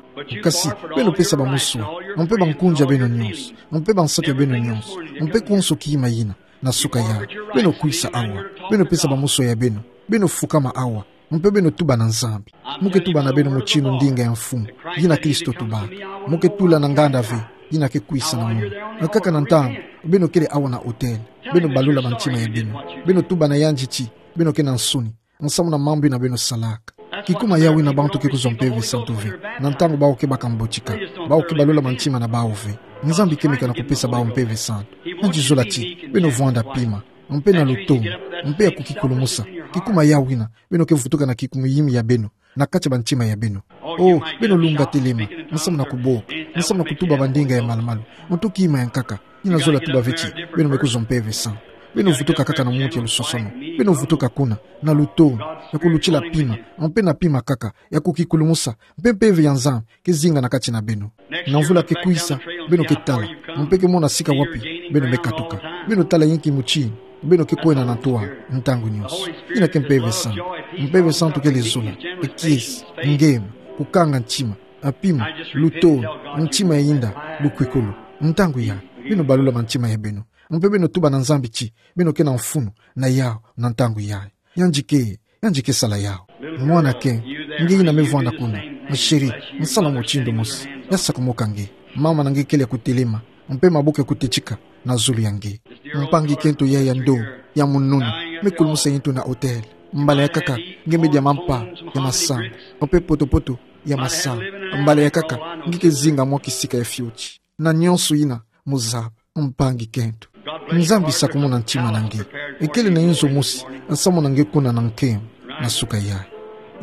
Kasi beno pesa bamusoya, mpe bankunzi ya beno nyonso, mpe bansatu ya beno nyonso, mpe konso kima yina, na suka yayi. Beno kwisa awa. Beno pesa bamusoya beno. Beno fukama awa. Mpe beno tuba na Nzambi. Mu ke tuba na beno mutindu ndinga ya mfumu, yina Kristo tubaka. Mu ke tula na nganda ve, yina ke kwisa na munu. Nkaka na ntangu beno kele awa na otele, beno balula bantima ya beno. Beno tuba na yandi ti beno ke na nsoni samu na mambu yina beno salaka. Kikuma yawu yina bantu ke kuzwa Mpeve Santu ve, na ntangu bawu ke baka mbotika, bawu ke balula bantima na bawu ve. Nzambi kemeka na kupesa bawu Mpeve Santu. Yandi zola ti beno vwanda pima, mpe na lutondo, mpe ya kukikulumusa. Kikuma yawu yina beno ke vutuka na kikumu yimi ya beno, na kati ya bantima ya beno. O, beno lunga telema, samu na kuboka, samu na kutuba bandinga ya malumalu, mutu kima ya nkaka, yina zola tuba ve ti beno me kuzwa Mpeve Santu. Beno vutuka kaka na muntu ya lusosono. Beno vutuka kuna na lutondo, ya kulutila pima, mpe na pima kaka, ya kukikulumusa, mpe Mpeve ya Nzambi ke zinga na kati na beno. Na mvula ke kwisa, beno ke tala, mpe ke mona sika wapi beno me katuka. Beno tala inki mutindu beno ke kwenda na ntwala ntangu nyonso. Yina ke Mpeve Santu. Mpeve Santu kele zola, kiese, ngema, kukanga ntima, pima, lutondo, ntima ya inda, lukwikulu. Ntangu yayi, beno balula bantima ya beno. Mpe beno tuba na Nzambi ti beno ke na mfunu na yawu na ntangu yayi. Yandi ke, yandi ke sala yawu. Mwana ke, nge yina me vwanda kuna, ma chérie, sala mutindu mosi. Ya sakumuka nge. Mama na nge kele ya kutelema, mpe maboko ya kutetika na zulu ya nge. Mpangi kento ya ya ndo, ya mununu, me kulumusa yintu na hôtel. Mbala ya nkaka, nge me dia mampa ya masangu, mpe poto-poto ya masangu. Mbala ya nkaka, nge ke zinga mwa kisika ya fioti. Na nyonso yina, muzaba, mpangi kento. Nzambi sakumuna ntima na nge. Ekele na inzo mosi, asamuna nge kuna na nkembo, na suka ya,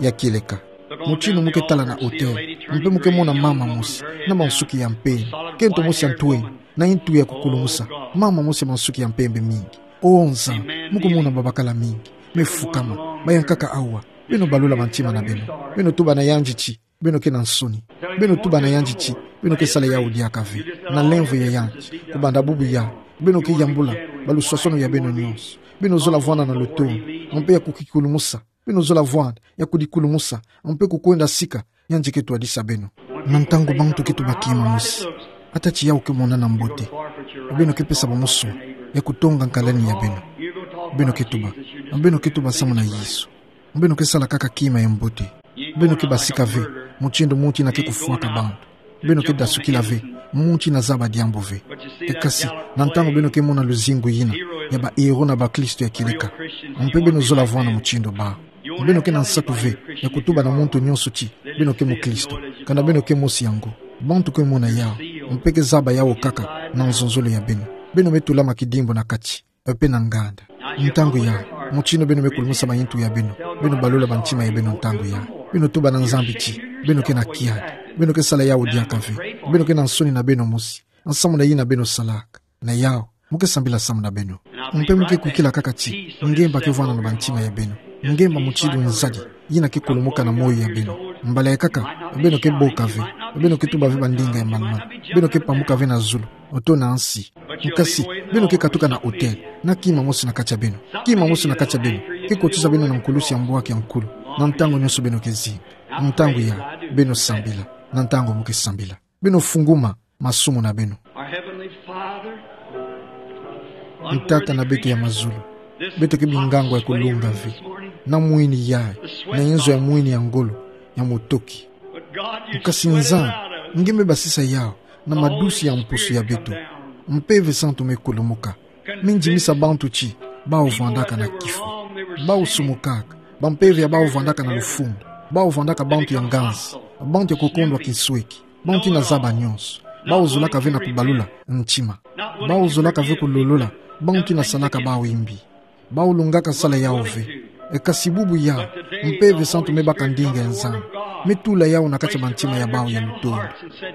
ya kieleka. Mutindu mu ke tala na hôtel, mpe mu ke mona mama mosi, na mansuki ya mpembe, kento mosi ya ntwenya, na yintu ya kukulumusa, mama mosi ya mansuki ya mpembe mingi. O Nzambi, mu ke mona babakala mingi, me fukama, baya nkaka awa, beno balula bantima na beno, beno tuba na yandi ti, beno ke na nsoni. Beno tuba na yandi ti, beno ke sala yawu diaka ve. Na lemvo ya yandi, kubanda bubu ya, beno ke yambula baluswaswanu ya beno nyonso. Beno zola vwanda na lutondo, mpe ya kukikulumusa. Beno zola vwanda ya kudikulumusa, mpe kukwenda sika yandi ke twadisa beno. Na ntangu bantu ke tuba kima mosi, ata ti yawu ke monana mbote, beno ke pesa bamuswa ya kutonga nkalani ya beno. Beno ke tuba, beno ke tuba samuna Yesu. Beno ke sala kaka kima ya mbote. Beno ke basika ve mutindu muntu yina ke kufwaka bantu. Beno ke dasukila ve muntu yina zaba diambu ve. E kasi, na ntangu beno ke mona luzingu yina ya ba héros na bakristo ya kieleka, mpe beno zola vwanda mutindu bawu. Beno ke na nsatu ve ya kutuba na muntu nyonso ti beno ke mukristo, kana beno ke mosi yango. Bantu ke mona yawu, mpe ke zaba yawu kaka na nzonzolo ya beno. Beno me tulama kidimbu na kati, mpe na nganda. Ntangu yayi, mutindu beno me kulumusa mayintu ya beno, beno balula bantima ya beno ntangu yayi. Beno tuba na Nzambi ti, beno ke na kiadi, beno ke sala yawu diaka ve, beno ke na nsoni na beno mosi, samuna yina beno salaka. Na yawu, mu ke sambila samuna beno. Mpe mu ke kwikila kaka ti ngemba ke vwanda na bantima ya beno. Ngemba mutindu nzadi yina ke kulumuka na moyo ya beno. Mbala ya nkaka, beno ke boka ve, beno ke tuba ve bandinga ya manimana, beno ke pamuka ve na zulu, oto na nsi. Nkasi, beno ke katuka na hôtel, na kima mosi na kati ya beno. Kima mosi na kati ya beno ke kotisa beno na nkulusi ya mbwaki ya nkulu. Na ntangu nyonso beno ke zinga. Ntangu yayi, beno sambila. Na ntangu mu ke sambila, beno funguma masumu na beno. Our Heavenly Father, Tata na beto ya mazulu, beto ke bingango ya kulunga ve na mwini yayi, na inzo ya mwini ya ngolo, ya mutoki. Nkasi Nzambi, nge me basisa yawu na madusi ya mpusu ya beto. Mpeve Santu me kulumuka, me ndimisa bantu ti bawu vwandaka na kifo. Bawu sumukaka, bampeve ya bawu vwandaka na lufundu, bawu vwandaka bantu ya nganzi, bantu ya kukondwa kinsweki, bantu yina zaba nyonso. Bawu zolaka ve na kubalula ntima. Bawu zolaka ve kulolola bantu yina salaka bawu yimbi. Bawu lungaka sala yawu ve. E kasi bubu yayi, Mpeve Santu me baka ndinga ya Nzambi, me tula yawu na kati ya bantima ya bawu ya lutondo.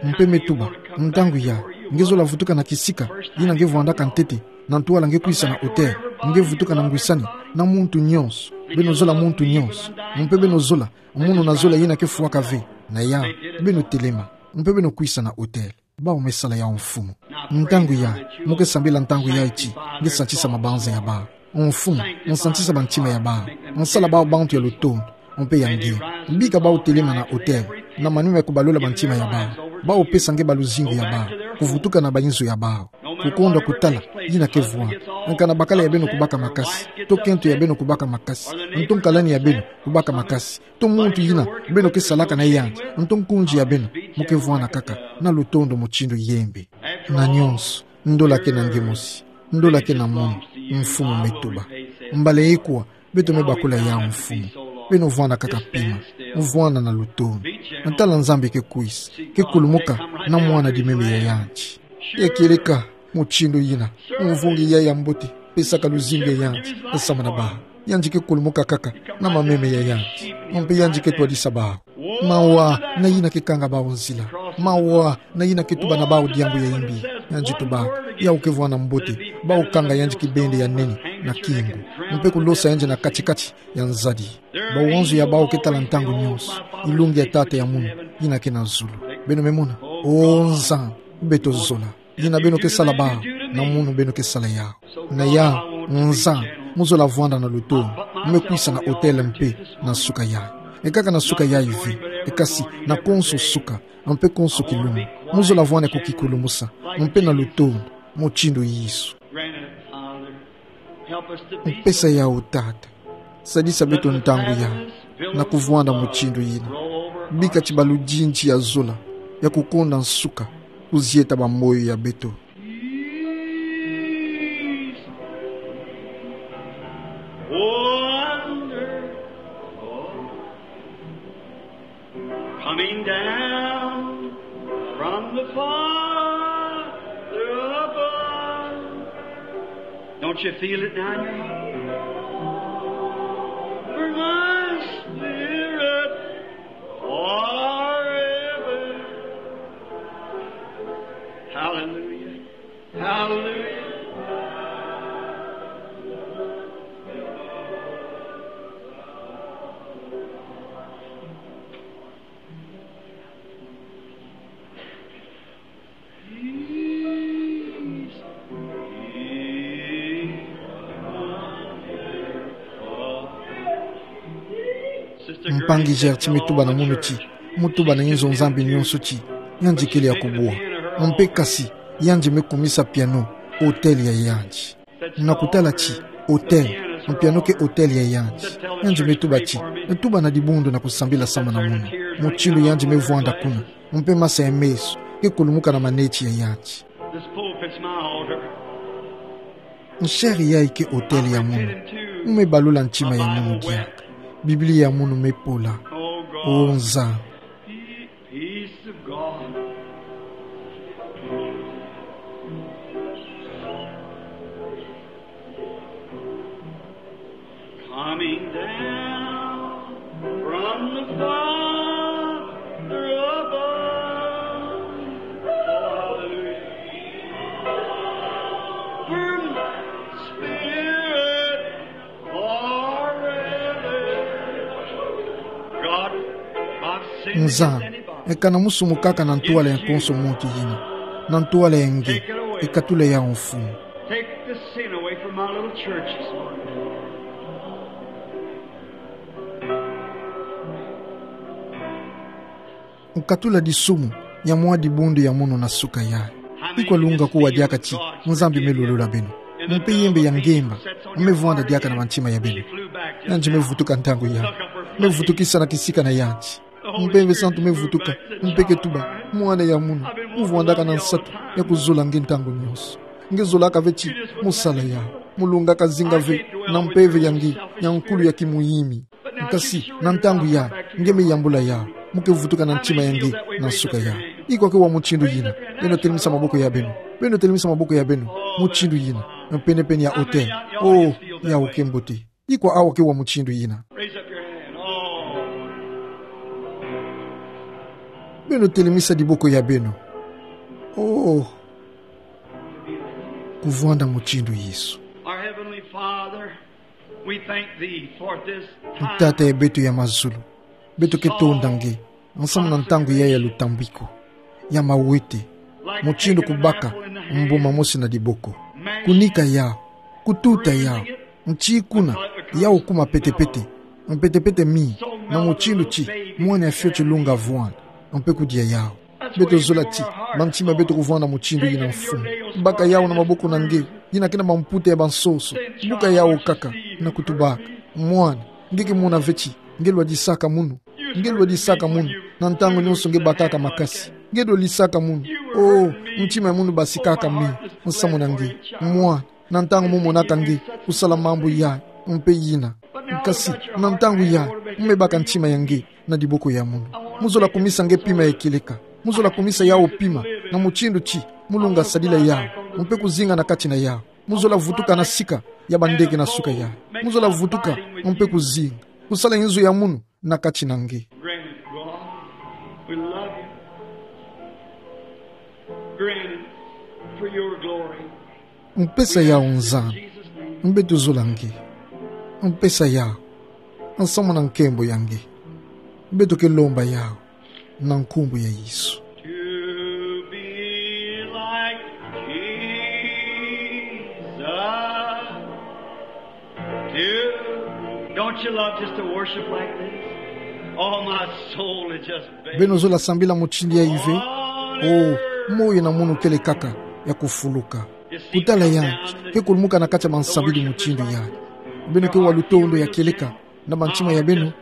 Mpe me tuba, ntangu yayi, nge zola vutuka na kisika yina nge vwandaka ntete, na ntwala nge kwisa na hôtel, nge vutuka na ngwisani na muntu nyonso. Beno zola muntu nyonso, mpe beno zola munu na zola yina ke fwaka ve. Na yawu, beno telema, mpe beno kwisa na hôtel. Bawu me sala yawu, Mfumu. Ntangu yayi, mu ke sambila ntangu yayi ti nge santisa mabanza ya bawu. Mfumu, santisa bantima ya bawu. Sala bawu bantu ya lutondo, mpe ya nge. Bika bawu telema na hôtel, na manima ya kubalula bantima ya bawu. Bawu pesa nge baluzingu ya bawu, kuvutuka na bainzo ya bawu. Kukondwa kutala yina ke vwanda. Kana bakala ya beno kubaka makasi, to kento ya beno kubaka makasi, nto nkalani ya beno kubaka makasi, to muntu yina beno ke salaka na yandi, nto nkunzi ya beno, mu ke vwanda kaka na lutondo mutindu yembe. Na nyonso, ndola ke na nge mosi, ndola ke na munu, Mfumu, me tuba. Mbala ikwa beto me bakula yawu, Mfumu. Beno vwanda kaka pima, mu vwanda na lutondo. Tala Nzambi ke kwisa, ke kulumuka na mwana-dimeme ya yandi. Ya kieleka mutindu yina mvungi yayi ya mbote pesaka luzingu ya yandi, samu na bawu. Yandi ke kulumuka kaka na mameme ya yandi, mpe yandi ke twadisa bawu. Mawa na yina ke kanga bawu nzila. Mawa na yina ke tuba na bawu diambu ya yimbi. Yandi tuba, yawu ke vwanda mbote, bawu kanga yandi kibende ya nene na kingu, mpe kulosa yandi na kati-kati ya nzadi. Bawanzo ya bawu ke tala ntangu nyonso ilungi ya Tata ya munu yina ke na zulu. Beno me mona? O Nzambi, beto zola. Yina beno ke sala bawu, na munu beno ke sala yawu. Na yawu, Nzambi, mu zola vwanda na lutondo, mu me kwisa na hôtel mpe na suka yayi. E kaka na suka yayi ve, e kasi na konso suka, mpe konso kilumbu, mu zola vwanda kukikulumusa, mpe na lutondo, mutindu Yesu. Pesa yawu, Tata. Sadisa beto ntangu yayi na kuvwanda mutindu yina. Bika ti baludindisi ya zola ya kukonda nsuka, Kuzieta ba moyo ya beto. Coming down from the Father above. Don't you feel it now in your heart? For my spirit forever. Hallelujah. Hallelujah. Mpangi Gertie me tuba na munu ti, mu tuba na inzo Nzambi nyonso ti, yandi kele ya kubwa. Mpe kasi, yandi me kumisa piano autel ya yandi. Na kutala ti, autel, mpiano ke autel ya yandi. Yandi me tuba ti, tuba na dibundu na kusambila samu na munu. Mutindu yandi me vwanda kuna, mpe masa ya meso ke kulumuka na maneti ya yandi. This pulpit's my altar. Nsheri yayi ke autel ya munu. Mu me balula ntima ya munu diaka. Biblia ya munu me pola. O Nzambi. Peace of God. Coming down from the Father above. Hallelujah. From Spirit forever. God, I've sinned against anybody. Nzambi, ekana mu sumu kaka na ntwala ya nkonso muntu yina, na ntwala ya nge, ekatula yawu Mfumu. Take the sin away from my little church this morning. Nkatula disumu ya mwa dibundu ya munu na suka yayi. Iko alunga kuwa diaka ti Nzambi me lulula beno? Mpe yembe ya ngemba me vwanda diaka na mantima ya beno. Yandi me vutuka ntangu yayi. Me vutukisa na kisika na yandi. Mpeve santu me vutuka, mpe ke tuba: Mwana ya munu, mu vwandaka na nsatu ya kuzola nge ntangu nyonso. Nge zolaka ve ti mu sala yawu, mu lungaka zinga ve na mpeve ya nge ya nkulu ya kimuyimi. Nkasi, na ntangu yayi, nge me yambula yawu, mu ke vutuka na ntima ya nge na nsuka yayi. Iko ke wa mutindu yina, beno telemisa maboko ya beno, beno telemisa maboko ya beno, mutindu yina, penepene ya autel. Oh, yawu ke mbote. Iko awa ke wa mutindu yina. Raise up your hand. Oh. Beno telemisa diboko ya beno. Oh. Kuvwanda mutindu Yesu. Our Heavenly Father, we thank thee for this time. Tata ya beto ya mazulu, beto ke tonda nge nsamu na ntangu yayi ya lutambiko, ya mawete, mutindu kubaka mbuma mosi na diboko. Kunika yawu, kututa yawu, nti kuna yawu kuma petepete, mpetepete mingi, na mutindu ti mwana ya fioti lunga vwanda, mpe kudia yawu. Beto zola ti mantima ya beto kuvwanda mutindu yina, Mfumu. Baka yawu na maboko na nge, yina ke na mamputa ya bansoso. Buka yawu kaka, na kutubaka: Mwana, nge ke mona ve ti nge lwadisaka munu. Nge lwadisaka munu, na ntangu nyonso nge bakaka makasi. Nge lwadisaka munu. Oh, ntima ya munu basikaka mingi nsamu na nge. Mwana, na ntangu mu monaka nge kusala mambu yayi mpe yina. Nkasi, na ntangu yayi, mu me baka ntima ya nge na diboko ya munu. Mu zola kumisa nge pima ya kieleka. Mu zola kumisa yawu pima na mutindu ti mu lunga sadila yawu, mpe kuzinga na kati na yawu. Mu zola vutuka na sika ya bandeke na nsuka yayi. Mu zola vutuka, mpe kuzinga kusala inzo ya munu na kati na nge. Grant it, God. We love you. Grant it for your glory. Mpesa yawu, Nzambi. Beto zola nge. Mpesa yawu nsamu na nkembo ya nge. Beto ke lomba yawu na nkumbu ya Yesu. To be like Jesus. To, don't you love just to worship like this? Oh, my soul is just begging. Beno zola sambila mutindu yayi ve? Oh, moyo na munu kele kaka ya kufuluka. Kutala yandi ke kulumuka na kati ya mansambidi mutindu yayi. Beno ke wa lutondo ya kieleka na bantima ya beno?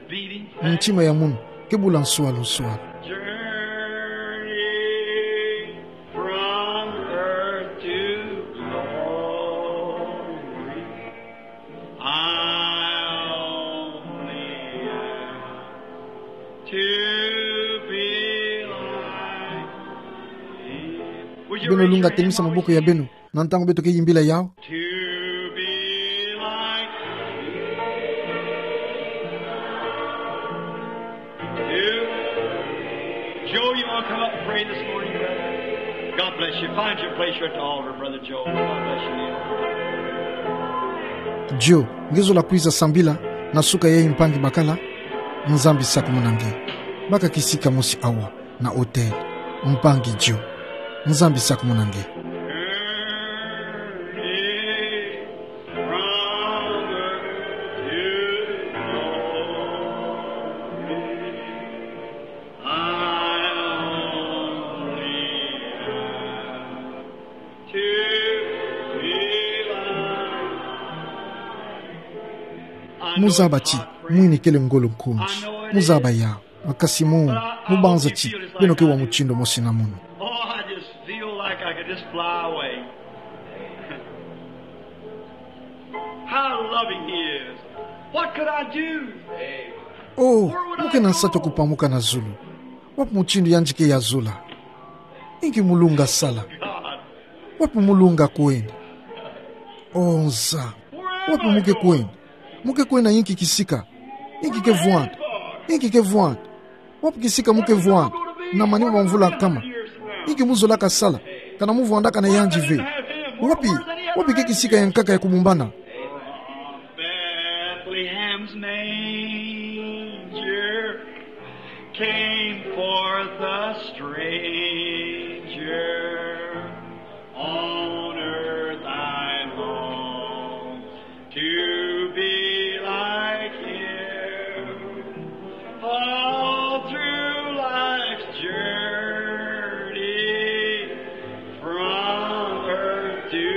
Ntima ya munu ke bula nswalu nswalu. To be like him. Beno lunga, temisa maboko ya beno. Na ntangu beto ke yimbila yawu. To be like him. Joe, you wanna come up and pray this morning, brother? God bless you. Find your place here at the altar, Brother Joe. God bless you. Joe, nge zola kwiza sambila na suka yayi, mpangi bakala? Nzambi sakumuna nge. Baka kisika mosi awa na autel, mpangi Joe. Nzambi sakumuna nge. Muzaba ti mwini kele ngolo nkonzi. Muzaba ya. Kasi mu, mubanza ti beno ke wa mutindu mosi na mono. Oh, I just feel like I could just fly away. How loving he is. What could I do? Oh, mu ke na nsatu ya kupamuka na zulu. Wapi mutindu yandi ke yazola? Inki mu lunga sala? God. Wapi mu lunga kwenda? Oh, Nza. Wapi mu ke kwenda? Mu ke kwenda na inki kisika? Inki ke vwanda? Inki ke vwanda? Wapi kisika mu ke vwanda na manima ma mvula nkama? Inki mu zolaka sala kana mu vwandaka na yandi ve? Wapi, wapi ke kisika yankaka ya kubumbana? Bethlehem's manger came forth a stranger. On earth I long to be like him. All through life's journey, from earth to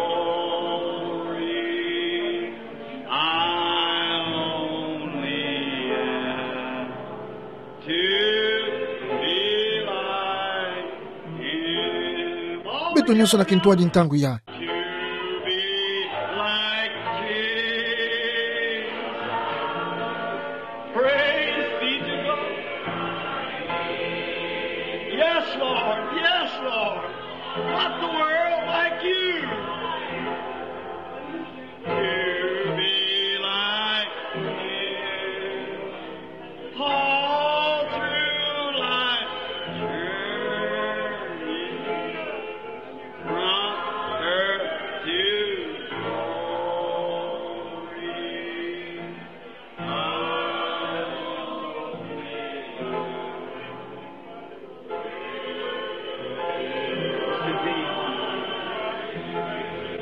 glory, I only ask to be like him. Beto nyonso na kintwadi ntangu ya. To be like Jesus. Praise be to God. Yes, Lord. Yes, Lord. Not the world, like you. To be like him. All through life's journey, from earth to glory, I only ask.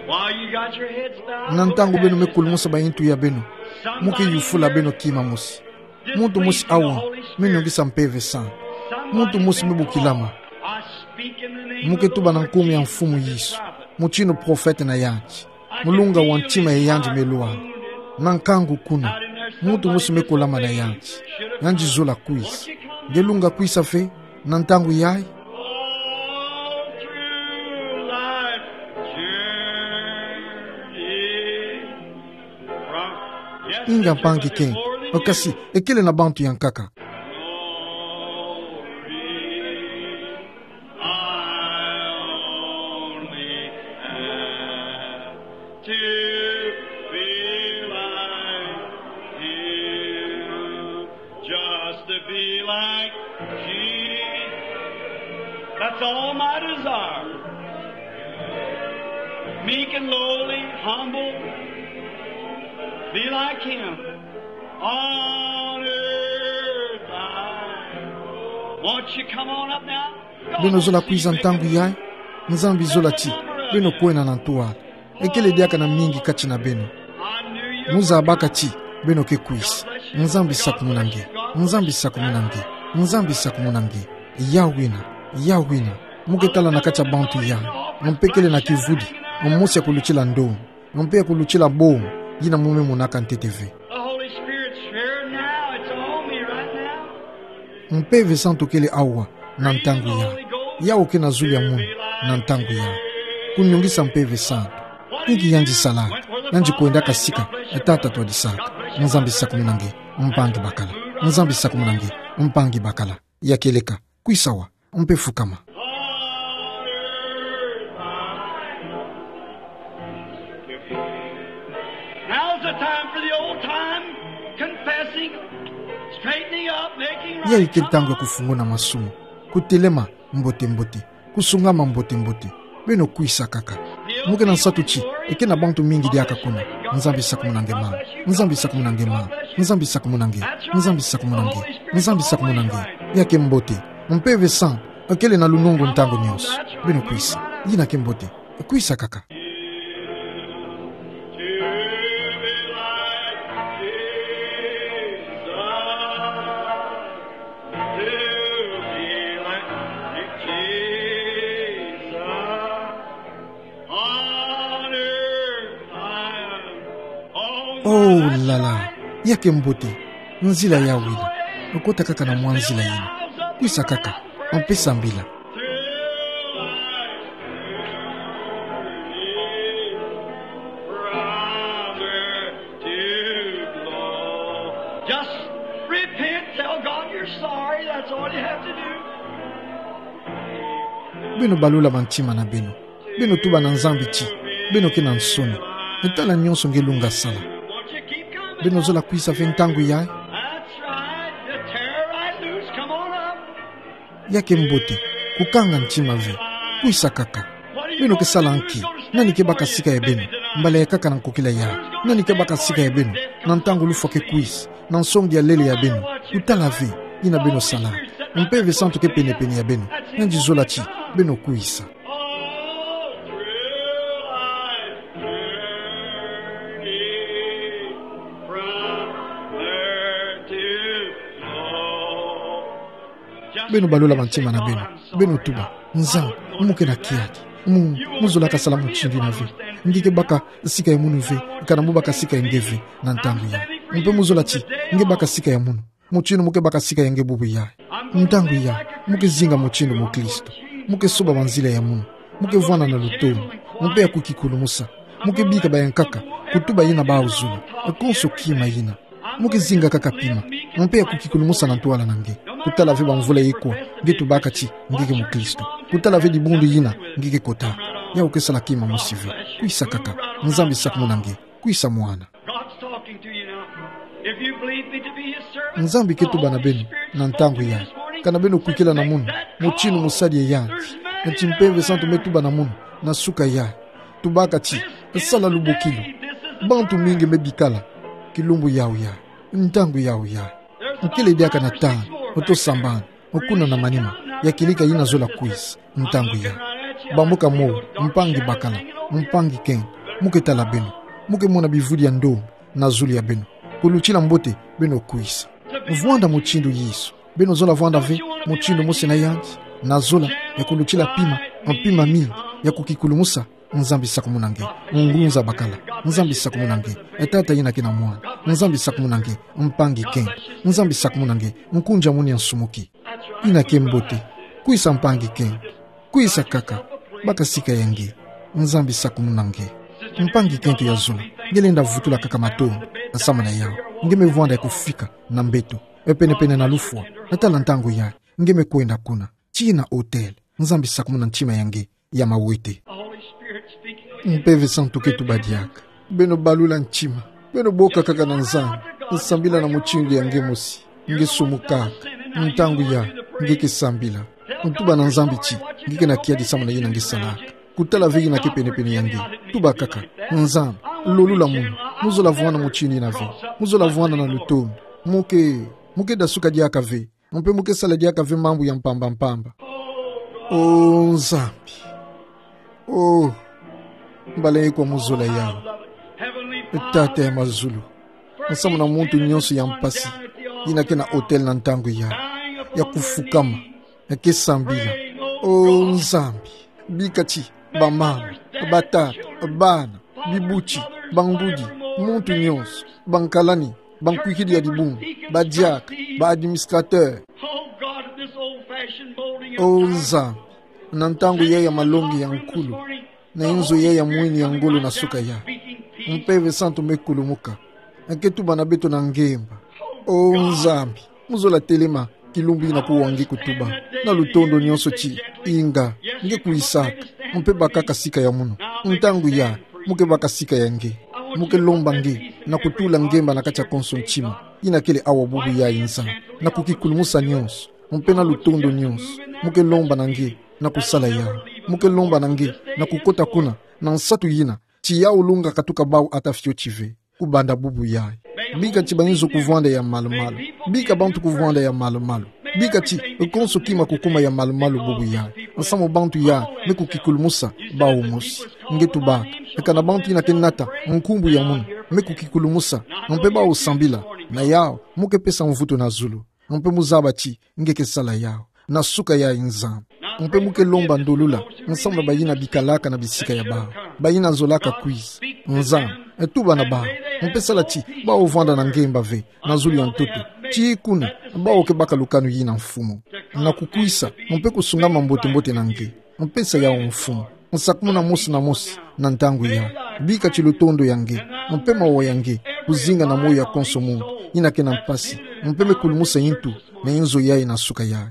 While you got your heads bowed, na ntangu beno me kulumusa bayintu ya beno, mu ke yufula beno kima mosi. Muntu mosi awa me nyongisa Mpeve Santu. Muntu mosi me bukilama. Mu ke tuba na nkumbu ya Mfumu Yesu, mutindu profete na yandi, mu lunga wa ntima ya yandi me lwala. Na nkangu kuna, muntu mosi me kulama na yandi. Yandi zola kwiza. Nge lunga kwiza ve na ntangu yayi? Inga, mpangi, ke, o kasi, ekele na bantu yankaka. To be like him, just to be like Jesus. That's all my desire. Meek and lowly, humble, be like him. On earth I. Won't you come on up now? Beno zola kwiza ntangu yayi? Nzambi zola ti beno kwenda na ntwala. Ekele diaka na mingi kati na beno. Mu zabaka ti beno ke kwiza. Nzambi sakumuna nge. Nzambi sakumuna nge. Nzambi sakumuna nge. Ya wina. Ya wina. Mu ke tala na kati ya bantu yayi. Mpe kele na kivudi. Mosi ya kulutila ndongi. Mpe ya kulutila bongo, yina mu me monaka ntete ve. The Holy Spirit's here now. It's on me right now. Mpeve Santu kele awa na ntangu yayi. Yawu ke na zulu ya mono na ntangu yayi. Kunyongisa Mpeve Santu. Inki yandi sala? Yandi kwendaka sika e tata twadisaka. Nzambi sakumuna nge, mpangi bakala. Nzambi sakumuna nge, mpangi bakala. Ya kieleka, kwisa awa, mpe fukama. Now's the time for the old time, confessing, straightening up, making right. Yayi ke ntangu ya kufunguna masumu, kutelema mbote-mbote, kusungama mbote-mbote. Beno kwisa kaka. Mu ke na nsatu ti, eke na bantu mingi diaka kuna. Nzambi sakumuna nge mama. Nzambi sakumuna nge mama. Nzambi sakumuna nge. Nzambi sakumuna nge. Nzambi sakumuna nge. Ya ke mbote. Mpeve santu akele na lunungu ntangu nyonso. Beno kwisa. Yina ke mbote. Kwisa kaka. Oh la la, ya ke mbote, nzila ya wele, okota kaka na mwa nzila yina, kwisa kaka, mpe sambila. Just repent, tell God you're sorry, that's all you have to do. Beno balula bantima na beno. Beno tuba na Nzambi ti beno ke na nsoni. Tala nyonso nge lunga sala. Beno zola kwisa ve ntangu yayi. That's right. The terror right loose. Come on up. Ya ke mbote, kukanga ntima ve. Kwisa kaka. Beno ke sala nki? Nani ke baka sika ya beno? Mbala ya nkaka na nkokila yayi. Nani ke baka sika ya beno? Na ntangu lufwa ke kwisa, na nsongi ya lele ya beno. Kutala ve, yina beno sala. Mpeve santu ke pene-pene ya beno. Yandi zola ti beno kwisa. Beno balula bantima na beno. Beno tuba: Nzambi, mu ke na kiadi. Mu, mu zolaka sala mutindu yina ve. Nge ke baka sika ya munu ve, kana mu baka sika ya nge ve, na ntangu yayi. Mpe mu zola ti nge baka sika ya munu. Mutindu mu ke baka sika ya nge bubu yayi. Ntangu yayi, mu ke zinga mutindu mukristu. Mu ke soba banzila ya munu. Mu ke vwanda na lutondo. Mpe ya kukikulumusa. Mu ke bika baya nkaka kutuba yina bawu zola. Konso kima yina. Mu ke zinga kaka pima. Mpe ya kukikulumusa na ntwala na nge. Kutala ve bamvula ikwa nge tubaka ti nge ke mukristu. Kutala ve dibundu yina nge ke kota. Yawu ke sala kima mosi ve. Kwisa kaka. Nzambi sakumuna nge. Kwisa mwana. God's talking to you now. If you believe me to be his servant, Nzambi ke tuba na beno na ntangu yayi. Kana beno kwikila na munu mutindu musadi ya yandi, nti Mpeve Santu me tuba na munu na suka yayi. Tubaka ti: Sala lubokilu. Bantu mingi me bikala kilumbu yawu yayi, ntangu yawu yayi. Nkele diaka na tanu, oto sambana, okuna na manima, ya kieleka yina zola kwisa ntangu yayi. Bambuka mo, mpangi bakala, mpangi kento, mu ke tala beno, mu ke mona bivudi ya ndombe na zulu ya beno. Kulutila mbote beno kwisa. Vwanda mutindu Yesu. Beno zola vwanda ve mutindu mosi na yandi, na zola ya kulutila pima, mpima mingi, ya kukikulumusa. Nzambi sakumuna nge. Ngunza bakala. Nzambi sakumuna nge. E tata yina ke na mwana. Nzambi sakumuna nge. Mpangi kento. Nzambi sakumuna nge. Nkunja munu ya nsumuki. Yina ke mbote. Kwisa mpangi kento. Kwisa kaka. Baka sika ya nge. Nzambi sakumuna nge. Mpangi kento ya zola. Nge lenda vutula kaka matondo samu na yawu. Nge me vwanda ya kufika na mbeto, e pene-pene na lufwa. Tala ntangu yayi nge me kwenda kuna. Tii na hotel. Nzambi sakumuna ntima ya nge ya mawete. Mpeve Santu ke tuba diaka. Beno balula ntima. Beno boka kaka na Nzambi. Sambila na mutindu ya nge mosi. Nge sumukaka. Ntangu yayi nge ke sambila. Tuba na Nzambi ti nge ke na kiadi samu na yina nge salaka. Kutala ve yina ke pene-pene ya nge. Tuba kaka: Nzambi, lolula munu. Mu zola vwanda mutindu yina ve. Mu zola vwanda na lutondo. Mu ke, mu ke dasuka diaka ve. Mpe mu ke sala diaka ve mambu ya mpamba-mpamba. O Nzambi. O, mbala ikwa mu zola yawu. Tata ya mazulu. Samu na muntu nyonso ya mpasi yina ke na hotel na ntangu yayi, ya kufukama, ya ke sambila. O Nzambi, bika ti bamama, batata, bana, bibuti, bangudi, muntu nyonso, bankalani, bankwikidi ya dibundu, badiaka, ba administrateur. O Nzambi, na ntangu yayi ya malongi ya nkulu, na inzo yayi ya mwini ya ngolo na suka yayi, Mpeve Santu me kulumuka, ke tuba na beto na ngemba. O Nzambi, Mu zola telema kilumbu ina kuwa nge kutuba, na lutondo nyonso ti, inga, nge kuisaka, mpe bakaka sika ya munu. Ntangu ya, mu ke baka sika ya nge. Mu ke lomba nge, na kutula nge mba na kati ya konso ntima ina kele awa bubu yayi nza, na kukikulumusa nyonso, mpe na lutondo nyonso, mu ke lomba na nge, na kusala yawu. Mu ke lomba na nge, na kukota kuna, na nsatu yina, ti yawu lunga katuka bawu ata fioti ve. Kubanda bubu yayi. Bika ti bainzo kuvwanda ya malu-malu. Bika bantu kuvwanda ya malu-malu. Bika ti konso kima kukuma ya malu-malu bubu yayi. Nsamu bantu ya me kukikulumusa bawu mosi. Nge tubaka. Eka na bantu ina ke nata nkumbu ya munu, me kukikulumusa. Mpe bawu sambila. Na yawu, mu ke pesa mvutu na zulu. Mpe mu zaba ti nge ke sala yawu. Na suka yayi Nzambi. Mpe mu ke lomba ndolula, nsamu na bayina bikalaka na bisika ya bawu, bayina zolaka kwiza. Nzambi, e tuba na bawu. Mpe sala ti bawu vwanda na nge mba ve, na zulu ya ntoto. Ti kuna, bawu ke baka lukanu yina mfumu. Na kukwisa, mpe kusungama mbote-mbote na nge. Mpe sa yawu mfumu. Nsakumunu mosi na mosi, na ntangu yayi. Bika ti lutondo ya nge, mpe mawa ya nge, kuzinga na moyo ya konso muntu ina ke na mpasi, mpe me kulumusa intu na inzo yayi na suka yayi.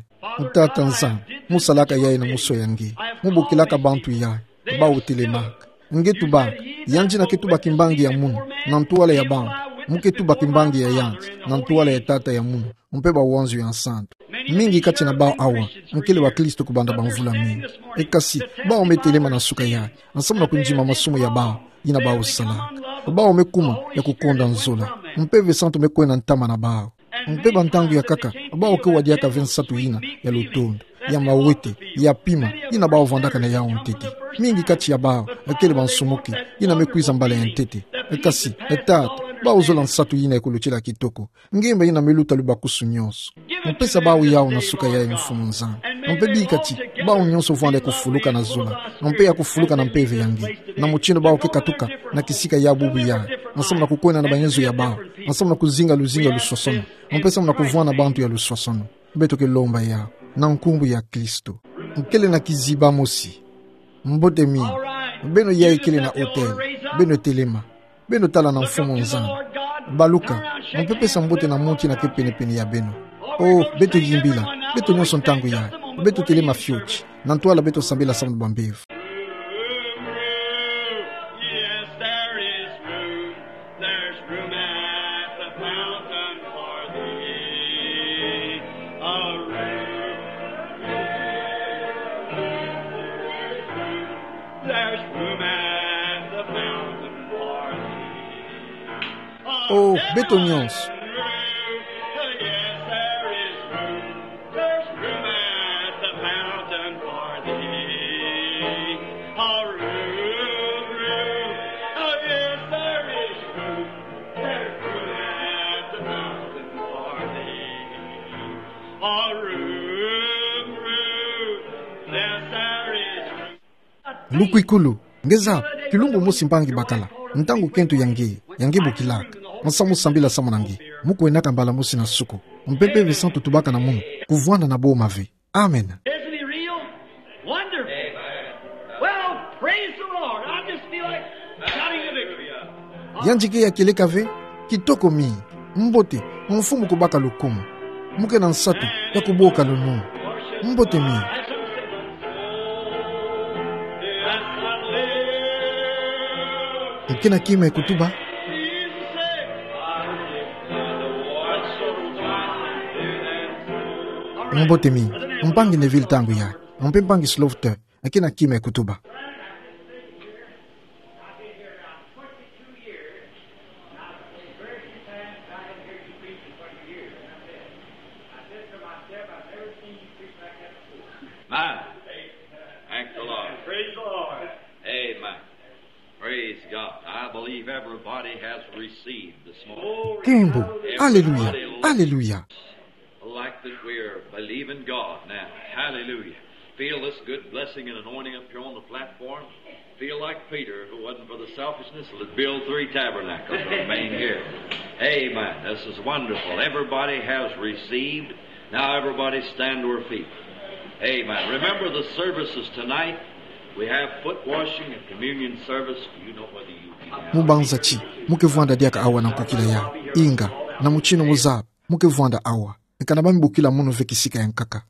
Tata Nzambi, mu salaka yayi na muso ya nge, mu bokilaka bantu yayi, bawu telemaka. Nge tubaka, yandi ina ke tuba kimbangi ya munu, na ntwala ya bantu, mu ke tuba kimbangi ya yandi, na ntwala ya tata ya munu. Mpe bawanzo ya nsantu. Mingi kati na bawu awa, nkele bakristo kubanda bamvula mingi. E kasi, bawu me telema na suka yayi, nsamu na kundima masumu ya bawu, ina bawu salaka. Bawu me kuma ya kukonda nzola. Mpe ve santu me kwenda ntama na bawu. Mpe ba ntangu ya nkaka, bawu ke wadiaka ve nsatu yina ya lutondo, ya mawete, ya pima, ina bawu vwandaka na yawu ntete. Mingi kati ya bawu, nkele bansumuki, ina me kwiza mbala ya ntete. E kasi, e tata, bawu zola nsatu yina ya kulutila kitoko. Nge mba ina me luta lubakusu nyonso. Mpesa bawu yawu na suka yayi, Mfumu Nzambi. Mpe bika ti bawu nyonso vwanda ya kufuluka na zola, mpe ya kufuluka na mpeve ya nge, na mutindu bawu ke katuka na kisika ya bubu yayi, nsamu na kukwenda na bayenzo ya bawu, nsamu na kuzinga luzingu ya luswaswanu, mpe nsamu na kuvwanda bantu ya luswaswanu. Beto ke lomba yawu na nkumbu ya Kristo. Nkele na kiziba mosi. Mbote mingi. Beno yayi kele na autel, beno telema. Beno tala na Mfumu Nzambi. Baluka, mpe pesa mbote na muntu ina ke pene-pene ya beno. Oh, beto yimbila, beto nyonso ntangu yayi. Beto telema fioti, na ntwala beto sambila nsamu na bambevo. Yes, there is room. There's room at the fountain for thee. A room. There's room at the fountain for thee. Oh, beto nyonso. Yes, there is room. There's room at the fountain for thee. A room, room. Oh, yes, there is room. There's room at the fountain for thee. A room, room. Yes, there is room. Lukwikulu, nge zaba, kilumbu mosi mpangi bakala, ntangu kento ya nge, ya nge bokilaka, nsamu sambila nsamu na nge, mu kwenaka mbala mosi na suku, mpe Mpeve Santu tubaka na munu, kuvwanda na boma ve. Amen. Isn't he real? Wonderful. Well, praise the Lord. I just feel like shouting the victory. Yandi ke ya kieleka ve, kitoko mingi, mbote, Mfumu kubaka lukumu. Mu ke na nsatu ya kuboka lunu. Mbote mingi. Mu ke na kima ya kutuba. Mbote mingi, mpangi Neville ntangu yayi, mpe mpangi Slaughter, mu ke na kima ya kutuba. Amen. Thank the Lord. Praise the Lord. Amen. Praise God. I believe everybody has received this morning. Kembo. Aleluya. Aleluya. Like that we're believing God now. Hallelujah. Feel this good blessing and anointing up here on the platform. Feel like Peter, if it wasn't for the selfishness, would build three tabernacles and remain here. Amen. This is wonderful. Everybody has received. Now everybody stand to our feet. Amen. Remember the services tonight. We have foot washing and communion service. Do you know whether you be down here? Mu banza ti mu ke vwanda diaka awa na nkukila yayi. Inga, na mutindu mu zaba, mu ke vwanda awa. Eka na bami bukila mono fekisika yang kaka.